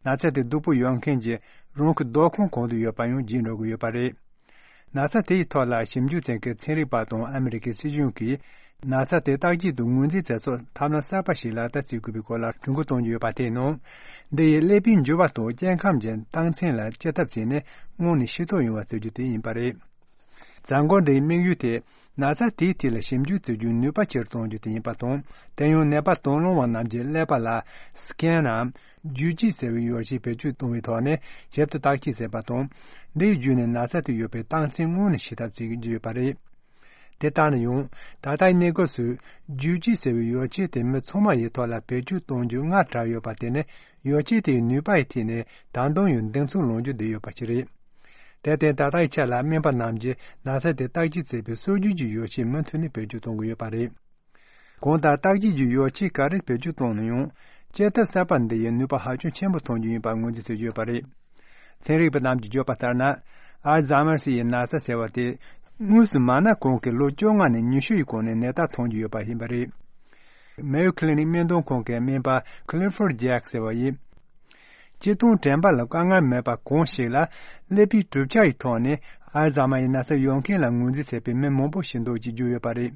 ན་ཚ་དེ་སྡུག་པོ་ཡོད་མཁན་གྱི་རང་གི་སྡོད་ཁང་གང་དུ་ཡོད་པ་ཡང་བརྗེད་འགྲོ་གི་ཡོད་པ་རེད། ན་ཚ་དེ་ཡི་ཐོག་ལ་ཞིབ་འཇུག་བྱེད་མཁན་ཚན་རིག་པ་དང་ཨ་མི་རི་ཀའི་སྲིད་གཞུང་གིས་ན་ཚ་དེ་བརྟག་དཔྱད་དང་ངོས་འཛིན་བྱེད་ཕྱོགས་ཐབས་ལམ་གསར་པ་ཞིག་ལག་བསྟར་བྱེད་དགོས་པའི་སྐོར་ལ་གྲོས་འགོ་གཏོང་རྒྱུ་ཡོད་པ་དེའི་ནང་། འདི་ཡིས་ཀླད་པའི་འགྱུར་བ་དང་སྐྱེ་ཁམས་ཀྱི་རྟགས་མཚན་ལ་དཔྱད་ཐབས་བྱས་ནས་སྔོན་ནས་ཤེས་རྟོགས་ཡོང་བ་བྱེད་རྒྱུ་དེ་ཡིན་པ་རེད། གཟའ་འཁོར་འདིའི་དམིགས་ཡུལ་དེ། ན་ཚ་དེའི་ཐད་ལ་ཞིབ་འཇུག་བྱེད་རྒྱུའི་ནུས་པ་ཆེ་རུ་གཏོང་རྒྱུ་དེ་ཡིན་པ་དང་། དེ་ཡང་ནད་པ་དང་བླངས་པ་རྣམས་ཀྱི་ཀླད་པ་ལ་སི་ཀེན་ནམ་བརྗོད་བྱེད་ཟེར་བའི་ཡོ་བྱད་བེད་སྤྱོད་གཏོང་བའི་ཐོག་ནས་ཞིབ་ཏུ་བརྟག་དཔྱད་བྱས་པ་དང་། འདིའི་བརྒྱུད་ནས་ན་ཚ་དེ་ཡོད་པའི་རྟགས་མཚན་སྔོན་ནས་ཤེས་ཐབས་བྱེད་ཀྱི་ཡོད་པ་རེད། དེ་ལྟར་ན་ཡང་། ད་ལྟའི་གནས་སྐབས་སུ་བརྗོད་བྱེད་ཟེར་བའི་ཡོ་བྱད་དེ་མི་ཚང་མ་ཡི་ཐོག་ལ་བེད་སྤྱོད་གཏོང་རྒྱུ་སྔར་གྲགས་ཡོད་པ་དེ་ནི་ཡོ་བྱད་དེའི་ནུས་པ་ཡི་ཐད་ནས་ད་དུང་ཡང་གདེང་ཚོད་ལོངས་རྒྱུ་བསྡད་ཡོད་པ་ཞིག་རེད། དེར་བརྟེན་ད་ལྟའི་ཆ་ལ་སྨན་པ་རྣམས་ཀྱིས་ན་ཚ་དེ་བརྟག་དཔྱད་བྱེད་པའི་སྲོལ་རྒྱུན་གྱི་ཡོ་བྱད་མུ་མཐུད་ནས་བེད་སྤྱོད་གཏོང་གི་ཡོད་པ་རེད། གང་ལྟར་བརྟག་དཔྱད་ཀྱི་ཡོ་བྱད་ག་རེ་བེད་སྤྱོད་གཏོང་ན་ཡང་དཔྱད་ཐབས་གསར་པ་འདི་ཡིས་ནུས་པ་ཧ་ཅང་ཆེན་པོ་ཐོན་རྒྱུ་ཡིན་པར་ངོས་འཛིན་བྱེད་ཀྱི་ཡོད་པ་རེད། ཚན་རིག་པ་རྣམས་ཀྱིས་བརྗོད་པ་ལྟར་ན། ཨལ་ཛ་མར་སི་ཡི་ན་ཚ་ཟེར་བ་དེ་དངོས་སུ་མ་ན་གོང་གི་ལོ་བཅོ་ལྔ་ནས་ཉི་ཤུ་ཡི་གོང་ནས་ནད་རྟགས་ཐོན་རྒྱུ་ཡོད་པ་ཡིན་པ་རེད། མེ་ཡོ་ཁི་ལི་ནིག་སྨན་དོན་ཁང་གི་སྨན་པ་Clifford Jack ཟེར་བ་ཡིས། སྤྱིར་བཏང་དྲན་པ་ལ་དཀའ་ངལ་མེད་པ་གང་ཞིག་ལ་ཀླད་པའི་གྲུབ་ཆ་ཡི་ཐོག་ནས་ཨལ་ཛ་མར་ཡི་ན་ཚ་ཡོད་མཁན་ལ་ངོས་འཛིན་བྱེད་པའི་མི་མང་པོ་ཞིག་འདུག་ཅེས་བརྗོད་ཡོད་པ་རེད།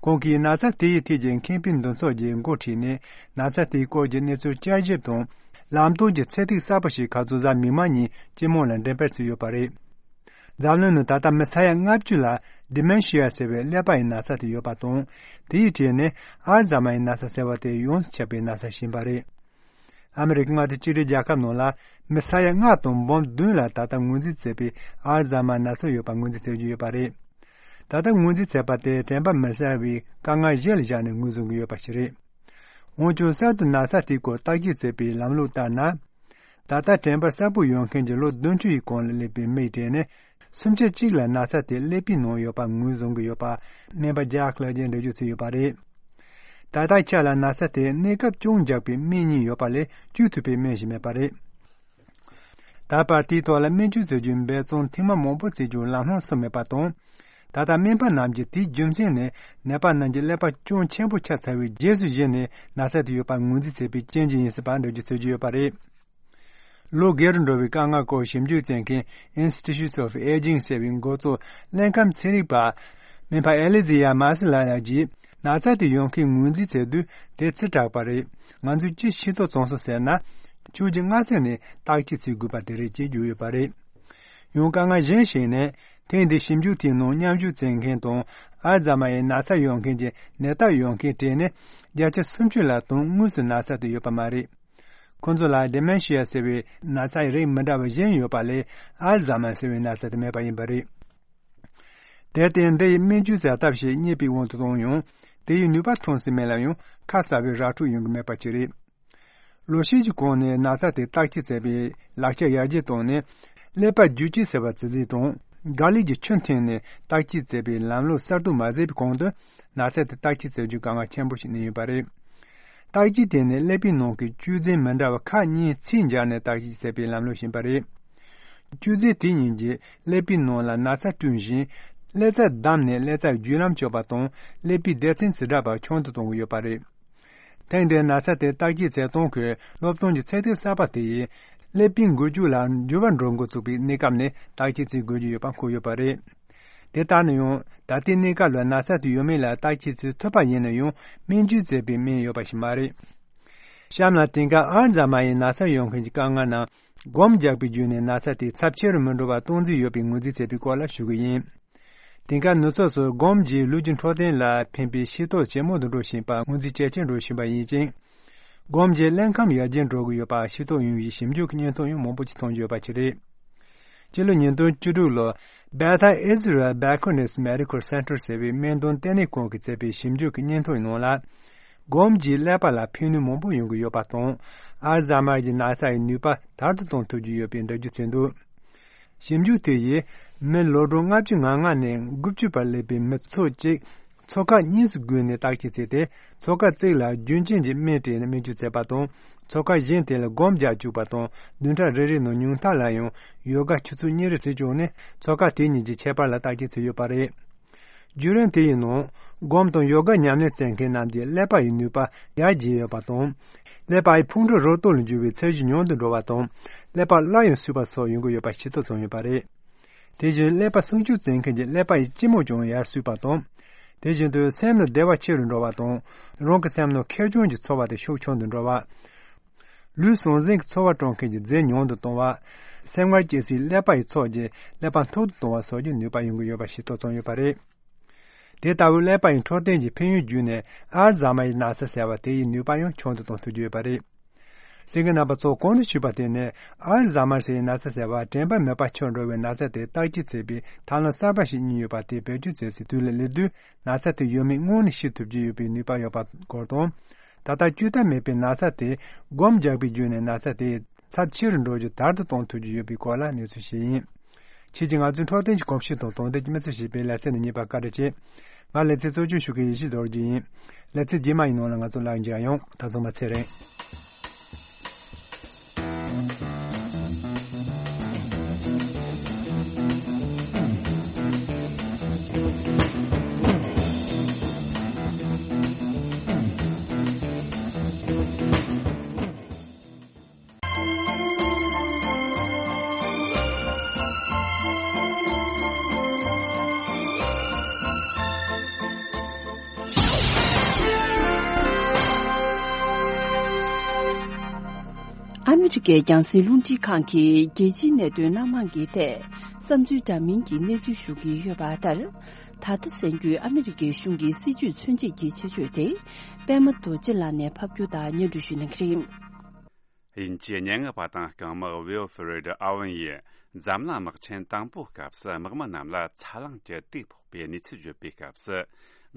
ཁོང་གིས་ན་ཚ་དེ་ཡི་ཐད་ཀྱི་མཁས་པའི་འདུ་ཚོགས་ཀྱི་འགོ་ཁྲིད་ནས་ན་ཚ་དེའི་སྐོར་གྱི་གནས་ཚུལ་བསྐྱར་ཞིབ་དང་ལམ་སྟོན་གྱི་ཚད་ཐིག་གསར་པ་ཞིག་ཁ་རྩང་གཟའ་མིག་དམར་ཉིན་སྤྱི་དམངས་ལ་འགྲེམས་སྤེལ་བྱས་ཡོད་པ་རེད། འཛམ་གླིང་ནང་ད་ལྟ་མི་ས་ཡ་ལྔ་བཅུ་ལ་Dementia ཟེར་བའི་ཀླད་པ་ཡི་ན་ཚ་དེ་ཡོད་པ་དང་། དེའི་གྲས་ནས་ཨལ་ཛ་མར་ཡི་ན་ཚ་ཟེར་བ་དེ་ཡོངས་སུ་ཁྱབ་པའི་ན་ཚ་ཞིག་ཡིན་པ་རེད། ཨ་མི་རི་ཀའི་མངའ་སྡེ་གཅིག་སྒྲིལ་རྒྱལ་ཁབ་ནང་ལ་མི་ས་ཡ་ལྔ་དང་འབུམ་བདུན་ལ་ད་ལྟ་ངོས་འཛིན་བྱས་པའི་ཨལ་ཛ་མར་ན་ཚ་ཡོད་པ་ངོས་འཛིན་བྱེད་ཀྱི་ཡོད་པ་རེད། ད་ལྟ་ངོས་འཛིན་བྱས་པ་དེ་དྲན་པ་མི་གསལ་བའི་དཀའ་ངལ་གཞི་ལ་བཞག་ནས་ངོས་བཟུང་གི་ཡོད་པ་ཞིག་རེད། འོན་ཀྱང་གསར་དུ་ན་ཚ་དེའི་སྐོར་བརྟག་དཔྱད་བྱེད་པའི་ལམ་ལུགས་ལྟར་ན། ད་ལྟ་དྲན་པ་གསལ་པོ་ཡོད་མཁན་གྱི་ལོ་བདུན་ཅུ་ཡི་གོང་ལ་སླེབས་པའི་མིའི་གྲས་ནས་སུམ་ཆ་གཅིག་ལ་ན་ཚ་དེ་ཀླད་པའི་ནང་ཡོད་པ་ངོས་བཟུང་གི་ཡོད་པ་སྨན་པ་ཇཱག་ལགས་ཀྱིས་འགྲེལ་བརྗོད་བྱས་ཡོད་པ་རེད། ད་ལྟའི་ཆ་ལ་ན་ཚ་དེ་གནས་སྐབས་ཅུང་འཇགས་པའི་སྨན་གཉིས་ཡོད་པ་ལས་བཅོས་ཐུབ་པའི་སྨན་ཞིག་མེད་པ་རེད། ད་བར་དེའི་ཐོག་ལ་སྨན་བཅོས་བྱེད་རྒྱུའི་འབད་བརྩོན་ཐེངས་མ་མང་པོ་བྱེད་རྒྱུར་ལམ་ལྷོང་སོང་མེད་པ་དང་། ད་ལྟ་སྨན་པ་རྣམས་ཀྱིས་དེའི་རྒྱུ་མཚན་ནི་ནད་པ་རྣམས་ཀྱི་ཀླད་པ་ཅུང་ཆེན་པོ་ཆགས་ཚར་བའི་རྗེས་སུ་གཞིགས་ནས་ན་ཚ་དེ་ཡོད་པར་ངོས་འཛིན་བྱེད་པའི་རྐྱེན་གྱིས་ཡིན་སྲིད་པར་འགྲེལ་བརྗོད་བྱེད་ཀྱི་ཡོད་པ་རེད། ལོ་རྒས་རུ་འགྲོ་བའི་དཀའ་ངལ་སྐོར་ཞིབ་འཇུག་བྱེད་མཁན་Institute of Aging ཟེར་བའི་འགོ་གཙོ་ལྷན་ཁང་ཚན་རིག་པ་སྨན་པ་ཨེ་ལི་ཛི་ཡ་མཱ་སི་ལ་ཡ་གྱིས་ན་ཚ་དེ་ཡོང་མཁན་ངོས་འཛིན་བྱེད་དུས་དེ་ཚེ་དྲག་པ་རེད། ང་ཚོས་ཅི་ཤེས་རྟོགས་བྱུང་སོང་ཟེར་ན། ཕྱོགས་ཀྱི་སྔ་ཚུད་ནས་བརྟག་དཔྱད་བྱེད་དགོས་པ་དེ་རེད་ཅེས་བརྗོད་ཡོད་པ་རེད། ཡང་དཀའ་ངལ་གཞན་ཞིག་ནི། ཐེངས་འདིའི་ཞིབ་འཇུག་དེའི་ནང་མཉམ་ཞུགས་བྱེད་མཁན་དང་ཨལ་ཛ་མ་ཡི་ན་ཚ་ཡོད་མཁན་གྱི་ནད་རྟགས་ཡོད་མཁན་གྲས་ནི་བརྒྱ་ཆ་སུམ་ཅུ་ལ་དོན་དངོས་སུ་ན་ཚ་དེ་ཡོད་པ་མ་རེད། ཁོ་ཚོ་ལ་Dementia ཟེར་བའི་ན་ཚ་ཡི་རིགས་མི་འདྲ་བ་གཞན་ཡོད་པ་ལས་ཨལ་ཛ་མ་ཟེར་བའི་ན་ཚ་དེ་མེད་པ་ཡིན་པ་རེད། དེར་བརྟེན་འདི་ཡི་སྨན་བཅོས་བྱ་ཐབས་ཤིག་རྙེད་པའི་དབང་དུ་བཏང་ཡང་དེ་ཡི་ནུས་པ་ཐོན་སྲིད་མིན་ལ་ཡང་ཁ་གསལ་བའི་ར་འཕྲོད་ཡོང་གི་མེད་པ་ཅིག་རེད། ལོ་ཤས་ཀྱི་གོང་ནས་ན་ཚ་དེ་བརྟག་དཔྱད་བྱེད་པའི་ལག་ཆ་ཡར་རྒྱས་བཏང་ནས་ཀླད་པ་བརྗོད་བྱེད་ཟེར་བ་ཙི་ཙི་དང་དགག་ལས་ཀྱི་ཆུ་འཐེན་ནས་བརྟག་དཔྱད་བྱེད་པའི་ལམ་ལུགས་གསར་གཏོད་མ་བྱས་པའི་གོང་དུ་ན་ཚ་དེ་བརྟག་དཔྱད་བྱེད་རྒྱུ་དཀའ་ངལ་ཆེན་པོ་ཞིག་གནས་ཡོད་པ་རེད། བརྟག་དཔྱད་དེ་ནི་ཀླད་པའི་ནང་གི་བཅོས་རྫས་མི་འདྲ་བ་ཁག་གཉིས་ཚད་འཇལ་ནས་བརྟག་དཔྱད་བྱེད་པའི་ལམ་ལུགས་ཤིག་ཡིན་པ་རེད། བཅོས་རྫས་དེ་གཉིས་ཀྱིས་ཀླད་པའི་ནང་ལ་ན་ཚ་བསྐྲུན་ཞིང་ ཀླད་རྩ་བསྡམས་ནས་ཀླད་རྩ་བརྒྱུད་ལམ་གཅོད་པ་དང་ཀླད་པའི་སྡེ་ཚན་ཛི་འདྲ་པ་ཆུང་དུ་གཏོང་གི་ཡོད་པ་རེད། ཐེངས་འདིའི་ན་ཚ་དེ་བརྟག་དཔྱད་བྱེད་སྟངས་ཁུལ་སློབ་སྟོན་གྱི་ཚད་ལྡན་གསར་པ་དེ་ཡིས་ཀླད་པའི་འགུལ་སྐྱོད་ལ་འགྱུར་བ་འགྲོ་འགོ་བཙུགས་པའི་གནས་སྐབས་ནས་བརྟག་དཔྱད་བྱེད་དགོས་ཀྱི་ཡོད་པ་འཁོད་ཡོད་པ་རེད། དེ་ལྟར་ན་ཡང་ད་ལྟའི་གནས་སྐབས་ལ་ན་ཚ་དེ་ཡོད་མེད་ལ་བརྟག་དཔྱད་བྱེད་ཐུབ་པ་ཡིན་ན་ཡང་སྨན་བཅོས་བྱེད་པའི་སྨན་ཡོད་པ་ཞིག་མ་རེད། གཤམ་ལ་དེང་སྐབས་ཨལ་ཛ་མ་ཡི་ན་ཚ་ཡོད་མཁན་གྱི་དཀའ་ངལ་རྣམས་སྒོམ་རྒྱག་པའི་བརྒྱུད་ནས་ན་ཚ་དེ་ཚབས་ཆེ་རུ་མི་འགྲོ་བར་སྟངས་འཛིན་ཡོད་པའི་ངོས་འཛིན་བྱས་པའི་སྐོར་ལ་ཞུ་གི་ཡིན། དེང་སྐབས་ནུབ་ཕྱོགས་སུ་སྒོམ་གྱིས་ལུས་ཀྱི་འཕྲོད་བསྟེན་ལ་ཕན་པའི་ཤེས་རྟོགས་ཇེ་མང་དུ་འགྲོ་བཞིན་པ་ངོས་འཛིན་ཇེ་ཆེར་འགྲོ་བཞིན་པ་ཡིན་ཅིང་། སྒོམ་གྱི་ཀླད་ཁམས་ཡར་རྒྱས་འགྲོ་གི་ཡོད་པ་ཤེས་རྟོགས་ཡོང་བའི་ཞིབ་འཇུག་གི་བརྙན་ཐུང་ཡང་མང་པོ་ཅིག་མཐོང་རྒྱུ་ཡོད་པ་ཞིག་རེད། སྤྱི་ལོ་ཉིས་སྟོང་བཅུ་དྲུག་ལོར་Beth Israel Bacon Medical Center ཟེར་བའི་སྨན་དོན་ལྟེ་གནས་ཁང་གིས་མཛད་པའི་ཞིབ་འཇུག་གི་བརྙན་ཐུང་ནང་ལ། སྒོམ་གྱིས་ཀླད་པ་ལ་ཕན་ནུས་མང་པོ་ཡོང་གི་ཡོད་པ་དང་། ཨལ་ཛ་མར་གྱི་ན་ཚ་ཡི་ནུས་པ་དར་དུ་གཏོང་ཐུབ་ཀྱི་ཡོད་པའི་འགྲེལ་བརྗོད་བྱས་འདུག་ཞིབ་འཇུག་དེ་ཡིས་མི་ལོ་གྲངས་ལྔ་བཅུ་ང་ལྔ་ནས་དགུ་བཅུ་བར་སླེབས་པའི་མི་ཚོ་གཅིག་ཚོགས་ཁག་གཉིས་སུ་བགོས་ནས་བརྟག་དཔྱད་བྱས་ཏེ། ཚོགས་ཁག་གཅིག་ལ་རྒྱུན་ཅན་གྱི་སྨན་སྤྲད་ནས་སྨན་བཅོས་བྱས་པ་དང་། ཚོགས་ཁག་གཞན་དེ་ལ་སྒོམ་རྒྱག་བཅུག་པ་དང་བདུན་ཕྲག་རེ་རེའི་ནང་ཉུང་མཐའ་ལ་ཡང་ཡོ་ག་ཆུ་ཚོད་གཉིས་རེ་བྱས་བཅུག་ནས་ཚོགས་ཁག་དེ་གཉིས་ཀྱི་ཁྱད་པར་ལ་བརྟག་དཔྱད་བྱས་ཡོད་པ་རེད། བརྒྱུད་རིམ་དེ་ཡི་ནང་སྒོམ་དང་ཡོ་ག་ཉམས་ལེན་བྱེད་མཁན་རྣམས་ཀྱི་ཀླད་པ་ཡི་ནུས་པ་ཡར་རྒྱས་ཡོད་པ་དང་། ཀླད་པ་ཡི་ཕུང་ཁྲོལ་རོ་སྟོད་ལ་འགྱུར་བའི་ཚད་གཞི་ཉུང་དུ་འགྲོ་བ་དང་། ཀླད་པ་སླར་ཡང་གསོས་པ་སོགས་ཡོང་གི་ཡོད་པ་ཤེས་རྟོགས་བྱུང་ཡོད་པ་རེད། དེ་བཞིན་ཀླད་པ་སྲུང་སྐྱོབ་བྱེད་མཁན་གྱི་ཀླད་པ་ཡི་སྐྱི་མོ་ཀྱང་ཡར་གསོས་པ་དང་། དེ་བཞིན་དུ་སེམས་ལ་བདེ་བ་ཆེ་རུ་འགྲོ་བ་དང་། རང་གི་སེམས་ནང་ཁེར་རྐྱང་གི་ཚོར་བ་དེ་ཤུགས་ཆུང་དུ་འགྲོ་བ། ལུས་ཟང་ཟིང་གི་ཚོར་བ་སྤྲོད་མཁན་གྱི་རྫས་ཉུང་དུ་གཏོང་བ། སེམས་ཁམས་སྐྱེ་སའི་ཀླད་པ་ཡི་ཚོགས་ཀྱི་ཀླད་པ་མཐུག་ཏུ་གཏོང་བ་སོགས་ཀྱི་ནུས་པ་ཡོང་གི་ཡོད་པ་ཤེས་རྟོགས་བྱུང་ཡོད་པ་རེད། དེ་ལྟ་བུའི་ཀླད་པ་ཡི་འཕྲོད་བསྟེན་གྱི་ཕན་ཡོན་བརྒྱུད་ནས་ཨལ་ཛ་མ་ཡི་ན་ཚ་ཟེར་བ་དེ་ཡི་ནུས་པ་ཡང་ཆུང་དུ་གཏོང་ཐུབ་ཀྱི་ཡོད་པ་རེད། གསན་མཁན་རྣམ་པ་ཚོ་གོང་དུ་ཞུས་པ་དེ་ནི་ཨལ་ཛ་མར་ཟེར་བའི་ན་ཚ་ཟེར་བ་དྲན་པ་མེད་པ་ཆགས་འགྲོ་བའི་ན་ཚ་དེ་བརྟག་དཔྱད་བྱེད་པའི་ཐབས་ལམ་གསར་པ་ཞིག་གཉེར་ཡོད་པ་དེ་བེད་སྤྱོད་བྱེད་སའི་དུས་ལ་སླེབས་དུས་ན་ཚ་དེ་ཡོད་མེད་སྔོན་ནས་ཤེས་ཐུབ་ཀྱི་ཡོད་པའི་ནུས་པ་ཡོད་པ་སྐོར་དང་། ད་ལྟ་བཅོས་ཐབས་མེད་པའི་ན་ཚ་དེ་སྒོམ་རྒྱག་པའི་བརྒྱུད་ནས་ན་ཚ་དེ་ཚབས་ཆེ་རུ་འགྲོ་རྒྱུ་དར་དུ་གཏོང་ཐུབ་ཀྱི་ཡོད་པའི་སྐོར་ལ་གནས་ཚུལ་ཞིག་ཡིན། ཁྱེད་ཀྱིས་ང་ཚོའི་འཕྲོད་བསྟེན་གྱི་གོམས་གཤིས་དང་དོན་ལྡན་གྱི་མི་ཚེ་ཞེས་པའི་ལེ་ཚན་འདི་གཉིས་པ་བཀའ་འདྲི་བྱེད། ང་ལེ་ཚན་གཙོ་སྐྱོང་ཞུ་མཁན་ཡེ་ཤེས་རྡོ་རྗེ་ཡིན། ལེ་ཚན་རྗེས་མ་ཡི་ནང་ལ་ང་ཚོ་ལ་མཇལ་ཡོང་། ད་ཚང་མ་ཚེ་རིང་། ཨ་མི་རི་ཀའི་རྒྱང་སྲིང་རླུང་འཕྲིན་ཁང་གིས་རྒྱལ་སྤྱིའི་གནད་དོན་སྣ་མང་གི་ཐད་བསམ་ཚུལ་འདྲ་མིན་གྱི་གནས་ཚུལ་ཞུ་གི་ཡོད་པ་ལྟར། ད་ལྟ་གསན་རྒྱུའི་ཨ་མི་རི་ཀའི་གཞུང་གི་སྲིད་ཇུས་མཚོན་བྱེད་ཀྱི་ཆེད་བརྗོད་དེ། པད་མ་རྡོ་རྗེ་ལགས་ནས་ཕབ་སྒྱུར་དང་སྙན་སྒྲོན་ཞུ་གནང་གི་རེད། དབྱིན་ཇིའི་སྙན་ངག་པ་དང་རྐང་དམག་ཝིལ་ཧྥི་རེད་ཨ་ཝན་ཡིས་འཛམ་གླིང་དམག་ཆེན་དང་པོའི་སྐབས་སུ་དམག་མི་རྣམས་ལ་ཚ་གླང་གི་དུག་ཕོག་པའི་གནས་ཚུལ་བརྗོད་པའི་སྐབས་སུ།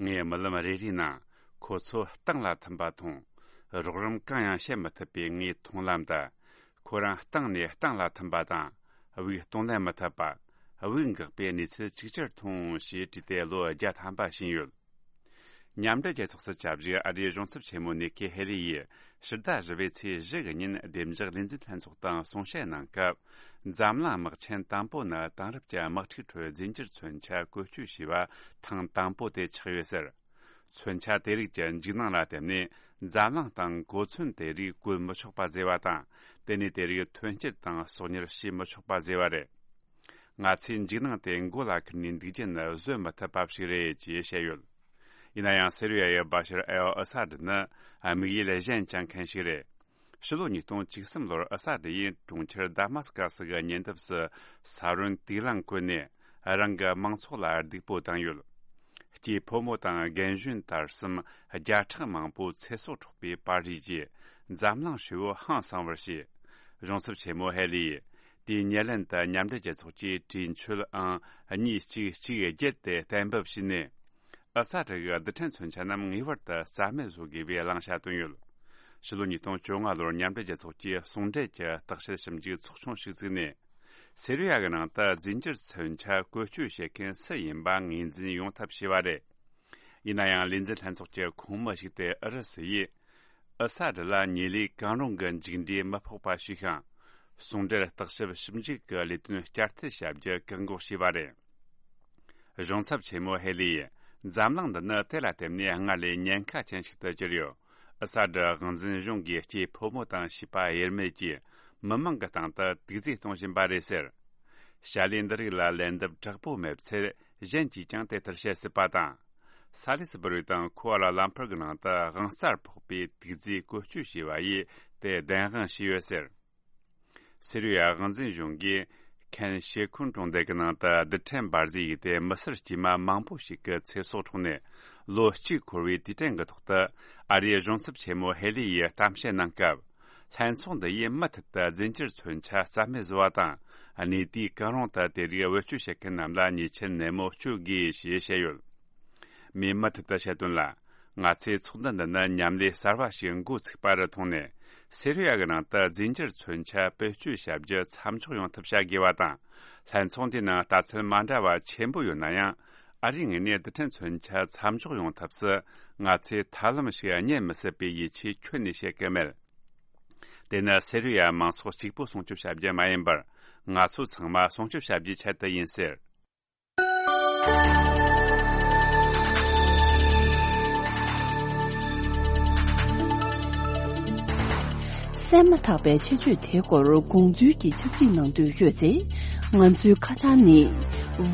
ངའི་རྨི་ལམ་རེ་རེའི་ནང་ཁོ་ཚོ་སྟེང་ལ་ཐིམ་པ་མཐོང་། རོགས་རམ་གང་ཡང་བྱེད་མི་ཐུབ་པའི་ངའི་མཐོང་ལམ་དུ། ཁོ་རང་སྟེང་ནས་སྟེང་ལ་ཐིམ་པ་དང་། དབུགས་གཏོང་ལེན་མི་ཐུབ་པ། དབུགས་འགག་པའི་གནས་ཚུལ་ཅིག་ཅར་མཐོང་ཞེས་བྲིས་ཏེ་ལོ་བརྒྱ་ཐམ་པ་ཕྱིན་ཡོད། མཉམ་འབྲེལ་རྒྱལ་ཚོགས་སུ་བཅའ་བཞུགས་ཨ་རིའི་གཞུང་ཚབ་ཆེན་མོ་ནི་ཀི་ཧེ་ལི་ཡིས་ཕྱི་ཟླ་བཞི་པའི་ཚེས་བཞི་གི་ཉིན་བདེ་འཇགས་ལས་འཛིན་ལྷན་ཚོགས་དང་གསུང་བཤད་གནང་སྐབས། འཛམ་གླིང་དམག་ཆེན་དང་པོ་ནི་དེང་རབས་ཀྱི་དམག་འཁྲུག་ཁྲོད་རྫས་འགྱུར་མཚོན་ཆ་བཀོལ་སྤྱོད་བྱས་པ་ཐེངས་དང་པོ་དེ་ཆགས་ཡོད་ཟེར། མཚོན་ཆ་དེ་རིགས་ཀྱི་འཇིགས་སྣང་ལ་བརྟེན་ནས་འཛམ་གླིང་སྟེང་གོ་མཚོན་དེ་རིགས་བཀོལ་མི་ཆོག་པ་བཟོས་པ་དང་། དེ་ནས་དེ་རིགས་ཐོན་སྐྱེད་དང་གསོག་ཉར་བྱེད་མི་ཆོག་པ་བཟོས་པ་རེད། ང་ཚོས་འཇིགས་སྣང་དེ་མགོ་ལ་ཁུར་ནས་འདུག་རྒྱུ་ནི་བཟོད་མི་ཐུབ་པ་ཞིག་རེད་ཅེས་བཤད་ཡོད། ཡིན་ན་ཡང་སི་རི་ཡ་ཡི་བྷ་ཤར་ཨལ་ཨ་ས་ཏྲ་ནི་དམིགས་ཡུལ་གཞན་བཅངས་མཁན་ཞིག་རེད། ཕྱི་ལོ་ཉིས་སྟོང་བཅུ་གསུམ་ལོར་ཨ་ས་ཏྲ་ཡིས་གྲོང་ཁྱེར་དཱ་མཱ་སི་ཀ་སི་གི་ཉེ་འདབས་སུ་ས་རོན་དུག་རླངས་བཀོལ་ནས་རང་གི་མང་ཚོགས་ལ་སྡུག་པོ་བཏང་ཡོད། སྐྱེས་ཕོ་མོ་དང་རྒན་གཞོན་དར་གསུམ་བརྒྱ་ཕྲག་མང་པོ་ཚེ་སྲོག་འཕྲོག་པའི་པར་རིས་ཀྱིས་འཛམ་གླིང་ཧྲིལ་བོ་ཧང་སང་བར་བྱས། གཞུང་ཚབ་ཆེན་མོ་ཧེ་ལི་ཡིས་དེའི་ཉེར་ལེན་དུ་མཉམ་འབྲེལ་རྒྱལ་ཚོགས་ཀྱི་གྲོས་ཆོད་ཨང་གཉིས་གཅིག་གཅིག་བརྒྱད་དེ་གཏན་འབེབས་བྱས་ནས། ཨ་ས་ཏྲ་གི་རྡུལ་ཕྲན་མཚོན་ཆ་རྣམས་ངེས་པར་དུ་རྩ་མེད་བཟོ་དགོས་པའི་བླང་བྱ་བཏོན་ཡོད། ཕྱི་ལོ་ཉིས་སྟོང་བཅོ་ལྔ་ལོར་མཉམ་འབྲེལ་རྒྱལ་ཚོགས་ཀྱི་ཟུང་འབྲེལ་གྱི་བརྟག་དཔྱད་ཞིབ་འཇུག་ཚོགས་ཆུང་ཞིག་བཙུགས་ནས། སི་རི་ཡ་གི་ནང་དུ་རྫས་འགྱུར་མཚོན་ཆ་བཀོལ་སྤྱོད་བྱེད་མཁན་སུ་ཡིན་པ་ངོས་འཛིན་ཡོང་ཐབས་བྱས་པ་རེད། ཡིན་ན་ཡང་ལས་འཛིན་ལྷན་ཚོགས་ཀྱི་ཁོངས་མི་ཞིག་སྟེ་ཨུ་རུ་སུ་ཡིས་ཨ་ས་ཏྲ་ལ་ཉེ་ལས་གང་རུང་གི་མཇུག་འབྲས་མི་ཕོག་པ་ཞུས་ཤིང་། ཟུང་འབྲེལ་བརྟག་ཞིབ་ཞིབ་འཇུག་གི་ལས་དོན་བསྐྱར་མཐུད་བྱ་རྒྱུ་བཀག་འགོག་བྱས་པ་རེད། གཞུང་ཚབ་ཆེན་མོ་ཧེ་ལི་ཡིས་འཛམ་གླིང་འདི་ནི་དེ་ལ་བརྟེན་ནས་སྔར་ལས་ཉེན་ཁ་ཅན་ཞིག་ཏུ་གྱུར་ཡོད། ཨ་ས་ཌི་དབང་འཛིན་གཞུང་གིས་སྐྱེས་ཕོ་མོ་དང་བྱིས་པ་དབྱེར་མེད་ཀྱིས་མི་མང་གི་སྟེང་དུ་དུག་རྫས་གཏོང་བཞིན་པ་རེད་ཟེར། བྱ་ལས་འདི་རིགས་ལ་ལན་འདེབས་དྲག་པོ་མེད་ཚེ། གཞན་གྱིས་ཀྱང་དེ་ལྟར་བྱེད་སྲིད་པ་དང་། ས་ལི་སི་བུ་རི་དང་ཁུ་ཨ་ལ་ལམ་ཕུར་གྱི་ནང་དུ་དབང་རྩར་ཕོག་པའི་དུག་རྫས་བཀོལ་སྤྱོད་བྱས་པ་ཡིས་དེ་བདེན་དཔང་བྱས་ཡོད་ཟེར། སི་རི་ཡ་དབང་འཛིན་གཞུང་གིས་ཁན་ཤེ་ཁུན་གྲོང་རྡལ་གྱི་ནང་དུ་རྡུལ་ཕྲན་འབར་རྫས་ཡིས་དེ་མི་སེར་དཀྱུས་མ་མང་པོ་ཞིག་གི་ཚེ་སྲོག་འཕྲོག་ནས་ལོ་གཅིག་འཁོར་བའི་དུས་དྲན་གྱི་ཐོག་ཏུ། ཨ་རིའི་གཞུང་ཚབ་ཆེན་མོ་ཧེ་ལི་ཡིས་གཏམ་བཤད་གནང་སྐབས། ལྷན་ཚོགས་འདི་ཡིས་མུ་མཐུད་དུ་རྫས་འགྱུར་མཚོན་ཆ་རྩ་མེད་བཟོ་བ་དང་། གནས་དུས་གང་རུང་དུ་དེ་རིགས་བེད་སྤྱོད་བྱེད་མཁན་རྣམས་ལ་ཉེས་ཆད་ནན་མོ་གཅོད་དགོས་ཞེས་བཤད་ཡོད། མིས་མུ་མཐུད་དུ་བཤད་དོན་ལ། ང་ཚོའི་ཚོགས་འདུ་འདི་ནི་མཉམ་ལས་གསར་བ་ཞིག་འགོ་ཚུགས་པ་རུ་མཐོང་ནས། སི་རི་ཡ་གི་ནང་དུ་རྫས་འགྱུར་མཚོན་ཆ་བེད་སྤྱོད་བྱ་རྒྱུ་མཚམས་འཇོག་ཡོང་ཐབས་བྱ་དགོས་པ་དང་། ལྷན་ཚོགས་འདིའི་ནང་ལྟ་ཚུལ་མ་འདྲ་བ་ཆེན་པོ་ཡོད་ན་ཡང་། ཨ་རིའི་ངོས་ནས་རྡུལ་ཕྲན་མཚོན་ཆ་མཚམས་འཇོག་ཡོང་ཐབས་སུ། ང་ཚོས་ཐབས་ལམ་ཞིག་རྙེད་མི་སྲིད་པའི་ཡིད་ཆེས་ཁྱོན་ནས་བྱེད་ཀྱི་མེད། དེ་ནི་སི་རི་ཡ་མང་ཚོགས་གཅིག་པུ་སྲུང་སྐྱོབ་བྱ་རྒྱུ་མ་ཡིན་པར། ང་ཚོ་ཚང་མ་སྲུང་སྐྱོབ་བྱ་རྒྱུའི་ཆེད་དུ་ཡིན་ཟེར། གསན་མ་ཐག་པའི་ཆེད་བརྗོད་དེའི་སྐོར་དགོངས་ཚུལ་གྱི་ཕྱག་བྲིས་གནང་འདོད་ཡོད་ཚེ། ང་ཚོའི་ཁ་བྱང་ནི།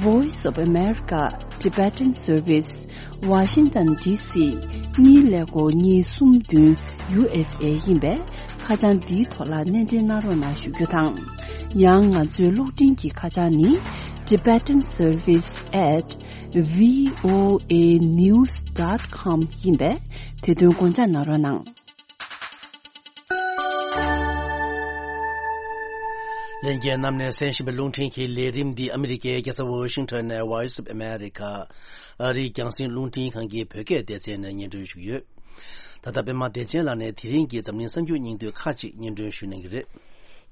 Voice of America Tibetan Service, Washington D C གཉིས་ཀླད་ཀོར་གཉིས་གསུམ་བདུན་U S A ཡིན་པས། ཁ་བྱང་འདིའི་ཐོག་ལ་སྣེ་འདྲེན་གནང་རོགས་གནང་ཞུ་རྒྱུ་དང་། ཡང་ང་ཚོའི་གློག་འཕྲིན་གྱི་ཁ་བྱང་ནི། Tibetan Service at V O A news dot com ཡིན་པས། དེ་དོན་དགོངས་འཇགས་གནང་རོགས་གནང་། ལྷན་རྒྱས་རྣམས་ནས་གསན་བཞིན་པའི་རླུང་འཕྲིན་གྱི་ལས་རིམ་འདི་ཨ་མི་རི་ཀའི་རྒྱལ་ས་ཝོ་ཤིང་ཊོན་ནས་Voice of America ཨ་རིའི་རྒྱང་སྲིང་རླུང་འཕྲིན་ཁང་གི་བོད་སྐད་སྡེ་ཚན་ནས་སྙན་སྒྲོན་ཞུས་ཡོད། ད་ལྟ་པད་མ་བདེ་ཆེན་ལགས་ནས་དེ་རིང་གི་འཛམ་གླིང་གསར་འགྱུར་སྙིང་བསྡུས་ཁག་ཅིག་སྙན་སྒྲོན་ཞུ་གནང་གི་རེད།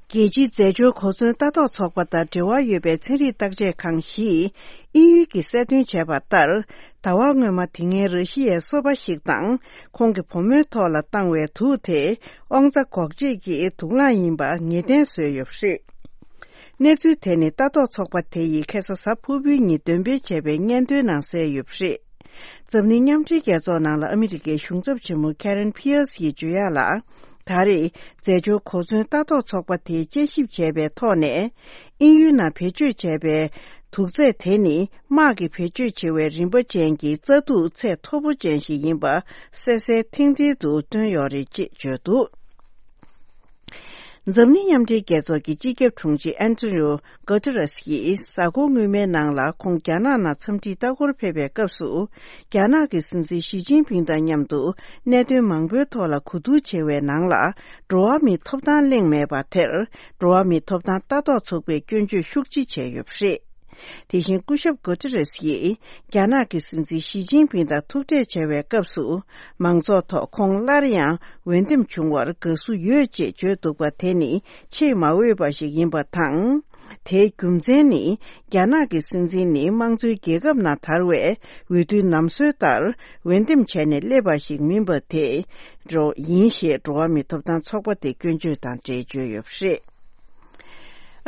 རྒྱལ་སྤྱིའི་རྫས་སྦྱོར་གོ་མཚོན་ལྟ་རྟོག་ཚོགས་པ་དང་འབྲེལ་བ་ཡོད་པའི་ཚན་རིག་བརྟག་དཔྱད་ཁང་ཞིག་དབྱིན་ཡུལ་གྱིས་གསལ་སྟོན་བྱས་པ་ལྟར། ཟླ་བ་སྔོན་མ་དེ་སྔའི་ར་ཤི་ཡའི་སོ་པ་ཞིག་དང་ཁོང་གི་བུ་མོའི་ཐོག་ལ་བཏང་བའི་དུག་དེ་དབང་རྩ་འགོག་བྱེད་ཀྱི་དུག་རླངས་ཡིན་པ་ངེས་གཏན་བཟོས་ཡོད་པ་རེད། གནས་ཚུལ་དེ་ནི་ལྟ་རྟོག་ཚོགས་པ་དེ་ཡིས་ཁ་སང་གཟའ་ཕུར་བུའི་ཉིན་འདོན་སྤེལ་བྱས་པའི་སྙན་ཐོའི་ནང་གསལ་ཡོད་པ་རེད། འཛམ་གླིང་མཉམ་འབྲེལ་རྒྱལ་ཚོགས་ནང་ལ་ཨ་མི་རི་ཀའི་གཞུང་ཚབ་ཆེན་མོ་Karen Pierce ཡིས་བརྗོད་ཡག་ལ། ད་རེས་རྫས་སྦྱོར་གོ་མཚོན་ལྟ་རྟོག་ཚོགས་པ་དེས་དཔྱད་ཞིབ་བྱས་པའི་ཐོག་ནས། དབྱིན་ཡུལ་ནང་བེད་སྤྱོད་བྱས་པའི་དུག་རྫས་དེ་ནི་དམག་གི་བེད་སྤྱོད་ཆེ་བའི་རིན་པ་ཅན་གྱི་རྩྭ་དུག་ཚད་མཐོ་པོ་ཅན་ཞིག་ཡིན་པ་གསལ་གསལ་ཐིང་ཐིང་དུ་བཏོན་ཡོད་རེད་ཅེས་བརྗོད་འདུག་འཛམ་གླིང་མཉམ་འབྲེལ་རྒྱལ་ཚོགས་ཀྱི་སྤྱི་ཁྱབ་དྲུང་ཆེ་ཨན་ཏོ་ནིའོ་གོ་ཏེ་རེས་ཡིས་གཟའ་འཁོར་སྔོན་མའི་ནང་ལ་ཁོང་རྒྱ་ནག་ནང་འཚམས་འདྲིའི་ལྟ་སྐོར་ཕེབས་པའི་སྐབས་སུ། རྒྱ་ནག་གི་སྲིད་འཛིན་ཞི་ཅིན་ཕིང་དང་མཉམ་དུ་གནད་དོན་མང་པོའི་ཐོག་ལ་གོ་བསྡུར་བྱས་པའི་ནང་ལ། འགྲོ་བ་མིའི་ཐོབ་ཐང་གླེང་མེད་པ་དེར། འགྲོ་བ་མིའི་ཐོབ་ཐང་ལྟ་རྟོག་ཚོགས་པས་སྐྱོན་བརྗོད་ཤུགས་ཆེ་བྱས་ཡོད་པ་རེད། དེ་བཞིན་སྐུ་ཞབས་གོ་ཏེ་རེས་ཡིས། རྒྱ་ནག་གི་སྲིད་འཛིན་ཞི་ཅིན་ཕིང་དང་ཐུག་འཕྲད་བྱ་བའི་སྐབས་སུ། མང་ཚོགས་ཐོག་ཁོང་སླར་ཡང་འོས་འདེམས་བྱུང་བར་དགའ་བསུ་ཡོད་ཅེས་བརྗོད་འདུག་པ་དེ་ནི་ཆེས་མ་འོས་པ་ཞིག་ཡིན་པ་དང་། དེའི་རྒྱུ་མཚན་ནི། རྒྱ་ནག་གི་སྲིད་འཛིན་ནི་དམངས་གཙོའི་རྒྱལ་ཁབ་ནང་དར་བའི་འོས་བསྡུའི་ནམ་སྲོལ་ལྟར་འོས་འདེམས་བྱས་ནས་སླེབས་པ་ཞིག་མིན་པ་དེ་འགྲོ་ཡིན་ཞེས་འགྲོ་བ་མིའི་ཐོབ་ཐང་ཚོགས་པ་དེ་སྐྱོན་བརྗོད་དང་འབྲེལ་བརྗོད་ཡོད་པ་རེད།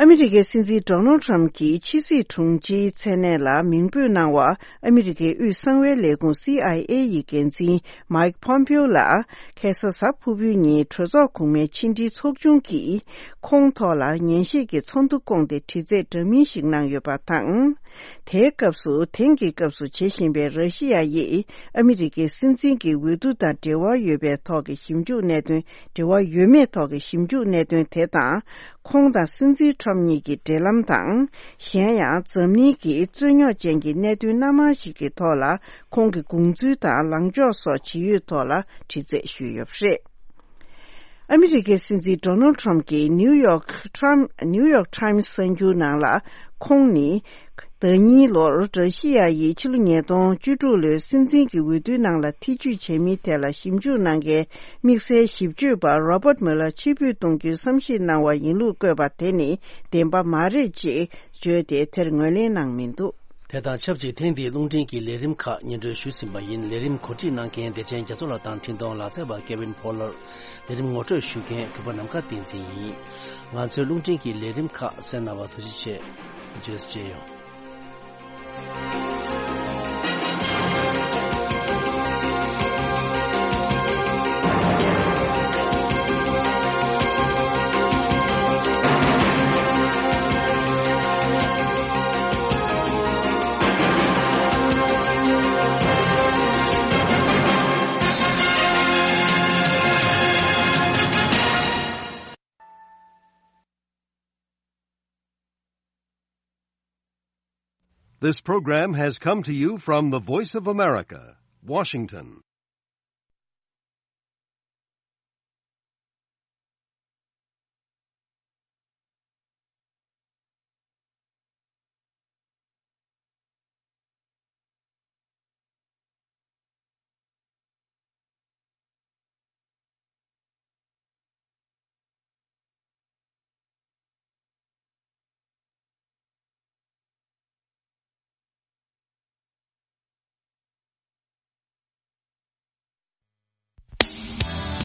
ཨ་མི་རི་ཀའི་སྲིད་འཛིན་ཌོ་ནལ་ཊམ་གྱི་ཕྱི་སྲིད་དྲུང་ཆེའི་མཚན་གནས་ལ་མིང་འབོད་གནང་བ། ཨ་མི་རི་ཀའི་དབུས་གསང་བའི་ལས་ཁུངས་སི་ཨའི་ཨེ་ཡི་འགན་འཛིན་མཱིག་ཕོམ་པིའོ་ལ། ཁ་སང་གཟའ་ཕུར་བུའི་ཉིན་གྲོས་ཚོགས་གོང་མའི་ཕྱི་འབྲེལ་ཚོགས་ཆུང་གིས་ཁོང་ཐོག་ལ་ཉན་བཤད་ཀྱི་ཚོགས་འདུ་བསྐོངས་ཏེ་དྲི་རྩད་འདྲ་མིན་ཞིག་གནང་ཡོད་པ་དང་། དེའི་སྐབས་སུ་དེང་གི་སྐབས་སུ་བྱེད་བཞིན་པའི་ར་ཤི་ཡ་ཡིས་ཨ་མི་རི་ཀའི་སྲིད་འཛིན་གྱི་འོས་བསྡུ་དང་འབྲེལ་བ་ཡོད་པའི་ཐོག་གི་ཞིབ་འཇུག་གནད་དོན། འབྲེལ་བ་ཡོད་མེད་ཐོག་གི་ཞིབ་འཇུག་གནད་དོན་དེ་དང་། ཁོང་དང་སྲིད་འཛིན་ཁྲོམ་གཉིས་ཀྱི་འབྲེལ་ལམ་དང་། གཞན་ཡང་འཛམ་གླིང་གི་རྩོད་རྙོག་ཅན་གྱི་གནད་དོན་སྣ་མང་ཞིག་གི་ཐོག་ལ་ཁོང་གི་དགོངས་ཚུལ་དང་ལངས་ཕྱོགས་སོགས་ཇི་ཡོད་ཐོག་ལ་དྲི་རྩད་ཞུས་ཡོད་པ་རེད། ཨ་མི་རི་ཀའི་སྲིད་འཛིན་ཌོ་ནལ་ཊམ་གྱིས་ནིའུ་ཡོག་ཊམ། ནིའུ་ཡོག་ཊམ་གསར་འགྱུར་ནང་ལ་ཁོང་ནི། ཟླ་གཉིས་ལོར་ར་ཤི་ཡ་ཡིས་ཕྱི་ལོ་ཉིས་སྟོང་བཅུ་དྲུག་ལོའི་སྲིད་འཛིན་གྱི་འོས་བསྡུའི་ནང་ལ་ཐེ་ཇུས་བྱེད་མིན་ཐད་ལ་ཞིབ་འཇུག་གནང་མཁན་དམིགས་བསལ་ཞིབ་དཔྱོད་པ་རོ་བརྟ་མུ་ལར་ཕྱིར་འབུད་གཏོང་རྒྱུའི་བསམ་ཤེས་གནང་བ་ཡིན་ལུགས་བཀོད་པ་དེ་ནི་བདེན་པ་མ་རེད་ཅེས་བརྗོད་དེ་དེར་ངོས་ལེན་གནང་མི་འདུག་དེ་དང་ཆབས་ཅིག་ཐེངས་འདིའི་རླུང་འཕྲིན་གྱི་ལས་རིམ་ཁག་སྙན་སྒྲོན་ཞུས་ཟིན་པ་ཡིན། ལས་རིམ་གོ་སྒྲིག་གནང་མཁན་བདེ་ཆེན་རྒྱ་མཚོ་ལགས་དང་འཕྲིན་གཏོང་ལག་རྩལ་བ་ཀེ་ཝིན་ཕོ་ལར། ལས་རིམ་ངོ་སྤྲོད་ཞུ་མཁན་གུས་པ་ནམ་མཁའ་བསྟན་འཛིན་ཡིན། ང་ཚོའི་རླུང་འཕྲིན་གྱི་ལས་རིམ་ཁག་གསན་གནང་བར་ཐུགས་རྗེ་ཆེ། བརྗོད་གསོ་བྱས་ཡོང་། This program has come to you from the Voice of America, Washington.